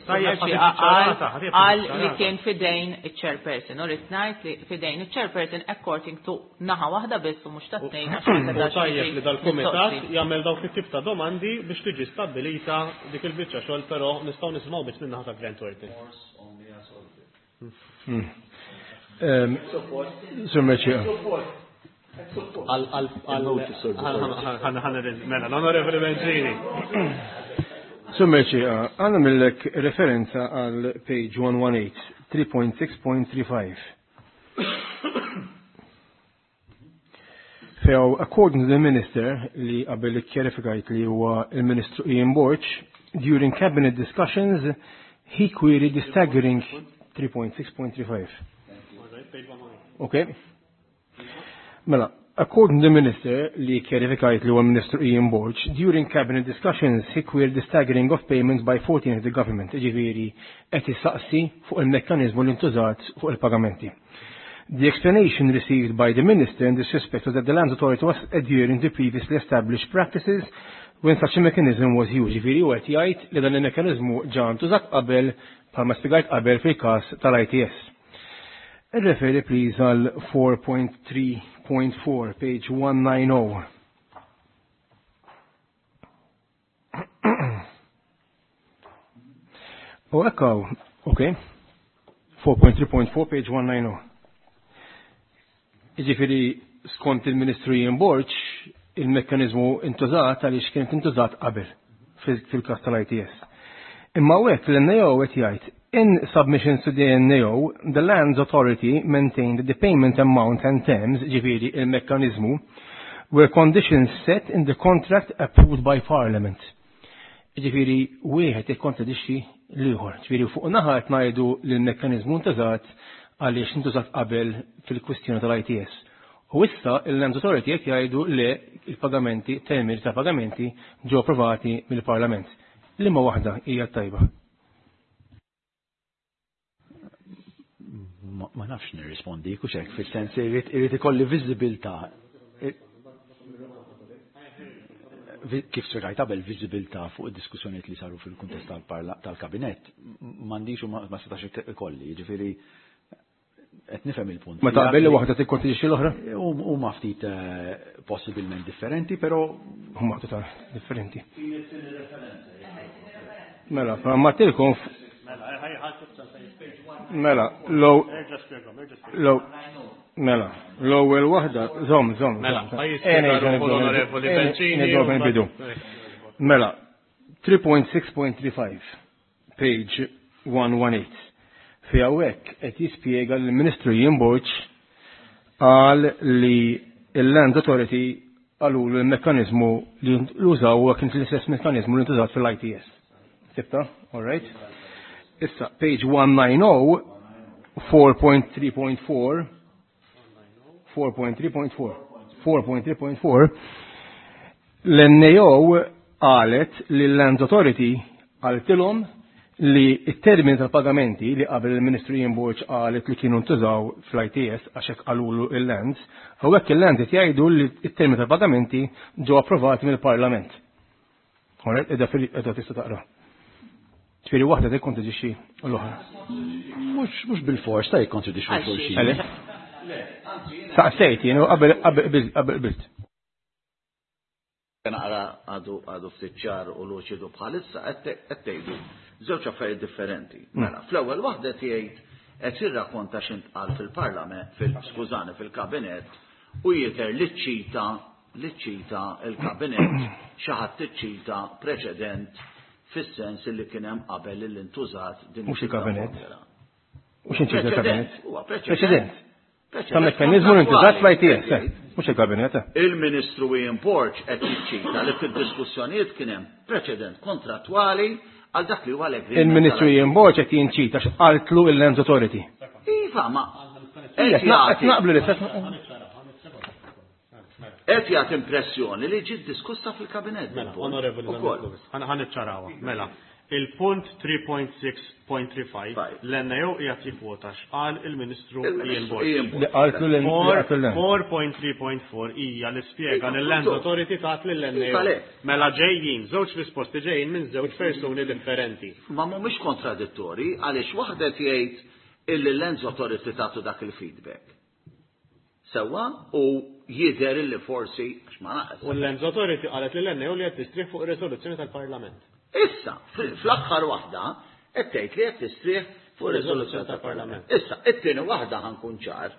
Speaker 6: qal li kien fidejn iċ-chairperson. U rrid ngħid li fidejn iċ-chairperson according to naħa waħda biss u mhux ta' tnejn għax ma setax.
Speaker 2: Tajjeb li dal-kumitat jagħmel dawk it-tip ta' domandi biex tiġi stabbilita dik il-biċċa xogħol, però nistgħu nisimgħu biss minn naħa ta' Grant Thornton.
Speaker 9: Sur Merċieqa.
Speaker 2: Mela, l-Onorevoli Bencini.
Speaker 9: Sur Merċieqa, għandna millek referenza għal page one one eight, three point six point three five. Few, according to the minister, li qabel ikkjerifikajt li huwa il-Ministru Ian Borg, during cabinet discussions, he queried the staggering three point six point three five. Okay. Mela, according to the minister, li kjerifikajt li huwa Ministru Ian Borg, during cabinet discussions he queried the staggering of payments by fourteen of the government, ġifieri qed issaqsi fuq il-mekkaniżmu li ntużat fuq il-pagamenti. The explanation received by the minister in this respect was that the Lands Authority was adhering to previously established practices when such a mechanism was used. Ġifieri u qed jgħid li dan il-mekkaniżmu ġa ntużat qabel bħalma spjegajt qabel fil-każ tal-I T S. Irreferi please għal four point three point four, page one nine oh. U hekk hawn, ok, four point three point four page one nine oh. Jiġifieri skont il-Ministru Ian Borg, il-mekkanizmu intużat għaliex kienet intużat qabel fil-każ tal-I T S. Imma hekk l-N A O qed jgħid, in submissions to the N A O, the Lands Authority maintained the payment amount and terms, ġifieri il-mekkanizmu, were conditions set in the contract approved by Parliament. Ġifieri wieħed ikkontradixxi l-ieħor. Ġifieri fuq naħa qed ngħidu li l-mekkaniżmu ntużat għaliex intużat qabel fil-kwistjoni tal-I T S. U issa il-Lands Authority qed jgħidu li l-pagamenti, termini ta' pagamenti ġew approvati mill-Parlament. Liema waħda hija tajba?
Speaker 4: Ma nafx nirrispondi, kux hekk, fis-sens irrid, irrid ikolli viżibilità. Kif spjegajt qabel, viżibilità fuq id-diskussjonijiet li saru fil-kuntest tal-parla-, tal-kabinett, m'għandix u ma, ma setax ikolli, jiġifieri qed nifhem il-punt.
Speaker 9: Ma taqbel li waħda tikkontradixxi l-oħra?
Speaker 4: Huma ftit, eh, possibilment differenti, però
Speaker 9: huma total differenti. Mela, ma martilkom Mela, low, low, mela, l-ewwel waħda, żomm, żomm,
Speaker 2: Mela,
Speaker 9: żomm.
Speaker 2: ħaj
Speaker 9: Eh,
Speaker 2: jispjega
Speaker 9: nerġa'
Speaker 2: ruħu
Speaker 9: nibdew,
Speaker 2: l-Onorevoli
Speaker 9: eh,
Speaker 2: Bencini
Speaker 9: nerġgħu
Speaker 2: u
Speaker 9: nbidu. Mela, three point six point three five, page one one eight. Fi hawnhekk qed jispjega li l-Ministru Ian Borg qal li l-Land Authority qalu li l-mekkaniżmu li użaw huwa kien l-istess mekkaniżmu li ntużat fil-I T S. Sibta? All right. Issa, page one nine oh, four point three point four, four point three point four, four point three point four, l-N A O qalet li l-Land Authority qaltilhom li t-termini tal-pagamenti li qabel il-Ministru Ian Borg qalet li kienu ntużaw fl-I T S għax hekk qalulu il-Lands, hawnhekk il-Lands qed jgħidu li t-termini tal-pagamenti ġew approvati mill-Parlament. All right, edha fil-, edha tista' taqra. Ġifieri waħda tikkontradixxi l-oħra.
Speaker 4: Mhux, mhux bil-fors ta' jikkontradixxu
Speaker 6: Għal
Speaker 4: xulxin.
Speaker 6: xi.
Speaker 9: Għalih? Saqsejt jien u qabel, qabel qbilt, qabel qbilt.
Speaker 7: Naqra għadu, għadu ftit ċar u luċidu bħalissa qed te-, qed tgħidu żewġ affarijiet differenti. Mela, fl-ewwel waħda tgħid qed jirrakkonta x'intqal fil-Parlament, fil-, skużani, fil-Kabinett u jidher li ċċita, li ċċita il-Kabinett xi ħadd iċċita preċedent fis-sens li kien hemm qabel li ntużat din
Speaker 9: Mhux il-Kabinett.
Speaker 7: il-formula.
Speaker 9: Mhux inċita il-Kabinett.
Speaker 7: Preċedent, huwa preċedent.
Speaker 9: Preċedent.
Speaker 7: Preċedent
Speaker 9: Ta' mekkaniżmu li ntużat fl-I T S,
Speaker 7: kontrattwali.
Speaker 9: eh, mhux il-Kabinett, eh.
Speaker 7: Il-Ministru Ian Borg qed jiċċita li fid-diskussjonijiet kien hemm preċedent kontrattwali għal dak li huwa l-agreement
Speaker 9: Il-Ministru
Speaker 7: tal-I T S.
Speaker 9: Ian Borg qed jinċita x'qaltlu il-Lands Authority.
Speaker 7: Iva, ma
Speaker 9: Ija,
Speaker 7: qed
Speaker 9: qed
Speaker 7: jagħti
Speaker 9: naqblu l-istess.
Speaker 7: Qed jagħti impressjoni li ġiet diskussa fil-Kabinett.
Speaker 2: Mela,
Speaker 7: il-punt.
Speaker 2: Onorevoli
Speaker 7: Ukoll.
Speaker 2: Zammit Lewis, ħan-, ħan niċċarawha. Mela, il-punt three point six point three five,
Speaker 7: Five.
Speaker 2: l-N A O qiegħed jikkwota x'qal il-Ministru
Speaker 7: Il-Ministru
Speaker 2: Ian Borg.
Speaker 7: Ian Borg.
Speaker 9: Li qaltlu l-N
Speaker 2: Four,
Speaker 9: li qaltlu l-N.
Speaker 2: four point three point four hija li spjega
Speaker 7: Iva,
Speaker 2: li l-Land
Speaker 7: appunto.
Speaker 2: Authority tat lill-N A O.
Speaker 7: Iva, le.
Speaker 2: Mela ġejjin, żewġ risposti ġejjin minn żewġ persuni differenti.
Speaker 7: Ma mhumiex kontradittori għaliex waħda jgħid illi l-Lands Authority tagħtu dak il-feedback. Sewwa u jidher illi forsi għax ma naqas.
Speaker 2: U l-Lands Authority qalet lill-N A O li qed tistrieħ fuq ir-riżoluzzjoni tal-Parlament.
Speaker 7: Issa, fl-, fl-aħħar waħda qed tgħid li qed tistrieħ fuq ir-riżoluzzjoni tal-Parlament. Issa, it-tieni waħda ħankun ċar,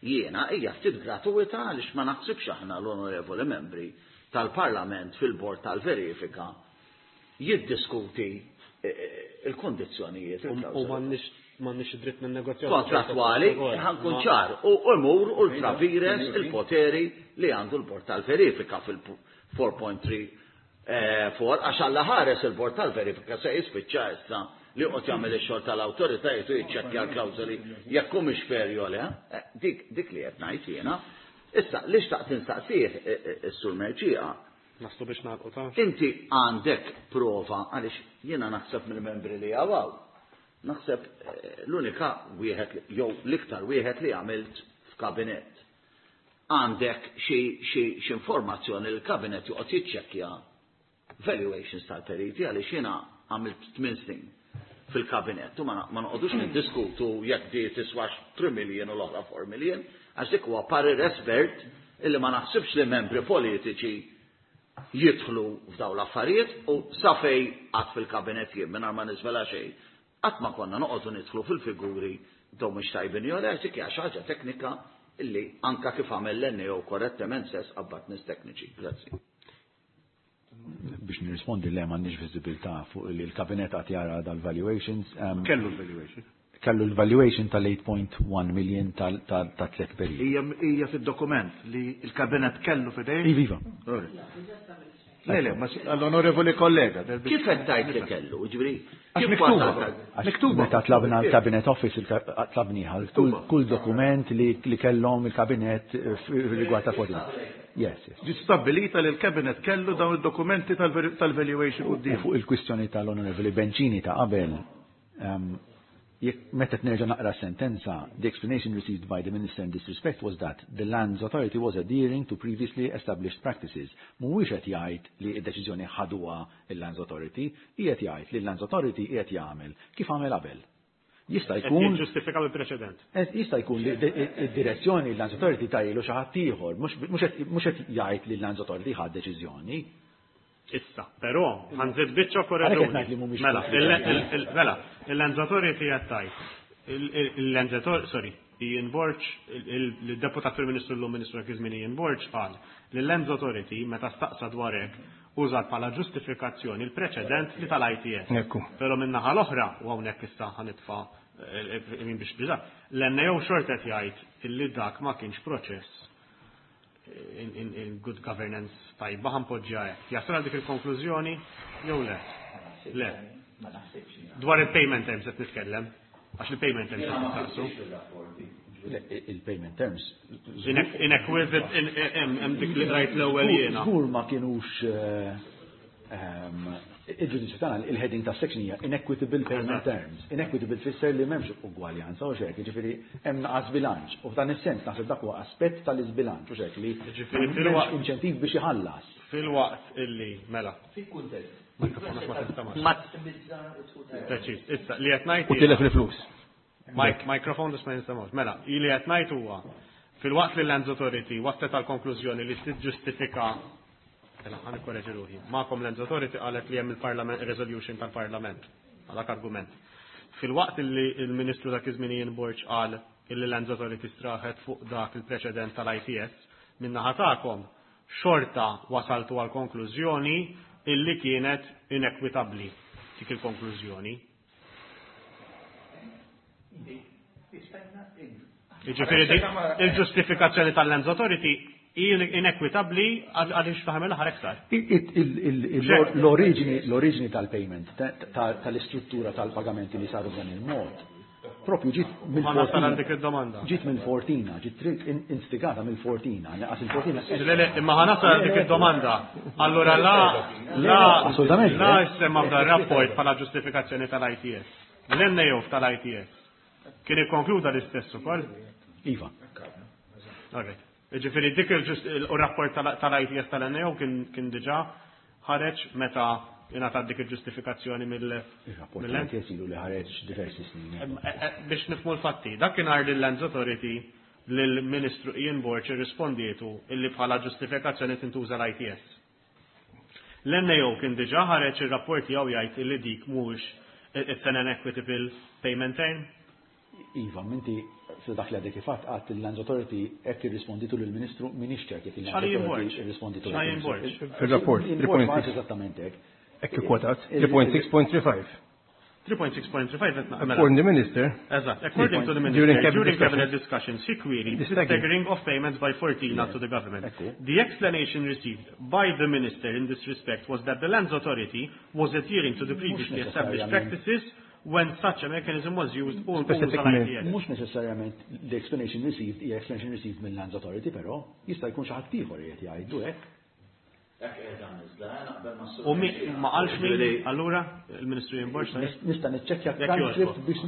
Speaker 7: jiena hija ftit gratuita għaliex ma naħsibx aħna l-onorevoli membri tal-Parlament fil-bord tal-verifika jiddiskuti, eh, eh, il-kondizzjonijiet,
Speaker 2: U- U
Speaker 7: il-klawżoli.
Speaker 2: m'għandniex, m'għandniex id-dritt ninnegozjaw.
Speaker 7: Kontrattwali, ħankun ċar, u imur ultra vires il-poteri li għandu l-bord tal-verifika fil-four point three, eh, four, għax alla ħares il-bord tal-verifika se jispiċċa issa li qed jagħmel ix-xogħol tal-awtoritajiet u jiċċekkja l-klawżoli jekk humiex fair jew le, eh, dik, dik li qed ngħid jiena. Issa, li xtaqt instaqsih, eh, eh, is-Sur Mercieca?
Speaker 2: Naslu biex nagħlqu ta'
Speaker 7: Inti għandek prova għaliex jiena naħseb mill-membri li hawn. Naħseb, eh, l-unika wieħed li, jew l-iktar wieħed li għamilt f'kabinett. Għandek xi, xi, xi informazzjoni li l-kabinett joqgħod jiċċekkja valuations tal-periti għaliex jiena għamilt tmien snin fil-kabinett u ma na-, ma noqogħdux niddiskutu jekk di tiswax three million u l-oħra four million, għax dik huwa parir espert illi ma naħsibx li membri politiċi jidħlu f'daw l-affarijiet u sa fej qatt fil-kabinett jien mingħajr ma niżvela xejn. Qatt ma konna noqogħdu nidħlu fil-figuri dawn mhux tajbin jew le, dik hija xi ħaġa teknika illi anka kif għamel l-N A O korrettement stess qabbat nies tekniċi. Grazzi.
Speaker 4: Biex nirrispondi, le, m'għandniex viżibilità fuq li l-kabinet għad jara dal-valuations.
Speaker 3: Kellu l-valuation.
Speaker 4: Kellu l-valuation tal-eight point one million ta' tliet periods.
Speaker 3: Hija fid-dokument li l-kabinet kellu f'idejh?
Speaker 4: Iva.
Speaker 3: Le, le, ma għall-onorevoli kollega.
Speaker 7: Kif qed tgħid li kellu? Ġifieri,
Speaker 3: Għax miktuba. Miktuba.
Speaker 4: Meta tlabna l-Cabinet Office, tlabniha kull dokument li kellhom il-kabinet rigward ta' Fortina. Yes, yes.
Speaker 3: Ġi stabbilita li l-kabinet kellu dawn id-dokumenti tal-valuation quddiem.
Speaker 4: Fuq il-kwistjoni tal-Onorevoli Bencini ta' qabel, meta nerġa' naqra sentenza, "The explanation received by the minister in this respect was that the Lands Authority was adhering to previously established practices." Mhuwiex qed jgħid li d-deċiżjoni ħaduha il-Lands Authority, qiegħed jgħid li l-Lands Authority qiegħed jagħmel kif għamel qabel. Jista' jkun.
Speaker 2: Ġustifika bil-preċedent.
Speaker 4: Jista' jkun li id-direzzjoni l-Lands Authority tahielu xi ħadd ieħor, mhux qed jgħid li l-Lands Authority ħad deċiżjoni.
Speaker 2: Issa, però, ħa nżid biċċa korreġuni. Mela, mela, il-Lands Authority qed tgħid. Il-Lands Authority, sorry, Ian Borg, il-deputat Prim Ministru l Ministru dak iż-żmien Ian Borg qal li l-Lands Authority meta staqsa dwar hekk użat bħala ġustifikazzjoni il-preċedent li tal-I T S. Però min-naħa l-oħra, u hawnhekk issa ħa nitfa' min biex biża, l-N A O xorta jgħid illi dak ma kienx proċess in, in, in good governance tajba, ħa npoġġiha hekk. Jasal dik il-konklużjoni jew le? Le. Dwar il-payment terms qed nitkellem, għax il-payment terms qed nistaqsu.
Speaker 4: Il-payment terms.
Speaker 2: Inequitable, hemm dik li rajt l-ewwel jiena.
Speaker 4: Żgur ma kienux ehm, il-ġudizzju tagħna, il-heading ta' section hija inequitable payment terms. Inequitable tfisser li m'hemmx ugwaljanza u xek, jiġifieri hemm naqas bilanċ. U f'dan is-sens naħseb dak huwa aspett tal-iżbilanċ u xek li
Speaker 2: Jiġifieri
Speaker 4: m'hemmx inċentiv biex iħallas.
Speaker 2: Fil-waqt illi, mela.
Speaker 5: Fil-kuntest.
Speaker 2: Ma Preċiż, issa li qed ngħid
Speaker 9: U tilef il-flus.
Speaker 2: Mike, microphone biex ma jinstemgħux. Mela, li qed ngħid huwa fil-waqt li l-Lands Authority waslet għal konklużjoni li tiġġustifika. Mela, ħa nikkoreġi ruħi. Magħkom Lands Authority qalet li hemm il-Parlament resolution tal-Parlament. Għalak argument. Fil-waqt li il-Ministru dak iż-żmien Ian Borg qal illi Lands Authority straħet fuq dak il-preċedent tal-I T S, min-naħa tagħkom xorta wasaltu għal konklużjoni illi kienet inekwitabbli dik il-konklużjoni. Jiġifieri dik il-ġustifikazzjoni tal-Lands Authority inekwitabbli għaliex faħem l-aħħar iktar.
Speaker 4: L-oriġini l-oriġini tal-payment, tal-istruttura tal-pagamenti li saru f'dan il-mod, propju ġiet
Speaker 2: mill-Fortina. Dik id-domanda.
Speaker 4: Ġiet mill-Fortina, ġiet instigata mill-Fortina, għax il-Fortina.
Speaker 2: Le, le, imma ħa nasal dik id-domanda. Allora la, la,
Speaker 4: Assolutament.
Speaker 2: La semma f'dan rapport bħala ġustifikazzjoni tal-I T S. L-N A O tal-I T S. Kien ikkonkluda l-istess ukoll?
Speaker 4: Iva.
Speaker 2: Alright. Ġifieri dik il-rapport tal-I T S tal-N A O kien diġà ħareġ meta ingħatat dik il-ġustifikazzjoni mill
Speaker 4: Il-rapport tal-I T S ilu li ħareġ diversi snin.
Speaker 2: Biex nifhmu l-fatti, dak kien li l-Lands Authority lill-Ministru Ian Borg irrispondietu illi bħala ġustifikazzjoni tintuża l-I T S. L-N A O kien diġà ħareġ ir-rapport tiegħu jgħid illi dik mhux it's an inequitable payment term.
Speaker 4: Iva, minti dak li għadek kif għedt il-Lands Authority hekk irrisponditu lill-Ministru, m'iniex ċert jekk il-Lands Authority irrisponditu.
Speaker 9: Fil-rapport,
Speaker 4: tlieta punt sitta. Eżattament hekk.
Speaker 9: Hekk ikkwotat, three point six point three five.
Speaker 2: three point six point three five.
Speaker 9: According to the minister.
Speaker 2: Eżatt, according to the minister, during cabinet, during cabinet discussions, he queried the staggering of payments by Fortina to the government. The explanation received by the minister in this respect was that the Lands Authority was adhering to the previously established practices when such a mechanism was used all
Speaker 4: Specifically. Mhux neċessarjament the explanation received hija explanation received mill Lands Authority, però jista' jkun xi ħadd ieħor qiegħed jgħidu hekk.
Speaker 2: U mi ma qalx min allura il-Ministru Ian Borg?
Speaker 4: Nista' niċċekkja transcript biex.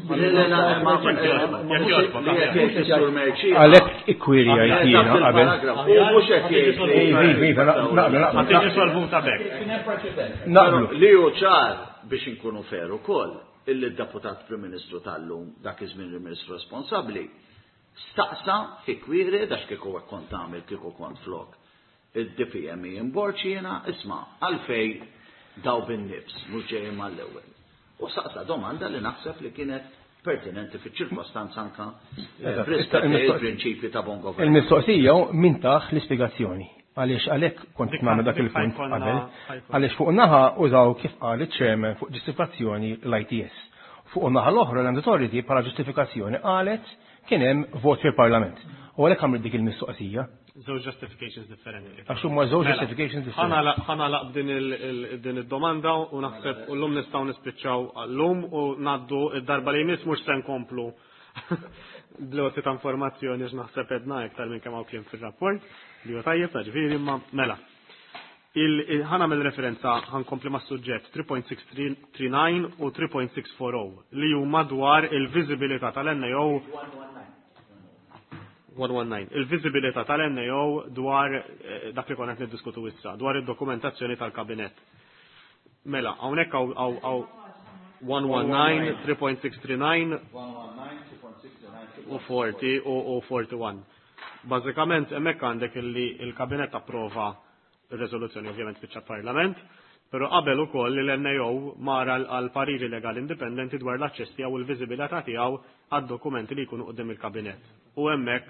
Speaker 9: Għalhekk ikkwiri jiena qabel.
Speaker 7: Mhux qed
Speaker 9: jgħid. Iva, naqbel,
Speaker 2: Ma tiġi solvuta b'hekk.
Speaker 9: Naqblu.
Speaker 7: Li hu ċar biex inkunu fair ukoll illi d-deputat Prim Ministru tal-lum, dak iż-żmien il-Ministru responsabbli, staqsa fi query dax kieku hekk kont tagħmel kieku kont flok id-D P M Ian Borg jiena, isma', għalfej daw bin-nifs mhux ġejjin mal-ewwel. U saqsa domanda li naħseb li kienet pertinenti fiċ-ċirkostanza anka b'rispett il-prinċipji ta' bon govern.
Speaker 9: Il-mistoqsija min tah l-ispjegazzjoni. Għaliex għalhekk kont nagħmel dak il-punt qabel, għaliex fuq naħa użaw kif qal iċ-chairman fuq ġustifikazzjoni l-I T S. Fuq naħa l-oħra l-Land Authority bħala ġustifikazzjoni qalet kien hemm vot fil-Parlament. U għalhekk għamlet dik il-mistoqsija.
Speaker 2: Żewġ justifications differenti.
Speaker 9: Għax huma żewġ justifications differenti.
Speaker 2: Ħanalaq din id-domanda u naħseb u llum nistgħu nispiċċaw llum u ngħaddu id-darba li jmiss mhux se nkomplu bl-għoti ta' informazzjoni għax naħseb edna iktar minn kemm hawn kliem fir-rapport li huwa tajjeb ta' ġifieri imma mela. Ħanagħmel referenza ħankompli mas-suġġett three point six three nine u three point six four oh li huma dwar il-viżibilità tal-N A O one one nine. Il-viżibilità tal-N A O dwar dak li konna qed niddiskutu issa, dwar id-dokumentazzjoni tal-kabinett. Mela, hawnhekk hawn one one nine, three point six three nine u forty u forty-one. Bażikament hemmhekk għandek illi il-kabinett approva ir-reżoluzzjoni ovvjament fiċ parlament, però qabel ukoll li l-N A O mara għal pariri legali indipendenti dwar l-aċċess tiegħu u l-viżibilità tiegħu għad-dokumenti li jkunu quddiem il-kabinett. U hemmhekk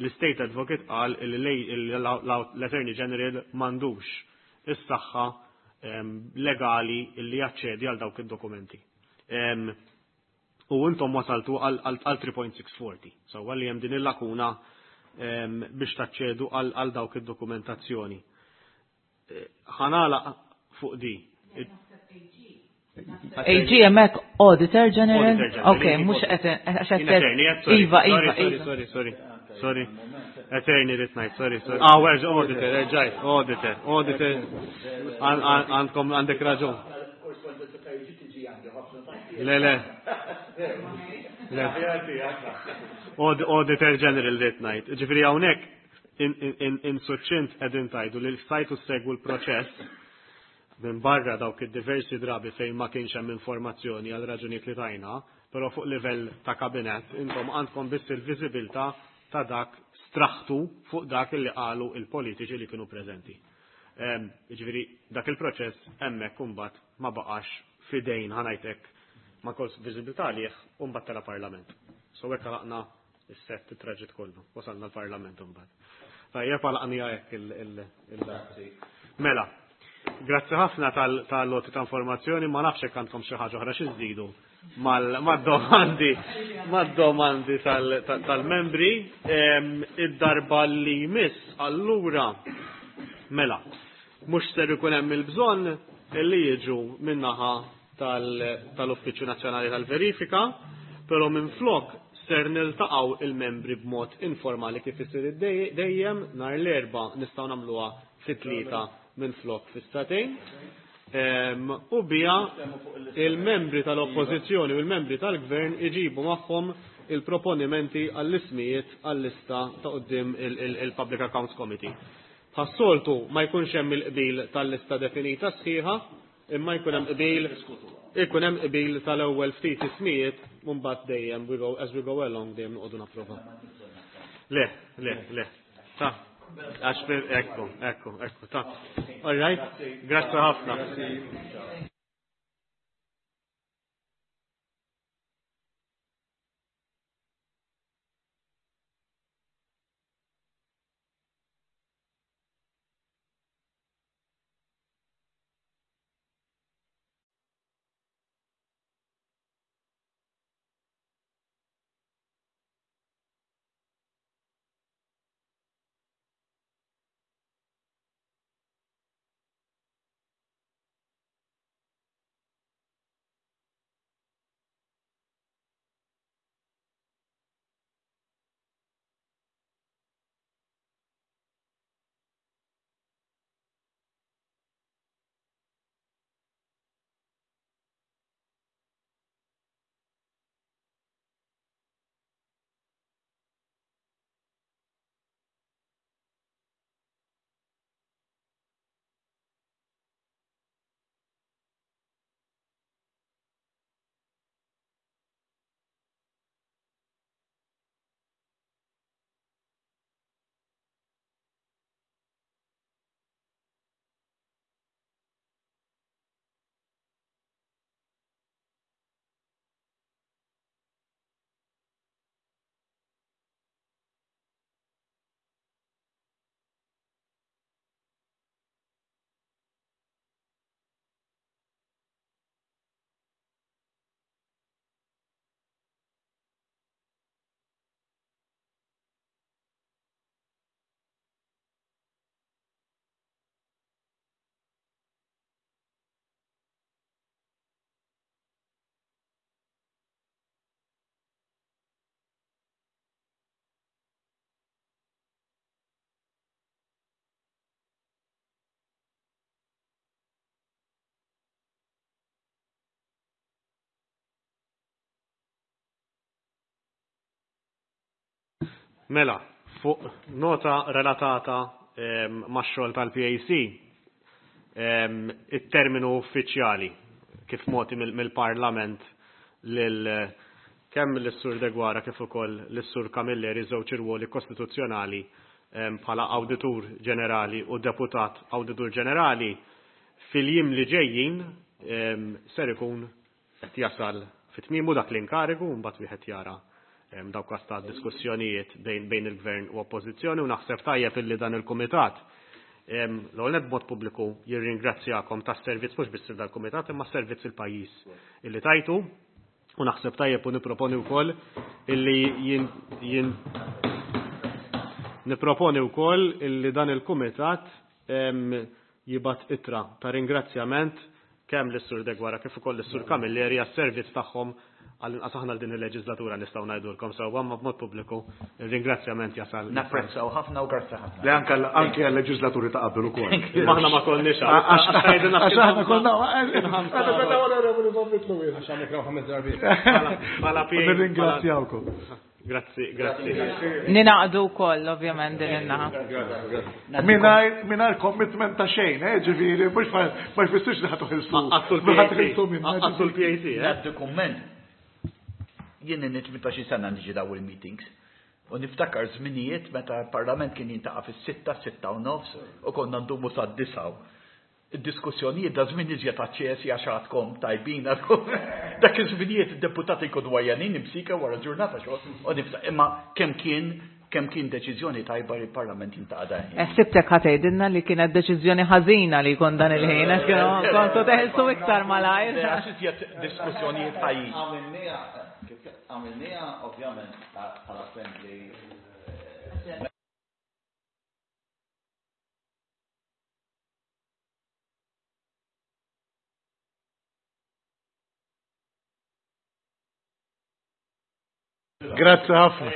Speaker 2: l-State Advocate qal li l-Attorney General m'għandux is-saħħa legali li jaċċedi għal dawk id-dokumenti. U intom wasaltu għal three point six forty. So għalli hemm din il-lakuna biex taċċedu għal dawk id-dokumentazzjoni. Ħanala fuq di.
Speaker 6: A G hemmhekk Auditor General? Ok, mhux qed Iva, Iva,
Speaker 2: sorry, sorry, sorry. Attorney rid ngħid, sorry, sorry. Ah, where's auditor, erġajt, auditor, auditor. Għandkom għandek raġun. Le, le. Le. Auditor General rid ngħid. Ġifieri hawnhekk in suċċint qegħdin tajdu li stajtu segwu l-proċess minn barra dawk id-diversi drabi fejn ma kienx hemm informazzjoni għal raġunijiet li tajna, però fuq livell ta' kabinett intom għandkom biss il-viżibilità ta' dak straħtu fuq dak li qalu il-politiċi li kienu preżenti. Jiġifieri dak il-proċess hemmhekk imbagħad ma baqax fidejn ħanajtek ma kolx viżibilità għalih u mbagħad tela parlament. So hekk għalaqna is-sett it-traġit kollu, wasalna l-parlament imbagħad. Tajjeb għalaqnija hekk il- Mela, grazzi ħafna tal-loti ta' informazzjoni, ma nafx hekk għandkom xi ħaġa oħra xi żżidu mad-domandi mad-domandi tal-membri. Id-darba li jmiss allura mela mhux ser ikun hemm il-bżonn li jiġu min-naħa tal-Uffiċċju Nazzjonali tal-Verifika, però minflok ser niltaqgħu il-membri b'mod informali kif isir dejjem nhar l-erba' nistgħu nagħmluha fit-tlieta minflok fis-satejn. U bija il-membri tal-Oppożizzjoni u l-membri tal-Gvern iġibu magħhom il-proponimenti għall-ismijiet għall-lista ta' quddiem il-Public Accounts Committee. Bħas-soltu ma jkunx hemm il-qbil tal-lista definita sħiħa, imma jkun hemm qbil ikun hemm qbil tal-ewwel ftit ismijiet u mbagħad dejjem we go as we go along dejjem noqogħdu napprova. Le, le, le. Ta' għax ekku, ekku, ekku, ta' All right, grazzi ħafna. Mela, fuq nota relatata max-xogħol tal-P A C, it-terminu uffiċjali kif moti mill-Parlament lil kemm lis-Sur Deguara kif ukoll lis-Sur Camilleri żewġ irwoli kostituzzjonali bħala Awditur Ġenerali u Deputat Awditur Ġenerali fil-jiem li ġejjin ser ikun qed jasal fit-tmiemu dak l-inkarigu u mbagħad wieħed jara dawk każ ta' diskussjonijiet bejn il-Gvern u Oppożizzjoni u naħseb tajjeb illi dan il-Kumitat l-ewwel nett b'mod pubbliku jirringrazzjakom tas-servizz mhux biss dal-Kumitat imma s-servizz il-pajjiż illi tajtu u naħseb tajjeb u nipproponi wkoll illi jien, jien nipproponi wkoll illi dan il-Kumitat jibgħat ittra ta' ringrazzjament kemm lis-Sur Deguara kif ukoll lis-Sur Camilleri għas-servizz tagħhom għall-inqas aħna din il-leġislatura nistgħu ngħidulkom sewwa ma b'mod pubbliku ir-ringrazzjament jasal.
Speaker 5: Napprezzaw ħafna u grazzi ħafna.
Speaker 3: Le anke anke għal-leġislaturi ta' qabel ukoll.
Speaker 2: Aħna ma konniex
Speaker 3: għax
Speaker 2: għax
Speaker 3: aħna konna aħna konna onorevoli Zammit Lewis.
Speaker 9: Għax għandek ħames darbiet.
Speaker 2: Bħala P A.
Speaker 3: Nirringrazzjawkom.
Speaker 2: Grazzi, grazzi.
Speaker 6: Ninaqdu wkoll ovvjament din in-naħa.
Speaker 3: Mingħajr, mingħajr commitment ta' xejn, eh, ġifieri, mhux ma, ma jfissirx li ħadd uħilsu.
Speaker 2: Għassu l-P A C.
Speaker 3: Ħadd uħilsu minna,
Speaker 2: Għassu l-P A C, eh?
Speaker 5: Ngħaddu kumment. Jien inni tmintax-il sena niġi daw il-meetings. U niftakar żminijiet meta l-Parlament kien jintaqa' fis-sitta, sitta u nofs, u konna ndumu sad-disgħa. Id-diskussjonijiet da żmien iżjed aċċesi għax għadkom tajbin, għadkom. Dak iż-żminijiet id-deputati jkunu għajjanin imsika wara ġurnata xogħol. U niftakar, imma kemm kien, kemm kien deċiżjoni tajba li l-Parlament jintaqa' dan il-ħin.
Speaker 6: Eh, sibtek ħa tgħidilna li kienet deċiżjoni ħażina li jkun dan il-ħin, għax kienu kontu teħilsu iktar malajr.
Speaker 5: Le, għax iżjed diskussjonijiet ħajjin.
Speaker 7: Għamilniha, għamilniha ovvjament bħala friendly.
Speaker 3: Grazzi ħafna.